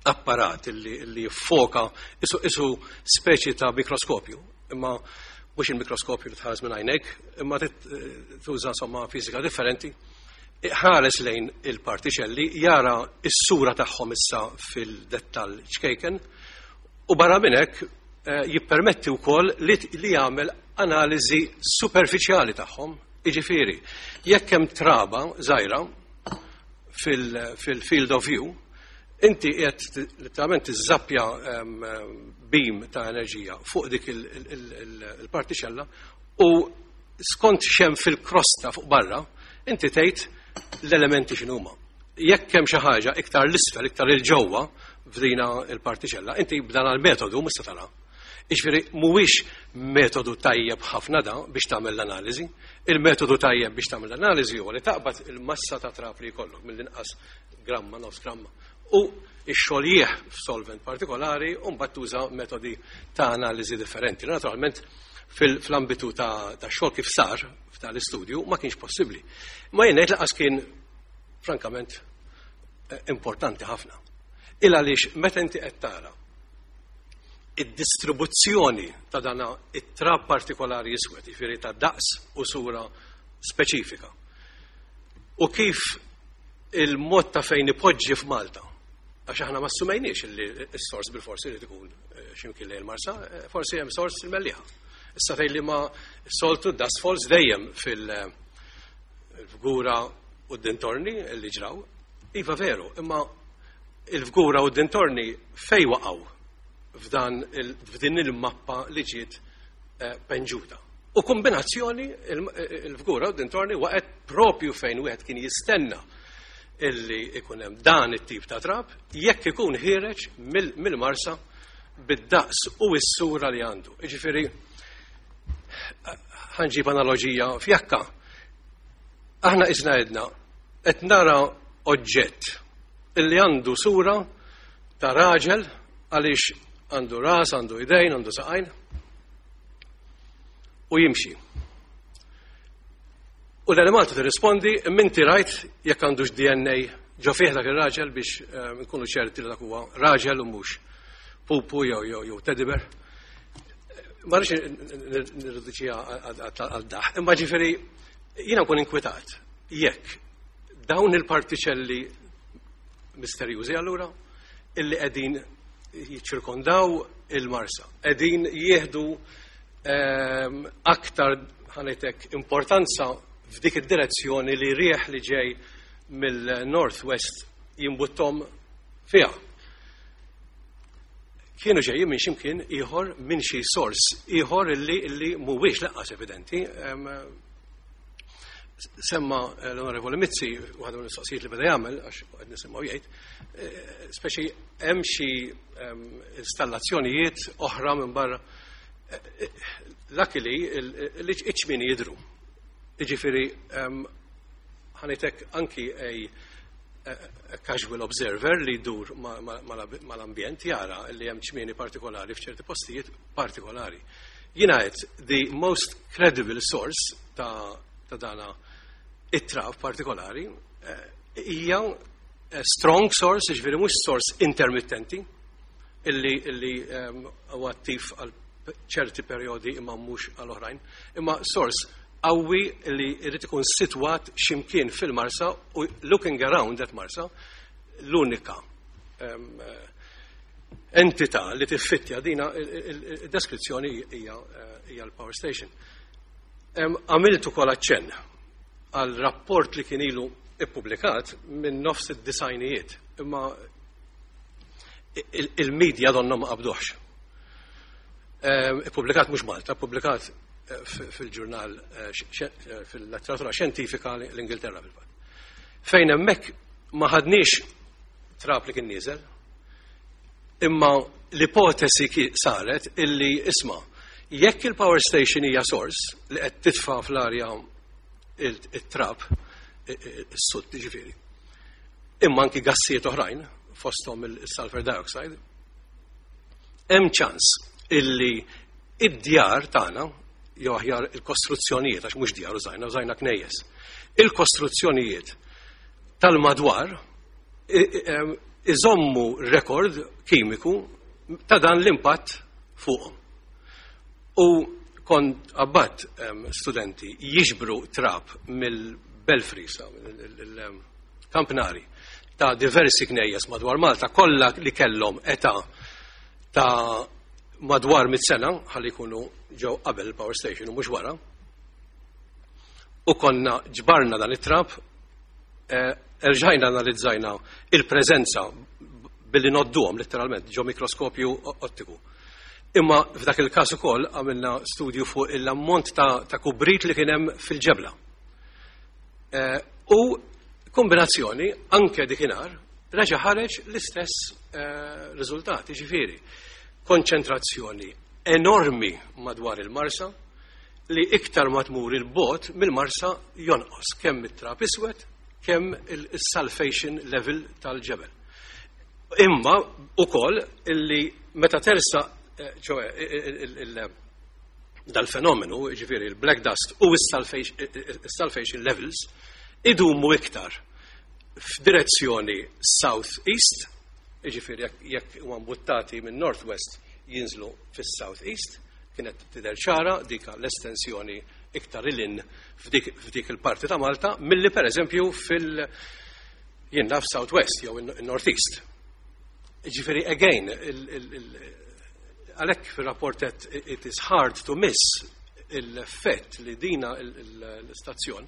apparat li, li jiffoka isu, isu speċi ta' mikroskopju, imma mhux il-mikroskopju li tħares minn għajnek, imma tuża somma fiżika differenti, ħares lejn il-partiċelli, jara s-sura tagħhom issa fil-dettall ċkejken, u barra minn hekk eh, jippermetti wkoll li, li jagħmel analiżi superfiċjali tagħhom. Jiġifieri, jekk hemm traba żgħira fil-field of view, inti qed letteralment tiżappja beam ta' enerġija fuq dik il-partiċella u skont x'hemm fil-krosta fuq barra, inti tgħid l-elementi x'inhuma. Jekk hemm xi ħaġa iktar l-isfel, iktar il-ġewwa f'dina il-partiċella, inti b'dan il-metodu mhux se tara. Iġifieri mhuwiex metodu tajjeb ħafna da biex tagħmel l-analiżi. Il-metodu tajjeb biex tagħmel l-analiżi huwa li taqbad il-massa ta' trab li jkollok, mill-inqas gramma, nofs gramma, u ixxoljih f'solvent partikolari u mbagħad tuża metodi ta' analiżi differenti. Naturalment fil-ambitu ta' xogħol kif sar f'tal-istudju ma kienx possibbli. Ma jien ngħid lanqas kien frankament eh, importanti ħafna. Il għaliex meta inti qed tara id-distribuzzjoni ta' dana it-trab partikolari iswed, jiġifieri ta' daqs u sura speċifika. U kif il-mod ta' fejn ipoġġi f'Malta, għax aħna ma assumejniex li s-sors bil-forsi li tkun eh, ximkien lejn il-Marsa, eh, forsi hemm sors il-Mellieħa. Issa fejn li ma soltu dust falls dejjem fil-Fgura u d-dintorni li ġraw, iva veru, imma il-Fgura u d-dintorni fej waqgħu f'dan f'din il-mappa li ġiet eh, penġuta? U kombinazzjoni il-Fgura u d-dintorni waqgħet propju fejn wieħed kien jistenna illi ikun hemm dan it-tip ta' trab jekk ikun ħiereġ mill-Marsa bid-daqs u s-sura li għandu. Iġifieri ħa nġib analogija fjakka. Aħna isna għedna qed nara oġġett illi għandu sura ta' raġel għaliex għandu ras, għandu idejn, għandu saqajn u jimxi. U l-Enemalta tirrispondi, "Minti rajt jekk għandux D N A ġo fih dak ir-raġel biex eh, nkunu ċerti li dak huwa raġel u mhux pupu jew jew jew teddy bear?" Ma rridx nirriduċiha għal daħ, imma ġifieri jiena nkun inkwetat jekk dawn il-partiċelli misterjużi allura illi qegħdin jiċċirkondaw il-Marsa, qegħdin jieħdu ehm, aktar, ħa ngħidlek, importanza f'dik id-direzzjoni li rieħ li ġej mill-Northwest jimbuttom fiha. Kienu ġejjin minn ximkien ieħor, minn xi sors ieħor illi illi mhuwiex lanqas evidenti. Em, Semma l-Onorevoli Mizzi, waħda mill-mistoqsijiet li beda jagħmel, għax qed nisimgħu jgħid, eh, speċi hemm xi em, installazzjonijiet oħra minn barra. Eh, eh, Luckily, iċ-ċmieni jidru. Jiġifieri, ħa ngħidlek, anki a, a, a casual observer li jdur mal-ambjent jara li hemm ċmieni partikolari f'ċerti postijiet partikolari. Jiena għedt the most credible source ta', ta dana it-trab partikolari eh, hija eh, strong source, ġifieri mhux source intermittenti illi illi um, huwa attiv għal ċerti periodi imma mhux għal oħrajn, imma source qawwi li jrid ikun sitwat ximkien fil-Marsa u looking around at Marsa, l-unika um, entità li tiffittja dina il-deskrizzjoni hija hija l-power station. Għamilt ukoll aċċenn għal rapport li kien ilu ippubblikat minn nofs id-disgħinijiet, imma il-medja donna ma qabduħx. Ippubblikat mhux Malta, ippubblikat fil-ġurnal, fil-letteratura xjentifika l-Ingilterra fil-fatt. Fejn hemmhekk ma ħadniex trab li kien nieżel, imma l-ipotesi saret illi, isma', jekk il-power station hija source li qed titfa' fl-arja it-trab, is-soot ġifieri, imma anki gassijiet oħrajn, fosthom il-sulfur dioxide, hemm ċans illi id-djar tagħna, jew aħjar il-kostruzzjonijiet, għax mhux djar użajna, użajna knejjes. Il-kostruzzjonijiet tal-madwar iżommu rekord kimiku ta' dan l-impatt fuqhom. U kont bgħatt studenti jiġbru trab mill-belfry, il-kampnari, ta' diversi knejjes madwar Malta, kollha li kellhom età ta' madwar mit sena, ħalli jkunu ġew qabel il-power station u mhux wara. U konna ġbarna dan it-trab, erġajna analizzajna il-preżenza billi ngħodduhom letteralment ġo mikroskopju ottiku. Imma f'dak il-każ ukoll għamilna studju fuq l-ammont ta', ta kubrit li kien hemm fil-ġebla. Eh, u kombinazzjoni anke dikinhar reġa' ħareġ l-istess eh, riżultati, ġifieri konċentrazzjoni enormi madwar il-Marsa li iktar ma tmur il-bogħod mill-Marsa jonqos kemm it-trab iswed, kemm il-sulfation level tal-ġebel. Imma ukoll illi meta tersa, ċoè dal-fenomenu, ġifieri il-black dust u il-sulfation levels, idumu iktar f'direzzjoni south-east, ġifieri jekk huma mbuttati minn northwest jinżlu fis-south-east, kienet tidher ċara dika l-estensjoni iktar lil hinn f'dik il-parti ta' Malta milli per eżempju fil- jien naf southwest jew in-northeast. Ġifieri again, għalhekk fil-rapport it is hard to miss l-effett li dina l-istazzjon,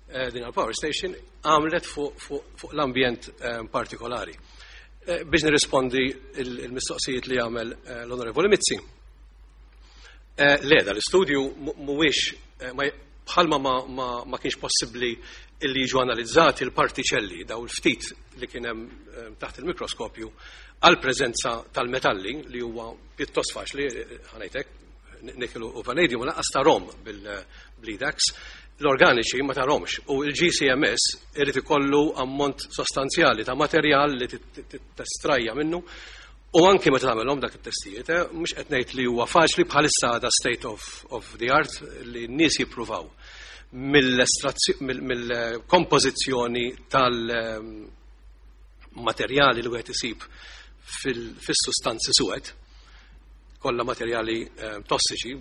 eh, dina l-power station, għamlet fuq l-ambjent eh, partikolari. Eh, biex nirrispondi il-mistoqsijiet li għamel l-Onorevoli Mizzi. Le, dal-istudju mhuwiex, bħalma ma kienx possibbli illi jiġu analizzati l-partiċelli, daw il-ftit li kien hemm taħt il-mikroskopju, għal preżenza tal-metalli, li huwa pjuttost faċli, ħa ngħidlek, nickel u vanadium lanqas tarahom bil-EDAX, l-organiċi ma tarahomx u il-G C M S irid ikollu ammont sostanzjali ta' materjal li testrajja minnu u anki meta tagħmelhom dak it-testijiet, eh, mhux qed ngħid li huwa faċli. Bħalissa għada state of, of the art li n-nies jippruvaw. Mill-kompożizzjoni tal-materjali li wieħed isib fis-sustanzi suwed, kollha materjali eh, tossiċi,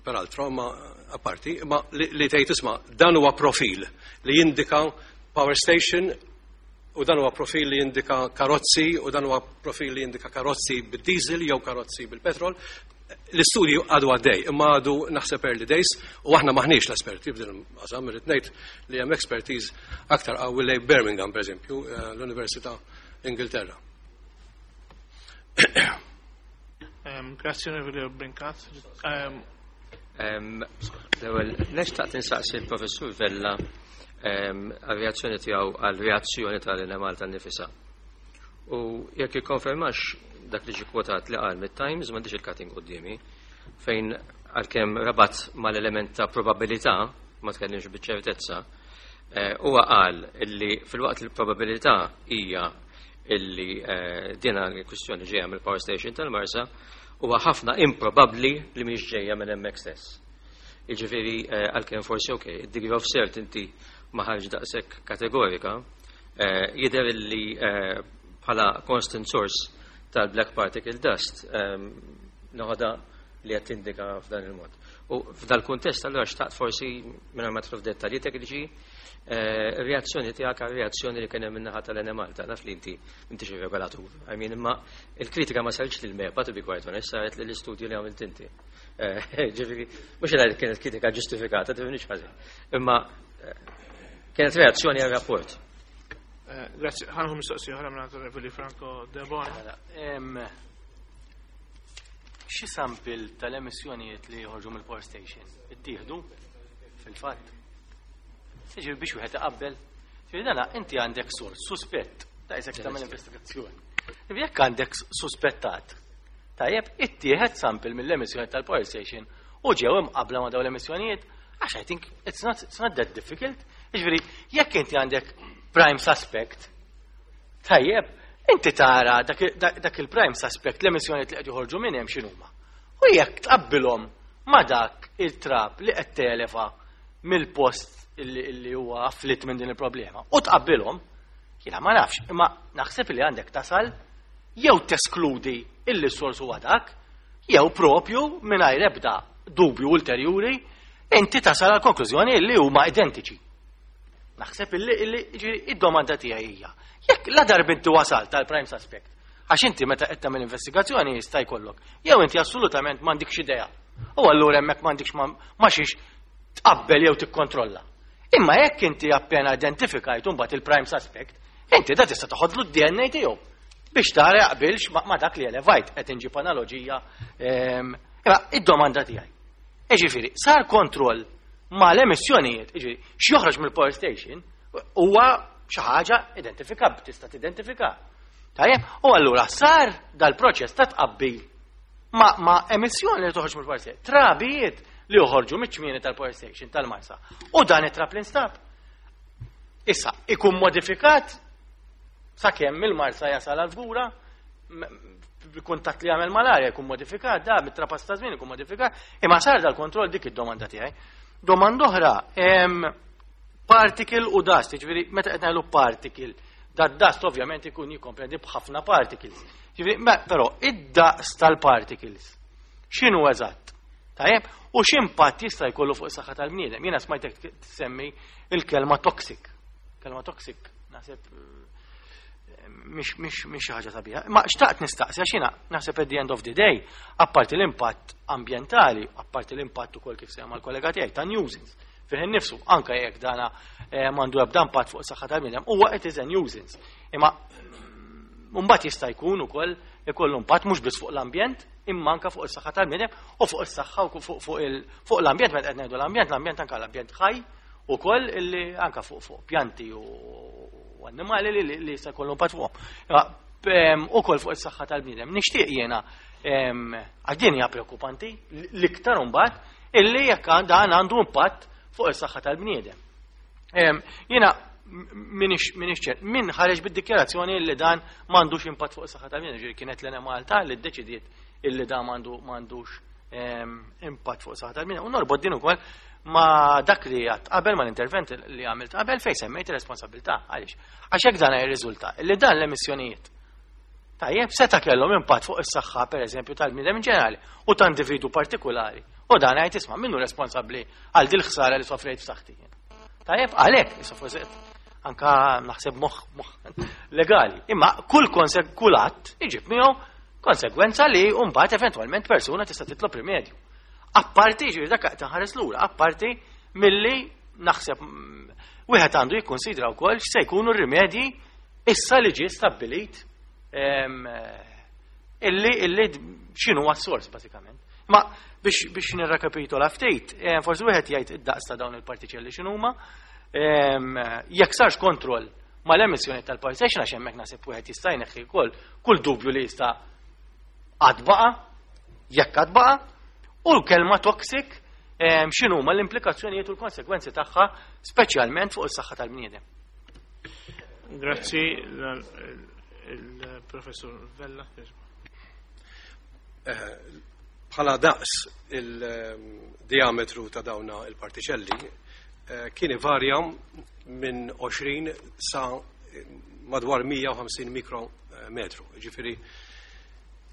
peraltro, ma apparti, ma li, li tgħid, isma', dan huwa profil li jindika power station u dan huwa profil li jindika karozzi u dan huwa profil li jindika karozzi bid-diesel jew karozzi bil-petrol. L-istudju għadu għaddej, imma għadu naħseb early days u aħna maħniex l-esperti f'din il-qasam, irrid ngħid li hemm expertise aktar qawwi lejn Birmingham, pereżempju, eh, l-Università Ingilterra. Grazzi, Onorevoli Brincat. L-ewwel, nixtaq tinsaqsi l-Professur Vella għal-reazzjoni tiegħu għal-reazzjoni tal-Enemalta nnifisha. U jekk jikkonfermax dak li ġi kwotat li qal mit-Times, m'għandix il-cutting quddiemi, fejn għalkemm rabat mal-element ta' probabilità, ma tkellimx biċ-ċertezza, eh, huwa qal illi fil-waqt il-probabilità hija illi eh, dina l-kwistjoni ġejja mill-power station tal-Marsa, huwa ħafna improbabbli li mhix ġejja minn hemmhekk stess. Jiġifieri eh, għalkemm forsi, ok, id-degree of certainty ma ħarġ daqshekk kategorika, eh, jidher li bħala constant source tal-black particle dust noħodha li qed tindika f'dan il-mod. U f'dal-kuntest allura xtaqt forsi, minn ma tidħol f'dettalji tekniċi, eh, reazzjoni tiegħek għal reazzjoni li kien hemm min-naħa tal-Enemalta. Naf li inti m'intix ir-regolatur. I mean, imma il-kritika ma saritx lil MEPA, to be quite honest, saret lill-istudju li għamilt inti. Eh, ġifieri, mhux li kienet kritika ġustifikata, tifhimnix ħażin. Imma eh, kienet reazzjoni għal rapport. Grazzi, ħa nieħu mistoqsija oħra minn Onorevoli Franco Debono. Xi sample tal-emissjonijiet li joħorġu mill-power station ittieħdu fil-fatt? Siġir biex wieħed iqabbel. Ġifieri dana inti għandek sors suspett, ta' isek tagħmel investigazzjoni. Jekk għandek suspettat, tajjeb, ittieħed sample mill-emissjoni tal-power station u ġew imqabla ma' dawn l-emissjonijiet, għax I think it's not, it's not that difficult. Ġifieri, jekk inti għandek prime suspect, tajjeb, inti tara dak, dak il-prime suspect, l-emissjonijiet li qed joħorġu minn hemm x'inhuma. U jekk tqabbilhom ma dak il-trab li qed televa mill-post illi huwa afflitt minn din il-problema. U tqabbilhom, jiena ma nafx, imma naħseb li għandek tasal jew teskludi illi s-sors huwa dak, jew propju mingħajr ebda dubju ulterjuri inti tasal għal konklużjoni illi huma identiċi. Naħseb illi illi id-domanda tiegħi hija: jekk la darba inti wasalt tal-prime suspect, għax inti meta qed tagħmel investigazzjoni jista' jkollok, jew inti assolutament m'għandikx idea. U allura hemmhekk m'għandikx ma xiex tqabbel jew tikkontrolla. Imma jekk inti appena identifikajt mbagħad il-prime suspect, inti da tista' toħodlu d-D N A tiegħu biex tara jaqbilx ma dak li elevajt, qed inġib analoġija. Imma id-domanda tiegħi: Ġifieri, sar kontroll ma l-emissjonijiet, ġifieri, x'joħroġ mill-power station huwa xi ħaġa identifikabbli, tista' tidentifika. Tajjeb, u allura sar dal-proċess ta' tqabbil ma, ma emissjoni li toħroġ mill-power station, trabijiet li joħorġu miċ-ċmieni tal-power station tal-Marsa. U dan it-trab li nstab. Issa, ikun modifikat sakemm il-Marsa jasal għal-Fgura, kuntatt li għamel mal-arja jkun modifikat, da mit-trapass ta' żmien ikun modifikat, imma sar dal-kontroll? Dik id-domanda tiegħi. Domanda oħra, particle u dust, ġifieri meta qed ngħidu particle, da dust ovvjament ikun jikkomprendi b'ħafna particles. Ġifieri, però id-daqs tal-particles x'inhu eżatt? Tajjeb, u x'impatt jista' jkollu fuq is-saħħa tal-bniedem? Jiena smajtek tsemmi il-kelma toxic. Kelma toxic, naħseb mhix mhix mhix xi ħaġa sabiħa. Ma xtaqt nistaqsi għax jiena naħseb at the end of the day, apparti l-impatt ambjentali, apparti l-impatt ukoll kif semma l-kollega tiegħi ta' nuisance fih innifsu, anke jekk dana eh, m'għandu ebda impatt fuq is-saħħa tal-bniedem, huwa it is a nuisance. Imma mbagħad jista' jkun ukoll ikollu impatt mhux biss fuq l-ambjent, imma anke fuq is-saħħa tal-bniedem u fuq is-saħħa u fuq fuq l-ambjent. Meta qed ngħidu l-ambjent, l-ambjent anke l-ambjent ħaj ukoll illi anke fuq fuq pjanti u annimali li li jista' jkollu impatt fuqhom. Ukoll fuq is-saħħa tal-bniedem. Nixtieq jiena, għax din hija preokkupanti l-iktar imbagħad, illi jekk dan għandu impatt fuq is-saħħa tal-bniedem. Jiena minix minix min ħareġ bid-dikjarazzjoni li dan m'għandux impatt fuq is-saħħa tal-bniedem, ġifieri kienet l-Enemalta li ddeċidiet illi dan m'għandu m'għandux impatt fuq is-saħħa tal-bniedem. U norbot din ukoll ma dak li għedt qabel, ma l-intervent li għamilt qabel fejn semmejt ir-responsabilità. Għaliex? Għax hekk dan jirriżulta li dan l-emissjonijiet, tajjeb, seta' kellhom impatt fuq is-saħħa, pereżempju, tal-bniedem in ġenerali u ta' individu partikolari. U dan għajt, isma', minnu responsabbli għal dil ħsara li sofrejt f'saħħti? Tajjeb, għalhekk issa forsi anka naħseb moħ moħ legali. Imma kull konseg kull att iġib miegħu konsegwenza li mbagħad eventwalment persuna tista' titlob rimedju. Apparti, ġifieri dak taħares lura, apparti milli naħseb mm, wieħed għandu jikkonsidra wkoll x'se jkunu r-rimedji issa li ġie stabbilit em, illi illi x'inhu s-sors bażikament. Ma biex biex nirrakapitola ftit, eh, forsi wieħed jgħid id-daqs ta' dawn il-partiċelli x'inhuma, em, jekk sarx kontroll mal-emissjoni tal-power station, għax hemmhekk naħseb wieħed jista' jneħħi wkoll kull dubju li jista' għad baqa', jekk għad baqa', u l-kelma toxic em, x'inhuma l-implikazzjonijiet u l-konsekwenzi tagħha, speċjalment fuq is-saħħa tal-bniedem. Grazzi, il-Professor Vella. Bħala daqs, il-diametru ta' dawna il-partiċelli eh, kien varja minn għoxrin sa madwar mija u ħamsin mikrometru. Ġifieri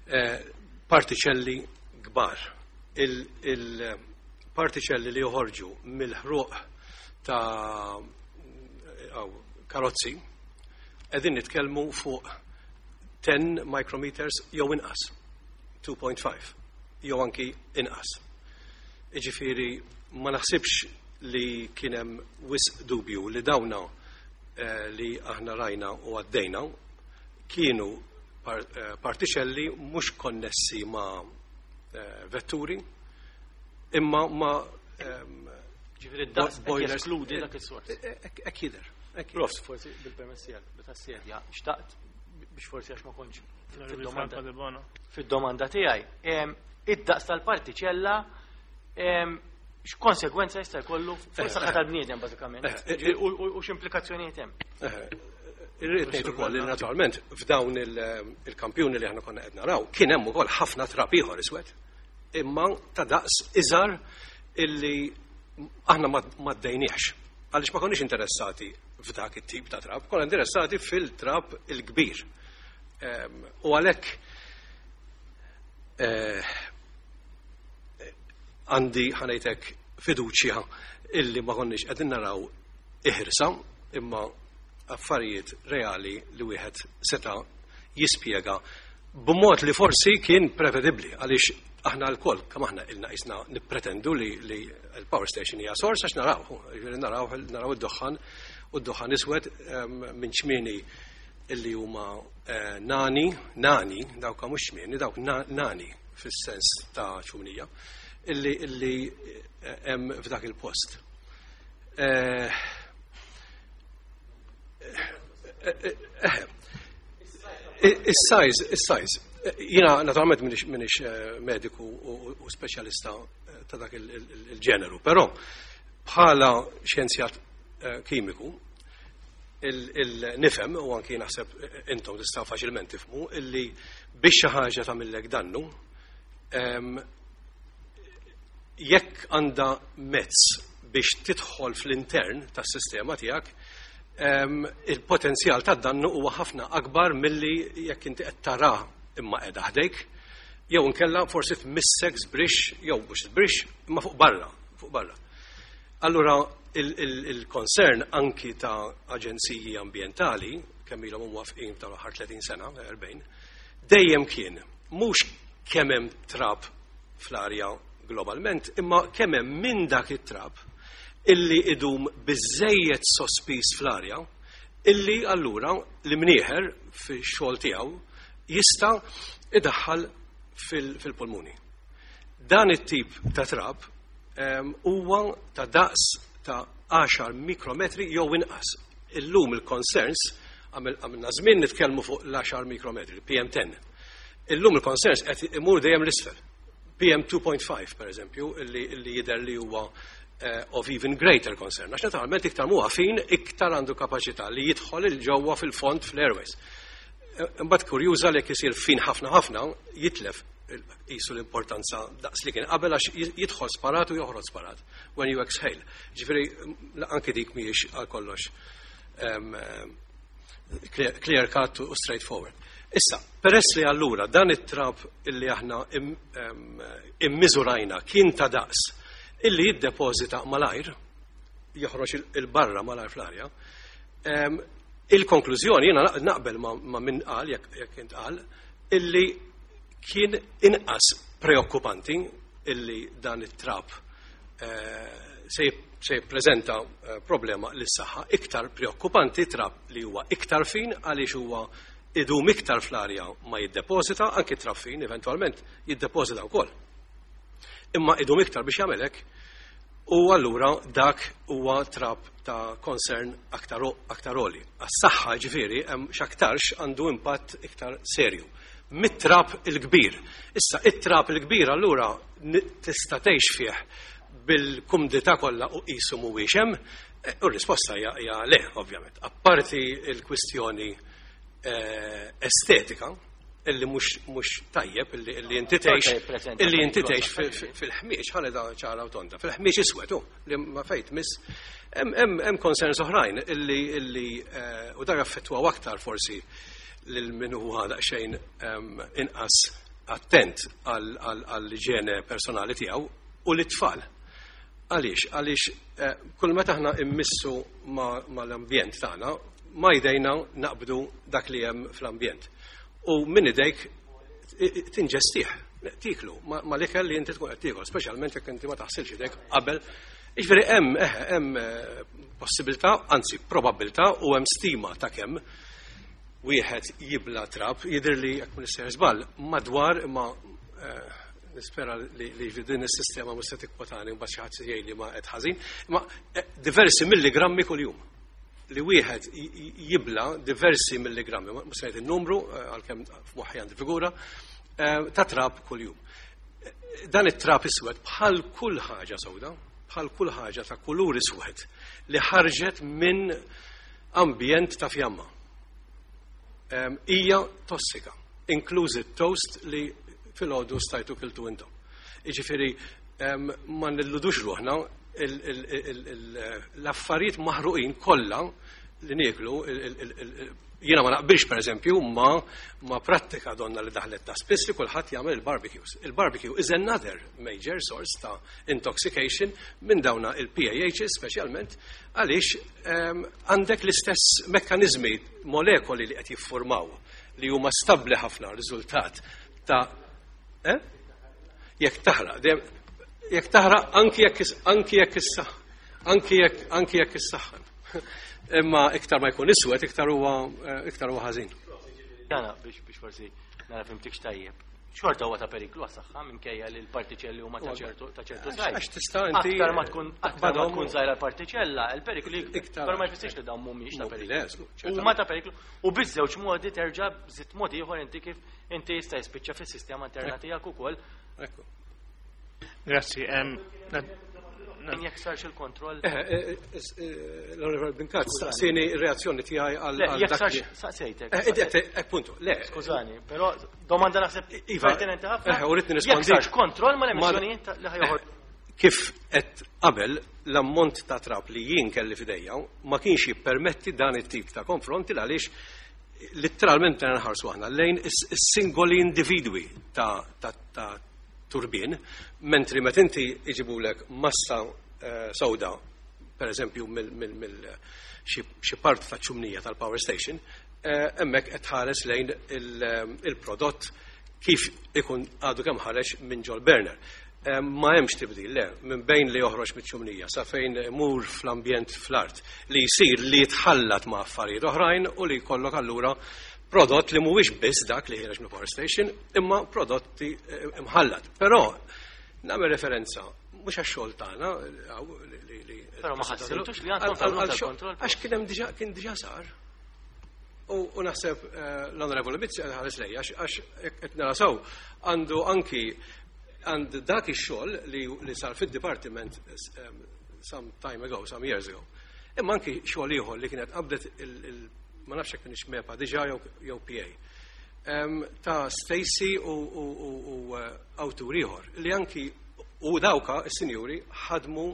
eh, partiċelli kbar. Il-partiċelli li joħorġu mill-ħruq ta' aw, karozzi, qegħdin nitkellmu fuq ten micrometers jew inqas, two point five, jew anki inqas. Iġifieri ma naħsibx li kien hemm wisq dubju li dawna eh, li aħna rajna u għaddejna kienu par, eh, partiċelli mhux konnessi ma' eh, vetturi imma ma' ehm, Ġifieri d-daqs qed boilers. jeskludi dak is-sors. Hekk jidher. Hekk jidher. Prof, forsi bil-permess tiegħek, bit-tassedja, xtaqt biex forsi għax ma kontx fid-domanda Franco De Bono. fid-domanda tiegħi. Em, Id-daqs tal-partiċella em, x'konsegwenza jista' jkollu fuq is-saħħa tal-bniedem bażikament? Eh, Ġifieri, U u- u x'implikazzjonijiet hemm? Eh, Irrid ngħid ukoll li naturalment f'dawn il- il-kampjuni li aħna konna qed naraw kien hemm ukoll ħafna trab ieħor iswed, imma ta' daqs iżgħar illi aħna ma ma ddejniex. Għaliex ma konniex interessati f'dak it-tip ta' trab, konna interessati fil-trab il-kbir. Em, U għalhekk eh, għandi, ħa ngħidlek, fiduċja illi ma konniex qegħdin naraw iħirsa imma affarijiet reali li wieħed seta' jispjega b'mod li forsi kien prevedibbli, għaliex aħna lkoll kemm aħna ilna qisna nippretendu li, li l-power station hija sors, għax naraw, jiġifieri naraw naraw id-duħħan u d-duħħan iswed em, minn ċmieni illi huma eh, nani, nani, dawk mhux ċmieni, dawk na- nani fis-sens ta' ċumnija, illi illi eh, hemm f'dak il-post. Eh, eh, eh, Is-size, is-size. Jiena naturalment minix, minix eh, mediku u, u speċjalista eh, ta' dak il- il- il-ġeneru, però bħala xjenzjat eh, kimiku il-nifhem u anki naħseb intom tistgħu faċilment tifhmu illi biex xi ħaġa tagħmillek dannu, em, jekk għandha mezz biex tidħol fl-intern tas-sistema tiegħek, em, il-potenzjal ta' dannu huwa ħafna akbar milli jekk inti qed tara imma qiegħda ħdejk, jew inkella forsi tmissek żbrix, jew mhux żbrix imma fuq barra, fuq barra. Allura il-concern anki ta' aġenziji ambientali, kemm ilhom mwafqin tal-aħħar tletin sena, erbgħin, dejjem kien mhux kemm hemm trab fl-arja globalment, imma kemm hemm minn dak it-trab illi idum biżejjed sospiż fl-arja, illi allura l-imnieħer fix-xogħol tiegħu jista' idaħħal fil-pulmuni. Dan it-tip ta' trab em, huwa ta' daqs ta' għaxar mikrometri jew inqas. Illum il-concerns, għamilna żmien nitkellmu fuq l-għaxar mikrometri, P M ten. Illum il-concerns qed imur dejjem l-isfel. P M two point five, per eżempju, illi, illi jidher li huwa uh, of even greater concern. Għax naturalment iktar huwa fin, iktar għandu kapaċità li jidħol 'il ġewwa fil-fond fl-airways. Imbagħad kurjuża li jekk isir fin ħafna ħafna jitlef qisu l-importanza daqs li kien qabel, għax jidħol sparat u joħroġ sparat when you exhale. Ġifieri anke dik mhijiex għal kollox clear cut u straightforward. Issa, peress li allura dan it-trab illi aħna immiżurajna kien ta' daqs illi jiddepożita malajr, joħroġ il-barra malajr fl-arja, il-konklużjoni jiena naqbel ma' min qal, jekk int qal, illi kien inqas preokkupanti illi dan it-trab se jippreżenta problema lis-saħħa, iktar preokkupanti trab li huwa iktar fin għaliex huwa idum iktar fl-arja ma jiddepożita, anki trab fin eventwalment jiddepożita wkoll. Imma idum iktar biex jagħmel hekk, u allura dak huwa trab ta' concern aktar għoli. Għas-saħħa ġifieri hemm x'aktarx għandu impatt iktar serju mit-trab il-kbir. Issa, it-trab il-kbir allura tista' tgħix fih bil-kumdità kollha u qisu mhuwiex hemm, u r-risposta hija le, ovvjament. Apparti il-kwistjoni estetika, illi mhux tajjeb, illi inti tgħix illi inti tgħix fil-ħmieġ, ħalli da ċara u tonda, fil-ħmieġ iswed, li ma fejt miss, hemm concerns oħrajn illi illi u dak affettwaw aktar forsi lil min huwa daqsxejn inqas attent għall-iġene personali tiegħu u lit-tfal. Għaliex? Għaliex kull meta aħna immissu mal-ambjent tagħna, ma jdejna naqbdu dak li hemm fl-ambjent. U minn idejk tinġestih, tiklu, ma l-ikel li inti tkun qed tiekol, speċjalment jekk inti ma taħsilx idejk qabel. Jiġifieri hemm hemm possibilità, anzi probabilità, u hemm stima ta' kemm wieħed jibla trab, jidher li jekk ma nistgħu żball madwar, imma nispera li din is-sistema mhux se tikkwotani mbagħad xi ħadd jgħid li ma qed ħażin, imma diversi milligrammi kuljum. Li wieħed jibla diversi milligrammi, mhux se ngħid in-numru għalkemm f'moħħi għandi figura, ta' trab kuljum. Dan it-trab iswed bħal kull ħaġa sewda, bħal kull ħaġa ta' kulur iswed li ħarġet minn ambjent ta' fjamma. Hija tossika, inklużi toast li filgħodu stajtu kiltu intom. Jiġifieri ma nilludux ruħna, l-affarijiet maħruqin kollha li nieklu, jiena ma naqbilx pereżempju ma ma prattika donna li daħlet ta' spiss li kulħadd jagħmel il-barbecues. Il-barbecue is another major source ta' intoxication minn dawna il-P A Hs speċjalment, għaliex għandek l-istess mekkaniżmi, molekoli li qed jiffurmaw li huma stabbli ħafna riżultat ta' eh? Jekk taħraq, dejjem jekk taħraq anki jekk anki jekk issa, anki jekk, anki jekk issaħħan. Imma iktar ma jkun iswed, iktar huwa, iktar huwa ħażin. Jana, biex, biex forsi nara fimtikx tajjeb. Xorta huwa ta' periklu għas-saħħa minkejja li l-partiċelli huma ta' ċertu, ta' ċertu Għax size. għax tista' inti Aktar ma tkun, aktar ma taqbadhom tkun żgħira l-partiċella, il-periklu jikber. Iktar. Però ma jfissirx li dawn mhumiex ta' Mhu periklu. le, żgur, ċertament. Huma ta' periklu u biż-żewġ modi terġa' bżitt mod ieħor inti kif inti jista' jispiċċa fis-sistema interna tiegħek ukoll. Ekku. Grazzi. Em, na- Min jekk sarx il-kontroll? Eh, eh, eh, L-Onorevole Brincat, staqsini r-reazzjoni tiegħi għal Le, għal jekk dak sarx li- saqsejtek. Eh, eh, eh, eh, punto, le. Skużani, però domanda naħseb Iva, pertinenti ħafna. eh, u rrid Jekk nirrispondi. sarx kontroll ma Ma- l-emissjonijiet ta' li ħajoħor. Eh, kif qed qabel l-ammont ta' trab li jien kelli f'idejja ma kienx jippermetti dan it-tip ta' konfronti għaliex letteralment nħarsu aħna lejn is-, is-singoli individwi ta', ta', ta' turbin, mentri meta inti iġibulek massa, eh, sewda, per eżempju, mill, mill, mill, xi, xi parti ta' ċumnija tal-power station, eh, hemmhekk qed tħares lejn il-, il-prodott kif ikun għadu kemm ħareġ minn ġol burner. Eh, ma hemmx tibdil, le, minn bejn li joħroġ miċ-ċumnija sa fejn imur fl-ambjent fl-art li jsir li jitħallat ma' affarijiet oħrajn u li jkollok allura prodott li mhuwiex biss dak li ħiereġ mill-power station, imma prodotti, eh, imħallat. Però nagħmel referenza mhux għax-xogħol tagħna, għaw, li, li, li, Però ma ħassejtux li għandkom Għal-, għal-, tagħmlu għal-xogħol, tal-kontroll? Għax kien hemm diġà, kien diġà sar. U, u naħseb, eh, l-Onorevoli Mizzi ħares lejja, għax, għax qed nara sew, għandu anki għand dak ix-xogħol li, li sar fid-dipartiment, eh, some time ago, some years ago. Imma anki xogħol ieħor li kienet qabdet il-, il-, ma nafx jekk kienx MEPA diġà jew, jew P A. ta' Stacy u, u, u, u eh, awtur ieħor li anki u dawka is-sinjuri ħadmu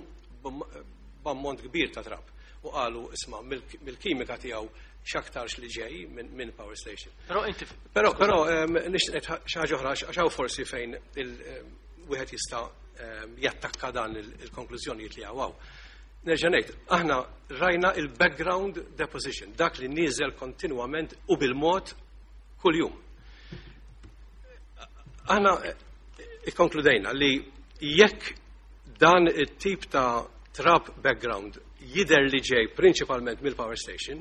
b'ammont kbir ta' trab u qalu, isma', mill-kimika tiegħu x'aktarx li ġej minn min power station. Però inti Però però nixtieq xi ħaġa oħra, għax hawn forsi fejn wieħed jista' jattakka dan il-konklużjonijiet li hawn. Nerġa' ngħid, aħna rajna il-background deposition, dak li nieżel kontinwament u bil-mod kuljum. Aħna ikkonkludejna li jekk dan it-tip ta' trap background jider li ġej prinċipalment mill-power station,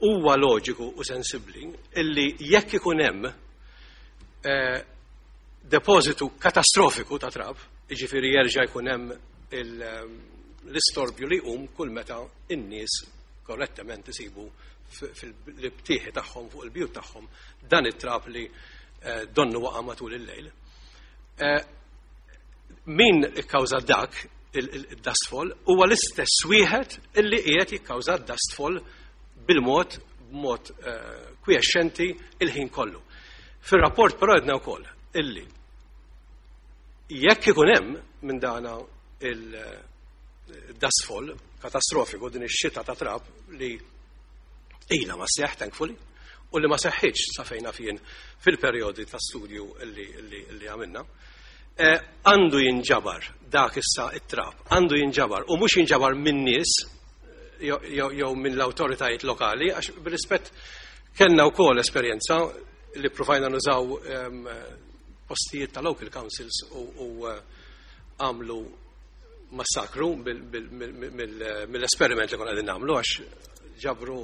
huwa loġiku u sensibbli illi jekk ikun hemm eh, depożitu katastrofiku ta' trap, jiġifieri jerġa' jkun hemm l-istorbju li jqum kull meta in-nies korrettament isibu fil-btieħi tagħhom, fuq il-bjut tagħhom, dan it-trap li eh, donnu waqa' matul il-lejl. Eh, min ikkawża dak il-dustfall huwa l-istess wieħed illi qiegħed jikkawża dustfall bil-mod b'mod eh, kwiexxenti il-ħin kollu. Fir-rapport però għedna wkoll illi jekk ikun hemm minn dana il-dustfall katastrofiku, din ix-xita ta' trab li ila ma seħ, thankfully, u li ma seħħitx sa fejna fien fil-perjodi ta' studju li, li, li għamilna, eh, għandu jinġabar dak issa it-trab, għandu jinġabar u mhux jinġabar minn nies jew minn l-awtoritajiet lokali, għax bir-rispett kellna wkoll esperjenza li provajna nużaw um, postijiet ta' local councils u, u għamlu massakru mill-esperiment li konna qegħdin nagħmlu, għax ġabru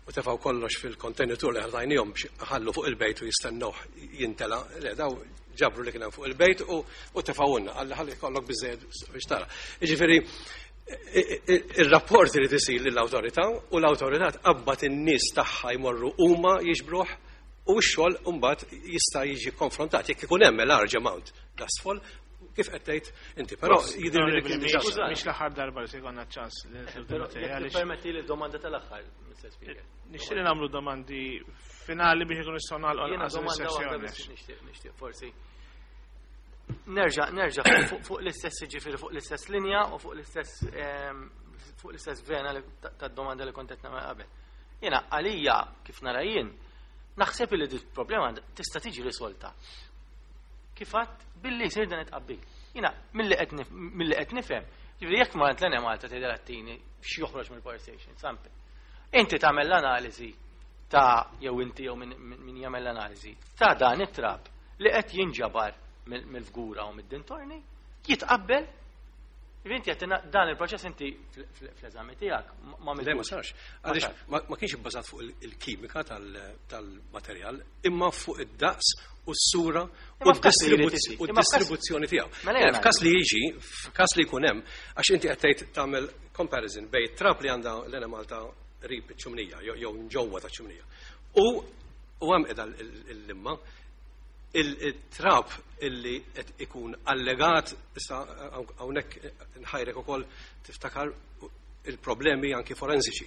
u tefaw kollox fil-kontenitur li ħallejnihom biex ħallu fuq il-bejt u jistennuh jintela. Le, daw ġabru li kien hemm fuq il-bejt u, u tefawunna, għalli ħalli kollok biżejjed biex tara. Jiġifieri il-rapport li tisir lill-awtorità u l-awtorità tqabbad in-nies tagħha jmorru huma jiġbruh u x-xogħol mbagħad jista' jiġi konfrontat jekk ikun hemm large amount dustfall kif qed tgħid inti. Però jidher li kien diġà Mhix l-aħħar darba li se jkollna ċans li Però jekk permetti li domanda tal-aħħar, Mister Speaker. Nixtieq li nagħmlu domandi finali biex ikunu nistgħu nagħlqu Jiena lanqas domanda waħda is-sessjoni. Biss nixtieq nixtieq forsi. Nerġa' nerġa' fuq fuq l-istess, ġifieri fuq l-istess linja u fuq l-istess ehm, fuq l-istess vena li- ta- tad-domanda li kont qed nagħmel qabel. Jiena għalija kif nara jien, naħseb li di problema tista' tiġi risolta kif għadt billi jsir dan it-tqabbil. Jiena milli qed nif- milli qed nifhem, ġifieri jekk ma l-Enemalta tgħidha tini x'joħroġ mill-power station, sample. Inti tagħmel l-analiżi ta' jew inti jew min min jagħmel l-analiżi ta' dan it-trab li qed jinġabar mill- mill-Fgura u mid-dintorni, jitqabbel. Ġifieri inti qed dan il-proċess inti fl- fl- fl-eżami tiegħek ma Le, ma għamiltux. sarx. Ma Għaliex sarx. ma ma kienx ibbażat fuq il- il-kimika tal- tal-materjal, imma fuq id-daqs u s-sura u Imma f'każ li jrid d-distribuzzjoni isir. u Imma f'każ- d-distribuzzjoni tiegħu. Mela jena F'każ li jiġi, f'każ li jkun hemm, għax inti qed tgħid tagħmel comparison bejn trab li għandha l-Enemalta qrib iċ-ċumnija jew jew ġewwa ta' ċumnija. U u hemm qiegħda l-limma il-trab illi qed ikun allegat issa hawnhekk nħajrek ukoll tiftakar il-problemi anki forensiċi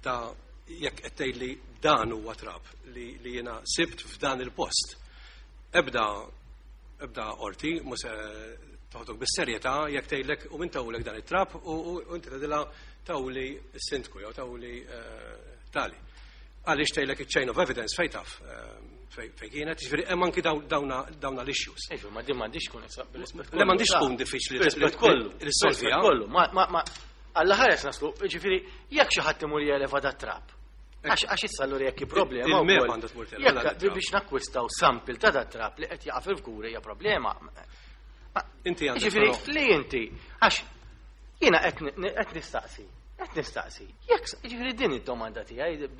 ta' jekk qed tgħidli dan huwa trab li, li jiena sibt f'dan il-post. Ebda ebda qorti mhux se toħdok bis-serjetà jekk tgħidlek u min tawlek dan it-trab u, u, u inti tgħidilha tawli s-sindku jew tawli eh, tali. Għaliex tgħidlek iċ-chain of evidence fejn taf eh, fej fej kienet, ġifieri hemm anki dawn- dawna dawna l-issues. Iġu, ma din m'għandix tkun issa bil-rispett Le, m'għandix kollu, tkun diffiċli bil-rispett kollu. li ssolviha. Bil-rispett kollu. Ma ma ma Alla ħares naslu, ġifieri jekk xi ħadd imur jeleva dat trab. Għax għax issa allura jekk hi problema Il-MEPA wkoll. għandha tmur televa Jekk dan it-trab. biex nakkwistaw sample ta' dat trab li qed jaqa' fil-Fgura hija problema. Inti għandek Ġifieri però- li inti għax jiena qed ni- qed nistaqsi, qed nistaqsi. Jekk ġifieri din id-domanda tiegħi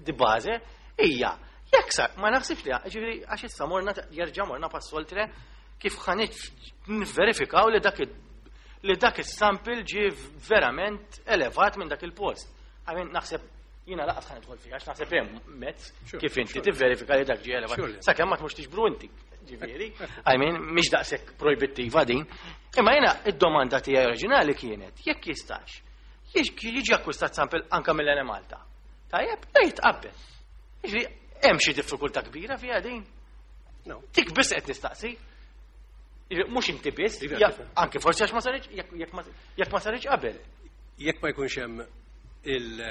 di bażi hija jekk sar ma naħsibx li ġifieri għax issa morna jerġa' morna pass oltre kif ħa nivverifikaw li dak id- li dak is-sample ġie verament elevat minn dak il-post. I mean, naħseb jiena lanqas ħa nidħol fiha għax naħseb hemm mezz Sure, kif inti sure. tivverifika li dak ġie elevat. Surely. Sakemm ma tmux tiġbru inti. Ġifieri, I mean, mhix daqshekk projbittiva din. Imma jiena id-domanda tiegħi oriġinali kienet jekk jistax jiġi jiġi akkwistat sample anka mill-Enemalta. Tajjeb, la jitqabbel. Jiġri, Hemm xi diffikultà kbira fiha din? No. Dik biss qed nistaqsi. Mhux inti biss, Iva, ja- tifhem. anke forsi għax ma saritx jekk jekk ma- jekk ma saritx qabel. Jekk ma jkunx hemm il-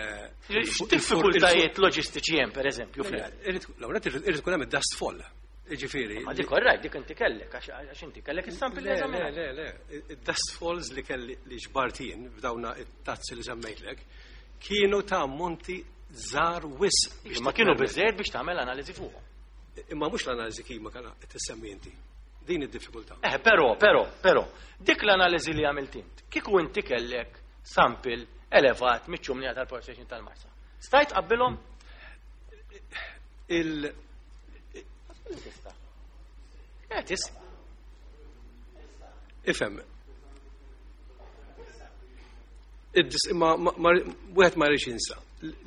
Diffikultajiet loġistiċi hemm pereżempju fl L-ewwel irid ikun hemm id-dust fall. Ġifieri. Ma dik orrajt, dik inti kellek, għax għax inti kellek is-sample li Le, le, eżaminat. le, le. Id-dust falls li kelli li ġbart jien f'dawna it-tazzi li semmejtlek kienu ta' ammonti żgħar wisq. biex Ma kienu titmermer. biżejjed biex tagħmel analiżi fuqhom. Imma mhux l-analiżi kimika qed tissemmi inti. Din id-diffikultà. Eh, però, però, però, dik l-analiżi li għamilt int, kieku inti kellek sample elevat miċ-ċumnija tal-power station tal-Marsa. Stajt qabbilhom? Il Tista'. Eh, tista'. Ifhem. Id-dis- ma- ma- ma- Wieħed ma jridx jinsa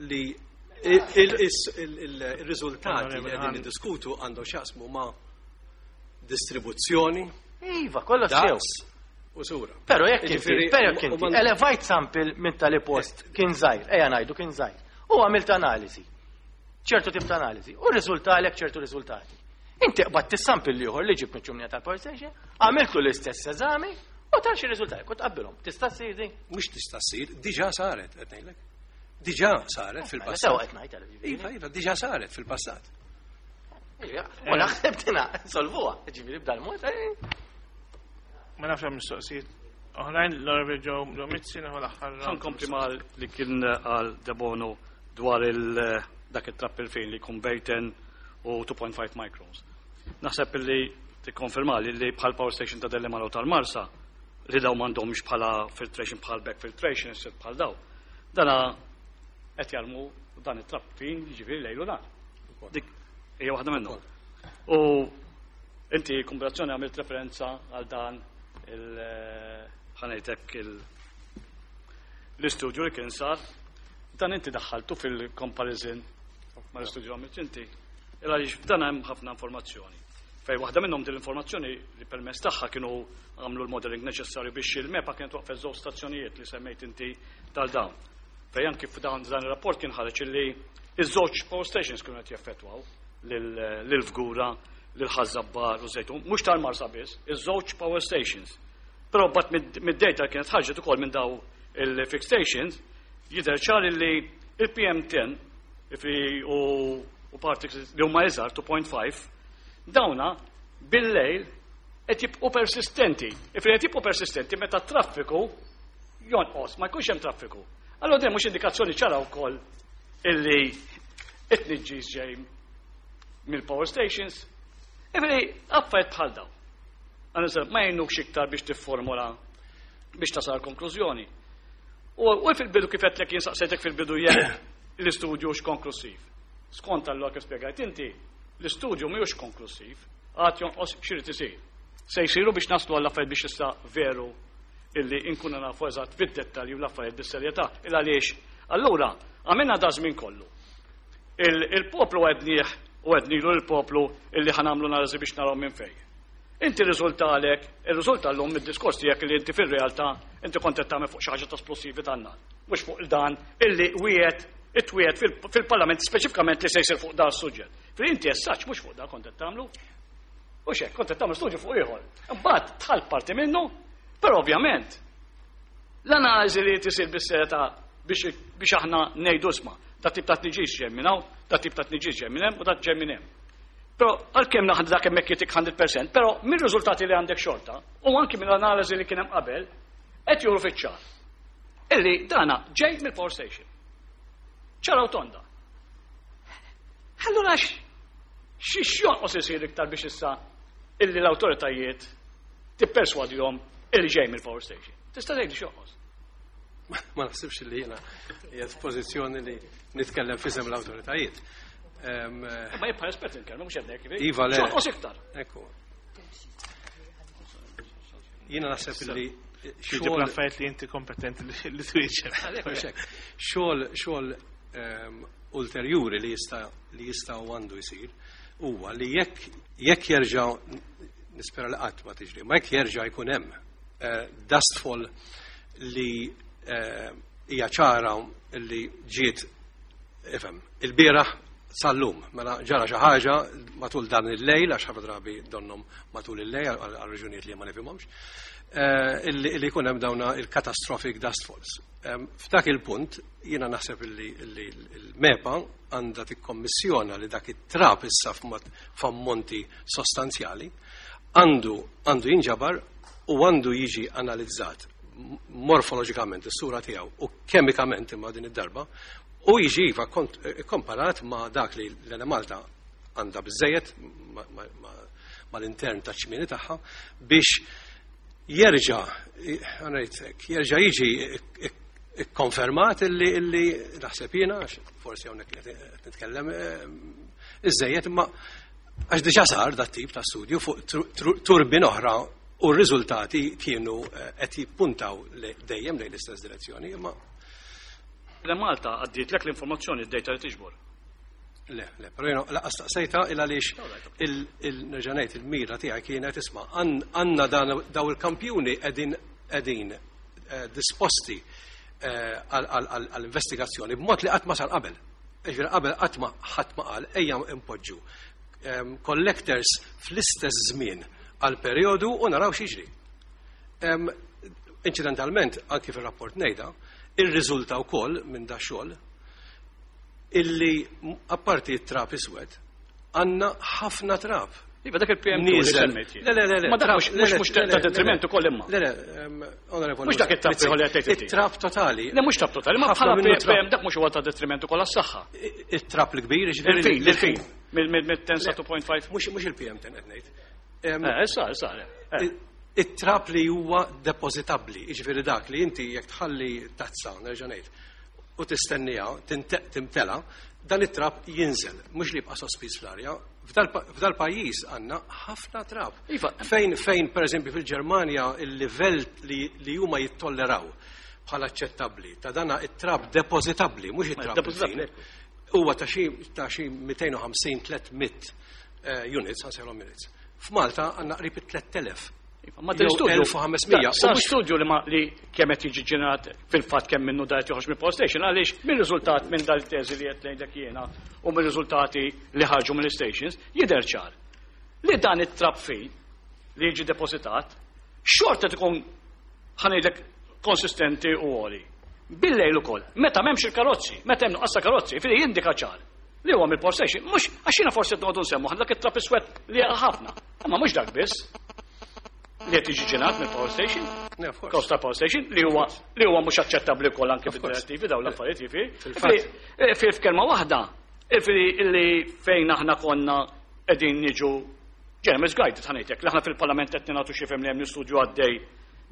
li il-riżultati li qegħdin niddiskutu għandhom x'jaqsmu ma' distribuzzjoni, Iva, kollox sew. daqs u sura. Però jekk inti, Ġifieri, però jekk u inti, ma- elevajt sample minn tali post kien żgħir, ejja ngħidu kien żgħir, u għamilt analiżi. ċertu tip ta' analiżi, u rriżultalek ċertu riżultati. Inti qbadt is-sample ieħor li ġib miċ-ċumnija tal-power station, għamiltu l-istess eżami u tar xi riżultati, kont qabbilhom. Tista' ssir din? Mhux tista' ssir, diġà saret qed ngħidlek. Diġà saret Mela fil-passat. sew qed ngħid għal ġifieri. Iva, iva, diġà saret fil-passat. U naħseb tina solvuha, ġifieri b'dal-mod. eh. Ma nafx hemm mistoqsijiet. Oħrajn l-Onorevoli Joe Joe Mizzi nieħu l-aħħar. Ħa nkompli mal li kien għal Debono dwar il dak it-trap il-fejn li jkun bejn ten u two point five microns. Naħseb li tikkonferma li li bħal power station ta' Delimara u tal-Marsa li daw m'għandhomx bħala filtration, bħal back filtration, issir bħal daw. Dana qed jarmu dan it-trap fin, jiġifieri lejlu nar. Dik hija waħda minnhom. U inti kombinazzjoni għamilt referenza għal dan il ħa ngħidlek il l-istudju li kien sar, dan inti daħħaltu fil-comparison ma l-istudju għamilt inti. Illa għaliex f'dan hemm ħafna informazzjoni. Fej waħda minnhom din l-informazzjoni li permezz tagħha kienu għamlu l-modeling neċessarju biex il-MEPA kienet waqfet żewġ stazzjonijiet li semmejt inti tal-dawn. Fej anki f'dan dan ir-rapport kien ħareġ illi iż-żewġ power stations kienu qed jaffettwaw lil-Fgura, lil Ħaż-Żabbar u Żejtun, mhux tal-Marsa biss, iż-żewġ power stations. Però bat mid-data kienet ħarġet ukoll minn daw il-fixed stations, jidher ċar li il-P M ten fi u, u particles li huma iżgħar two point five, dawna bil-lejl qed jibqgħu persistenti. Ifri qed jibqgħu persistenti meta traffiku jonqos, ma jkunx hemm traffiku. Allora din mhux indikazzjoni ċara wkoll illi it-tniġġis ġej mill-power stations? Ifri affarijiet bħal daw. Għana ma jgħinux iktar biex tifformula biex tasal konklużjoni. U, u fil-bidu kif għedtlek jien saqsejtek fil-bidu jekk l-istudju hux konklusiv. Skont allura kif spjegajt inti, l-istudju mhux konklusiv, għad jonqos x'irid isir. Se jsiru biex naslu għall affarijiet biex issa veru illi inkunu nafu eżatt fid-dettalji u l-affarijiet bis-serjetà. Il għaliex allura għamilna da żmien kollu. Il-poplu għednieh u għednilu l-poplu illi ħa nagħmlu analiżi biex naraw minn fejn. Inti riżultalek, il-riżulta l-lum mid-diskors tiegħek li inti fil-realtà inti kont qed tagħmel fuq xi ħaġa ta' esplosivi tan-nar. Mhux fuq dan illi wieħed itwiet fil-Parlament speċifikament li se jsir fuq dan is-suġġett. Fil inti essaċ mhux fuq dan kont qed tagħmlu. U xek, kont qed tagħmlu studju fuq ieħor. Imbagħad tħall parti minnu, però ovvjament l-analiżi li tisir bis-serjetà biex biex aħna ngħidu isma' ta' tip ta' tniġis ġej minn hawn, ta' tip ta' tniġis ġej minn hemm u ta' ġej minn hemm. Però għalkemm naħdu dak hemmhekk jitik mija fil-mija, però mir-riżultati li għandek xorta u anki mill-analiżi li kien hemm qabel qed juru fiċ-ċar illi dana ġej mill-power station. Ċara u tonda. Allura xi xjonqos isir iktar biex issa illi l-awtoritajiet tipperswadihom illi ġej mill-power station? Tista' tgħidli x'jonqos? Ma naħsibx li jiena qiegħed f'pożizzjoni li nitkellem f'isem l-awtoritajiet. Em, Ma jibqa' espert inkellmu mhux hekk. Iva, le. X'jonqos iktar? Ekku. Jiena naħseb li Xogħol xogħol affarijiet li inti kompetenti li li twieġeb. Mhux hekk. Xogħol xogħol ehm, ulterjuri li jista' li jista' u għandu jsir huwa li jekk jekk jerġa' nispera li qatt ma tiġri, ma jekk jerġa' jkun hemm eh, dust fall li eh, hija ċara li ġiet ifhem il-bieraħ Sal-lum, mela ġara xi ħaġa matul dan il-lejl, għax ħafna drabi donnhom matul il-lejl għal raġunijiet li ma nifhimhomx, eh, illi jkun hemm dawna il-catastrophic dust falls. F'dak il-punt jiena naħseb illi l-MEPA għandha tikkommissjona li dak it-trab issa f'ammonti sostanzjali għandu għandu jinġabar u għandu jiġi analizzat morfoloġikament is-sura tiegħu u kemikament imma din id-darba u jiġi iva komparat ma' dak li l-Enemalta għandha biżejjed mal-intern ta' ċmieni tagħha biex jerġa' jerġa' jiġi ikkonfermat illi illi naħseb jiena, forsi hawnhekk qed nitkellem iżejjed, imma għax diġà sar dat tip ta' studju fuq turbin oħra u r-riżultati kienu qed jippuntaw dejjem lejn l-istess direzzjoni, imma L-Malta għaddiet lek l-informazzjoni d-data li tiġbor. Le, le, pero jiena lanqas staqsejtha il għaliex il-nerġa' ngħid il-mira tiegħi kienet isma' għandna daw il-kampjuni qegħdin qegħdin disposti għall-investigazzjoni b'mod li qatt ma sar qabel. Ġifieri qabel qatt ma ħadd ma qal ejja impoġġu collectors fl-istess żmien għal perjodu u naraw x'jiġri. Incidentalment, anki fir-rapport ngħidha, irriżulta wkoll minn da xogħol illi apparti t-trab iswed għandna ħafna trab. Iva dak il-P M li semmejt. Le, le, le, le. Ma dak mhux mhux ta' detriment ukoll imma. Le, le, onorevoli. Mhux dak it-trab ieħor li qed tgħid. It-trab totali. Le, mhux trab totali, ma bħala P M dak mhux huwa ta' detriment ukoll għas-saħħa. It-trab l-kbir, ġifieri. Il-fin, il-fin. Mill-ten sa two point five. Mhux mhux il-P M ten qed ngħid. Eh, issa, issa. It-trab li huwa depożitabbli, jiġifieri dak li inti jekk tħalli tazza, nerġa' ngħid, u tistennija, timtela, dan it-trab jinżel, mhux li jibqa' sospiż fl-arja. F'dal pajjiż għandna ħafna trab. Iva. Fejn fejn pereżempju fil-Ġermanja il-livell li, li huma jittolleraw bħala aċċettabbli ta' dana it-trab depożitabbli, mhux it-trab Depożitabbli. Huwa ta' xi ta' xi mitejn u ħamsin tliet mitt eh, units, ħansejlhom units. F'Malta għandna qrib it-tliet elef. Iva, ma l-istudju. elf u ħames mija. Sa studju li ma li kemm qed jiġi ġenerat fil-fatt kemm minnu da qed joħroġ mill-power station, għaliex mir-riżultat minn dal-teżi li qed ngħidlek jiena u mir-riżultati li ħarġu mill-stations jidher ċar li dan it-trab fin li jiġi depositat xorta tkun, ħa ngħidlek, konsistenti u għoli. Bil-lejl ukoll, meta m'hemmx il-karozzi, meta hemm nuqqas ta' karozzi, fili jindika ċar li huwa mill-power station, mhux għax jiena forsi qed noqogħdu nsemmu dak it-trab iswed li ħafna, imma mhux dak biss li qed jiġi ġenerat mill-power station. Yeah, of course. Cost ta' power station li huwa li huwa mhux aċċettabbli wkoll anke Of course. fid-direttivi dawn l-affarijiet jiġifieri. Fil-fatt. Fi f'kelma waħda, jiġifieri illi fejn aħna konna qegħdin niġu ġena misguided, ħa ngħidlek, li aħna fil-Parlament qed nagħtu xi fhem li hemm studju għaddej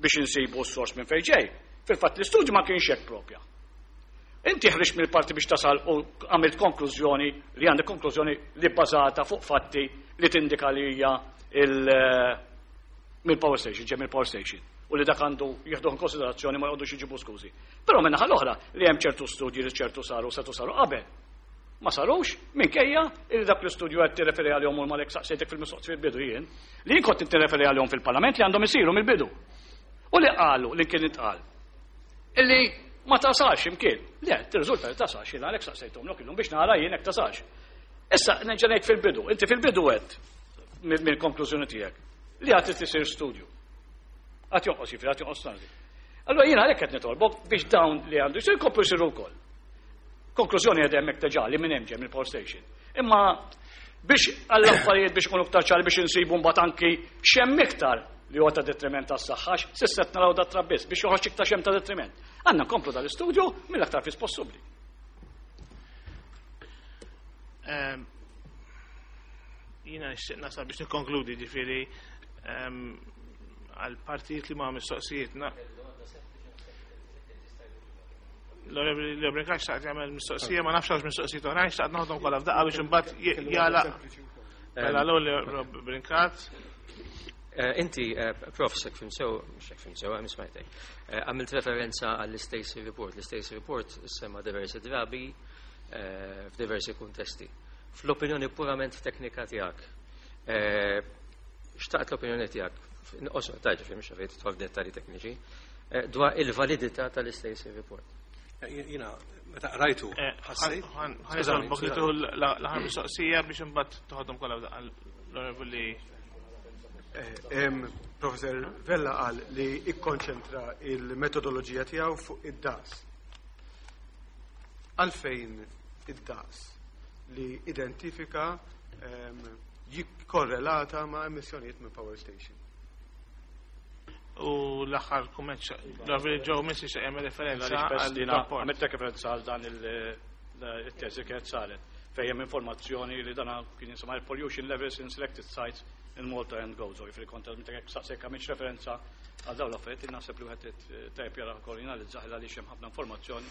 biex insibu s-sors minn fejn ġej. Fil-fatt l-istudju ma kienx hekk propja. Inti ħriġt mill-parti biex tasal u għamilt konklużjoni li għandek konklużjoni li bbażata fuq fatti li tindika li hija il- mill-power station, ġej mill-power station. U li dak għandu jieħdu in konsiderazzjoni, ma jgħodux jġibu skużi. Però minnaħa l-oħra li hemm ċertu studji li ċertu saru setu saru qabel. Ma sarux, minkejja li dak l-istudju qed tirreferi għalihom u malek saqsejtek fil-mistoqsijiet fil-bidu jien, li jien kont tirreferi għalihom fil-Parlament li għandhom isiru mill-bidu. U li qalu li kien intqal illi ma tasalx imkien. Le, tirriżulta li tasalx, jien għalhekk saqsejthom lok illum biex nara jien hekk tasalx. Issa nerġa' ngħid fil-bidu, inti fil-bidu għedt mill-konklużjoni tiegħek li għad tisir studju. Għad jonqos jiġifieri, għad jonqos tanzi. Allora jiena għalhekk qed nitolbok biex dawn li għandu jsir jkomplu jsiru wkoll. Konklużjoni għed hemmhekk diġà li minn hemm ġej mill-power station. Imma biex għall-affarijiet biex ikunu iktar ċari biex insibu mbagħad anki x'hemm iktar li huwa ta' detriment tas-saħħa, s'issa qed naraw dat trab biss biex joħroġ iktar x'hemm ta' detriment. Għandna nkomplu dal-istudju mill-aktar fis possibbli. Ehm, Jiena nixtieq nasal biex nikkonkludi, ġifieri ehm, għal partijiet li ma mistoqsijiet. na- L-Onorevoli Leo Brincat xtaqt jagħmel mistoqsija, ma nafx għax mistoqsijiet oħrajn, xtaqt naħdom kollha f'daqqa biex imbagħad jagħlaq. Mela l-ewwel Leo Brincat. Eh, Inti, eh, Prof, jekk fhimt sew, jekk fhimt sew, għam smajtek, eh, għamilt referenza għall-Stacey Report. L-Stacey Report semma diversi drabi eh, f'diversi kuntesti. Fl-opinjoni purament teknika tiegħek, eh, xtaqt l-opinjoni tiegħek, osma taġi fi mhux għafejt tidħol f'dettalji tekniċi, eh, dwar il-validità tal-Stacey Report. Jiena meta qrajtu ħassejt. Ħa nitolbok li tieħu l-aħħar mistoqsija biex imbagħad toħodhom kollha l-Onorevoli. Professor Vella qal li ikkonċentra il-metodoloġija tiegħu fuq id-daqs. Għalfejn id-daqs li identifika jikkorrelata ma' emissjonijiet minn power station? U l-aħħar kumment, l-Onorevoli Joe Mizzi se jagħmel referenza għal rapport. Għamilt referenza għal dan il-teżi kienet saret fejn hemm informazzjoni li dana kien jisimha pollution levels in selected sites in Malta and Gozo. Jiġifieri kont saqsejk għamilx referenza għal dawn l-affarijiet, naħseb li wieħed tajjeb jara wkoll jinalizzaħ għaliex hemm ħafna informazzjoni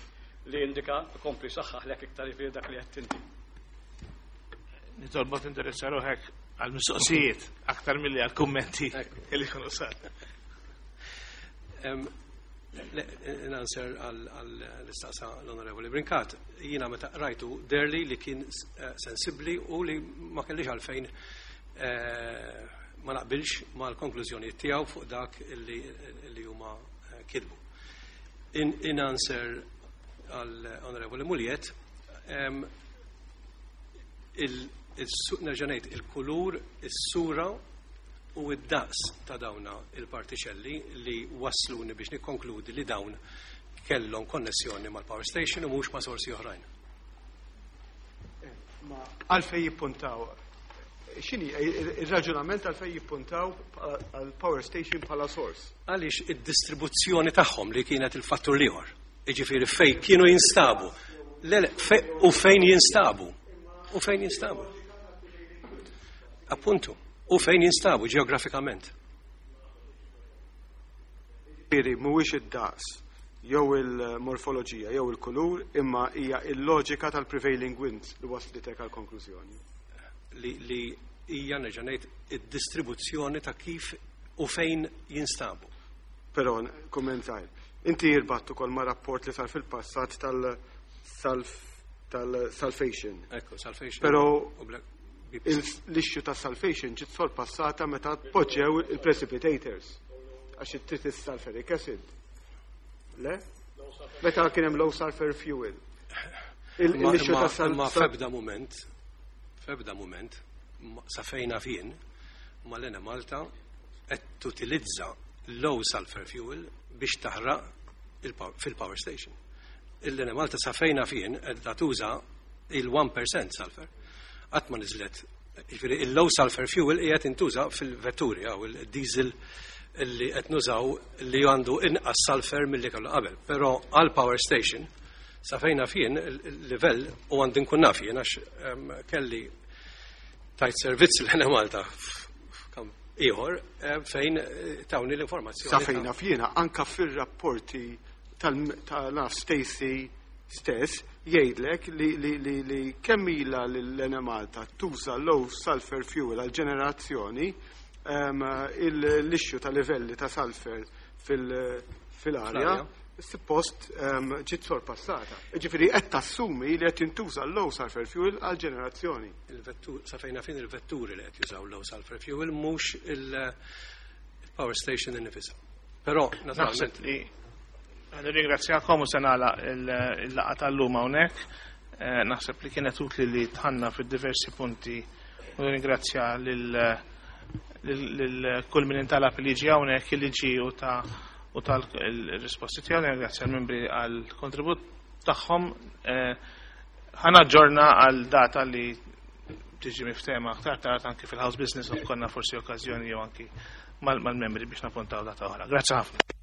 li indika kompli saħħaħlek iktar jiġifieri dak li qed inti. Nitolbok tinteressa ruħek għal-mistoqsijiet aktar milli għal-kummenti li jkunu sar. In answer għall-istaqsa l-Onorevoli Brincat, jiena meta rajtu deherli li kien sensibli u li ma kellix għalfejn ma naqbilx ma l-konklużjoni tiegħu fuq dak li huma kitbu. In answer għall-Onorevoli Mugliett, nerġa' ngħid il-kulur, is-sura u id-daqs ta' dawna il-partiċelli li wasluni biex nikkonkludi li dawn kellhom konnessjoni mal-power station u mhux ma' sorsi oħrajn. Għalfejn jippuntaw, x'inhi il-raġunament għalfejn jippuntaw għal-power station bħala source? Għaliex id-distribuzzjoni tagħhom li kienet il-fattur l-ieħor. Jiġifieri fejn kienu jinstabu. U fejn jinstabu. U fejn jinstabu. Appuntu. U fejn jinstabu ġeografikament. Jiġifieri mhuwiex id-daqs jew il-morfoloġija jew il-kulur, imma hija il-loġika tal-prevailing winds li waslitek għal konklużjoni. Li, li hija nerġa' ngħid id-distribuzzjoni ta' kif u fejn jinstabu. Però kummentajt. Inti irbatt ukoll ma' rapport li sar fil-passat tal-sulfation. Ekku, sulfation. Però l-issue ta' sulfation ġiet sorpassata meta poġġew il-precipitators għax it sulfuric acid. Le? Meta kien hemm low sulfur fuel. L-issue ta' Ma febda moment, febda moment, sa fejn naf jien, ma l-Enemalta qed tutilizza low sulfur fuel biex taħraq fil-power station. L-Enemalta sa fejn naf jien qed tuża il-wieħed fil-mija sulfur. Qatt ma niżlet, jiġifieri il-low sulfur fuel qiegħed intuża fil-vetturi jew il-diesel li qed nużaw li għandu inqas sulfur milli kellu qabel. Però għal power station sa fejn naf jien il-livell u għandi nkun naf jien għax kelli tajt servizz l-Enemalta ieħor fejn tawni l-informazzjoni. Sa fejn naf jiena anka fir-rapporti tal-naf Stacy stess jgħidlek li, li, li, li kemm ilha l-Enemalta tuża low sulfur fuel għal ġenerazzjoni, l-issue ta' livelli ta' sulfur fil-arja suppost ġiet sorpassata. Ġifieri qed tassumi li qed jintuża low sulfur fuel għal ġenerazzjoni. Il-vettur, sa fejn naf jien il-vetturi li qed jużaw low sulfur fuel, mhux il-power station innifisha. Però naturalment li nirringrazzjakom u se nagħlaq il-laqgħa tal-lum hawnhekk. Naħseb li kienet utli li dħalna fid-diversi punti u nirringrazzja lil kull min intalab li ġi hawnhekk, li ġi u ta u tal-risposti tiegħu, nirringrazzja l-membri għall-kontribut tagħhom. Ħa naġġorna għal data li tiġi miftehma aktar tard anki fil-House Business u konna forsi okkażjoni jew anki mal-membri biex nappuntaw data oħra. Grazzi ħafna.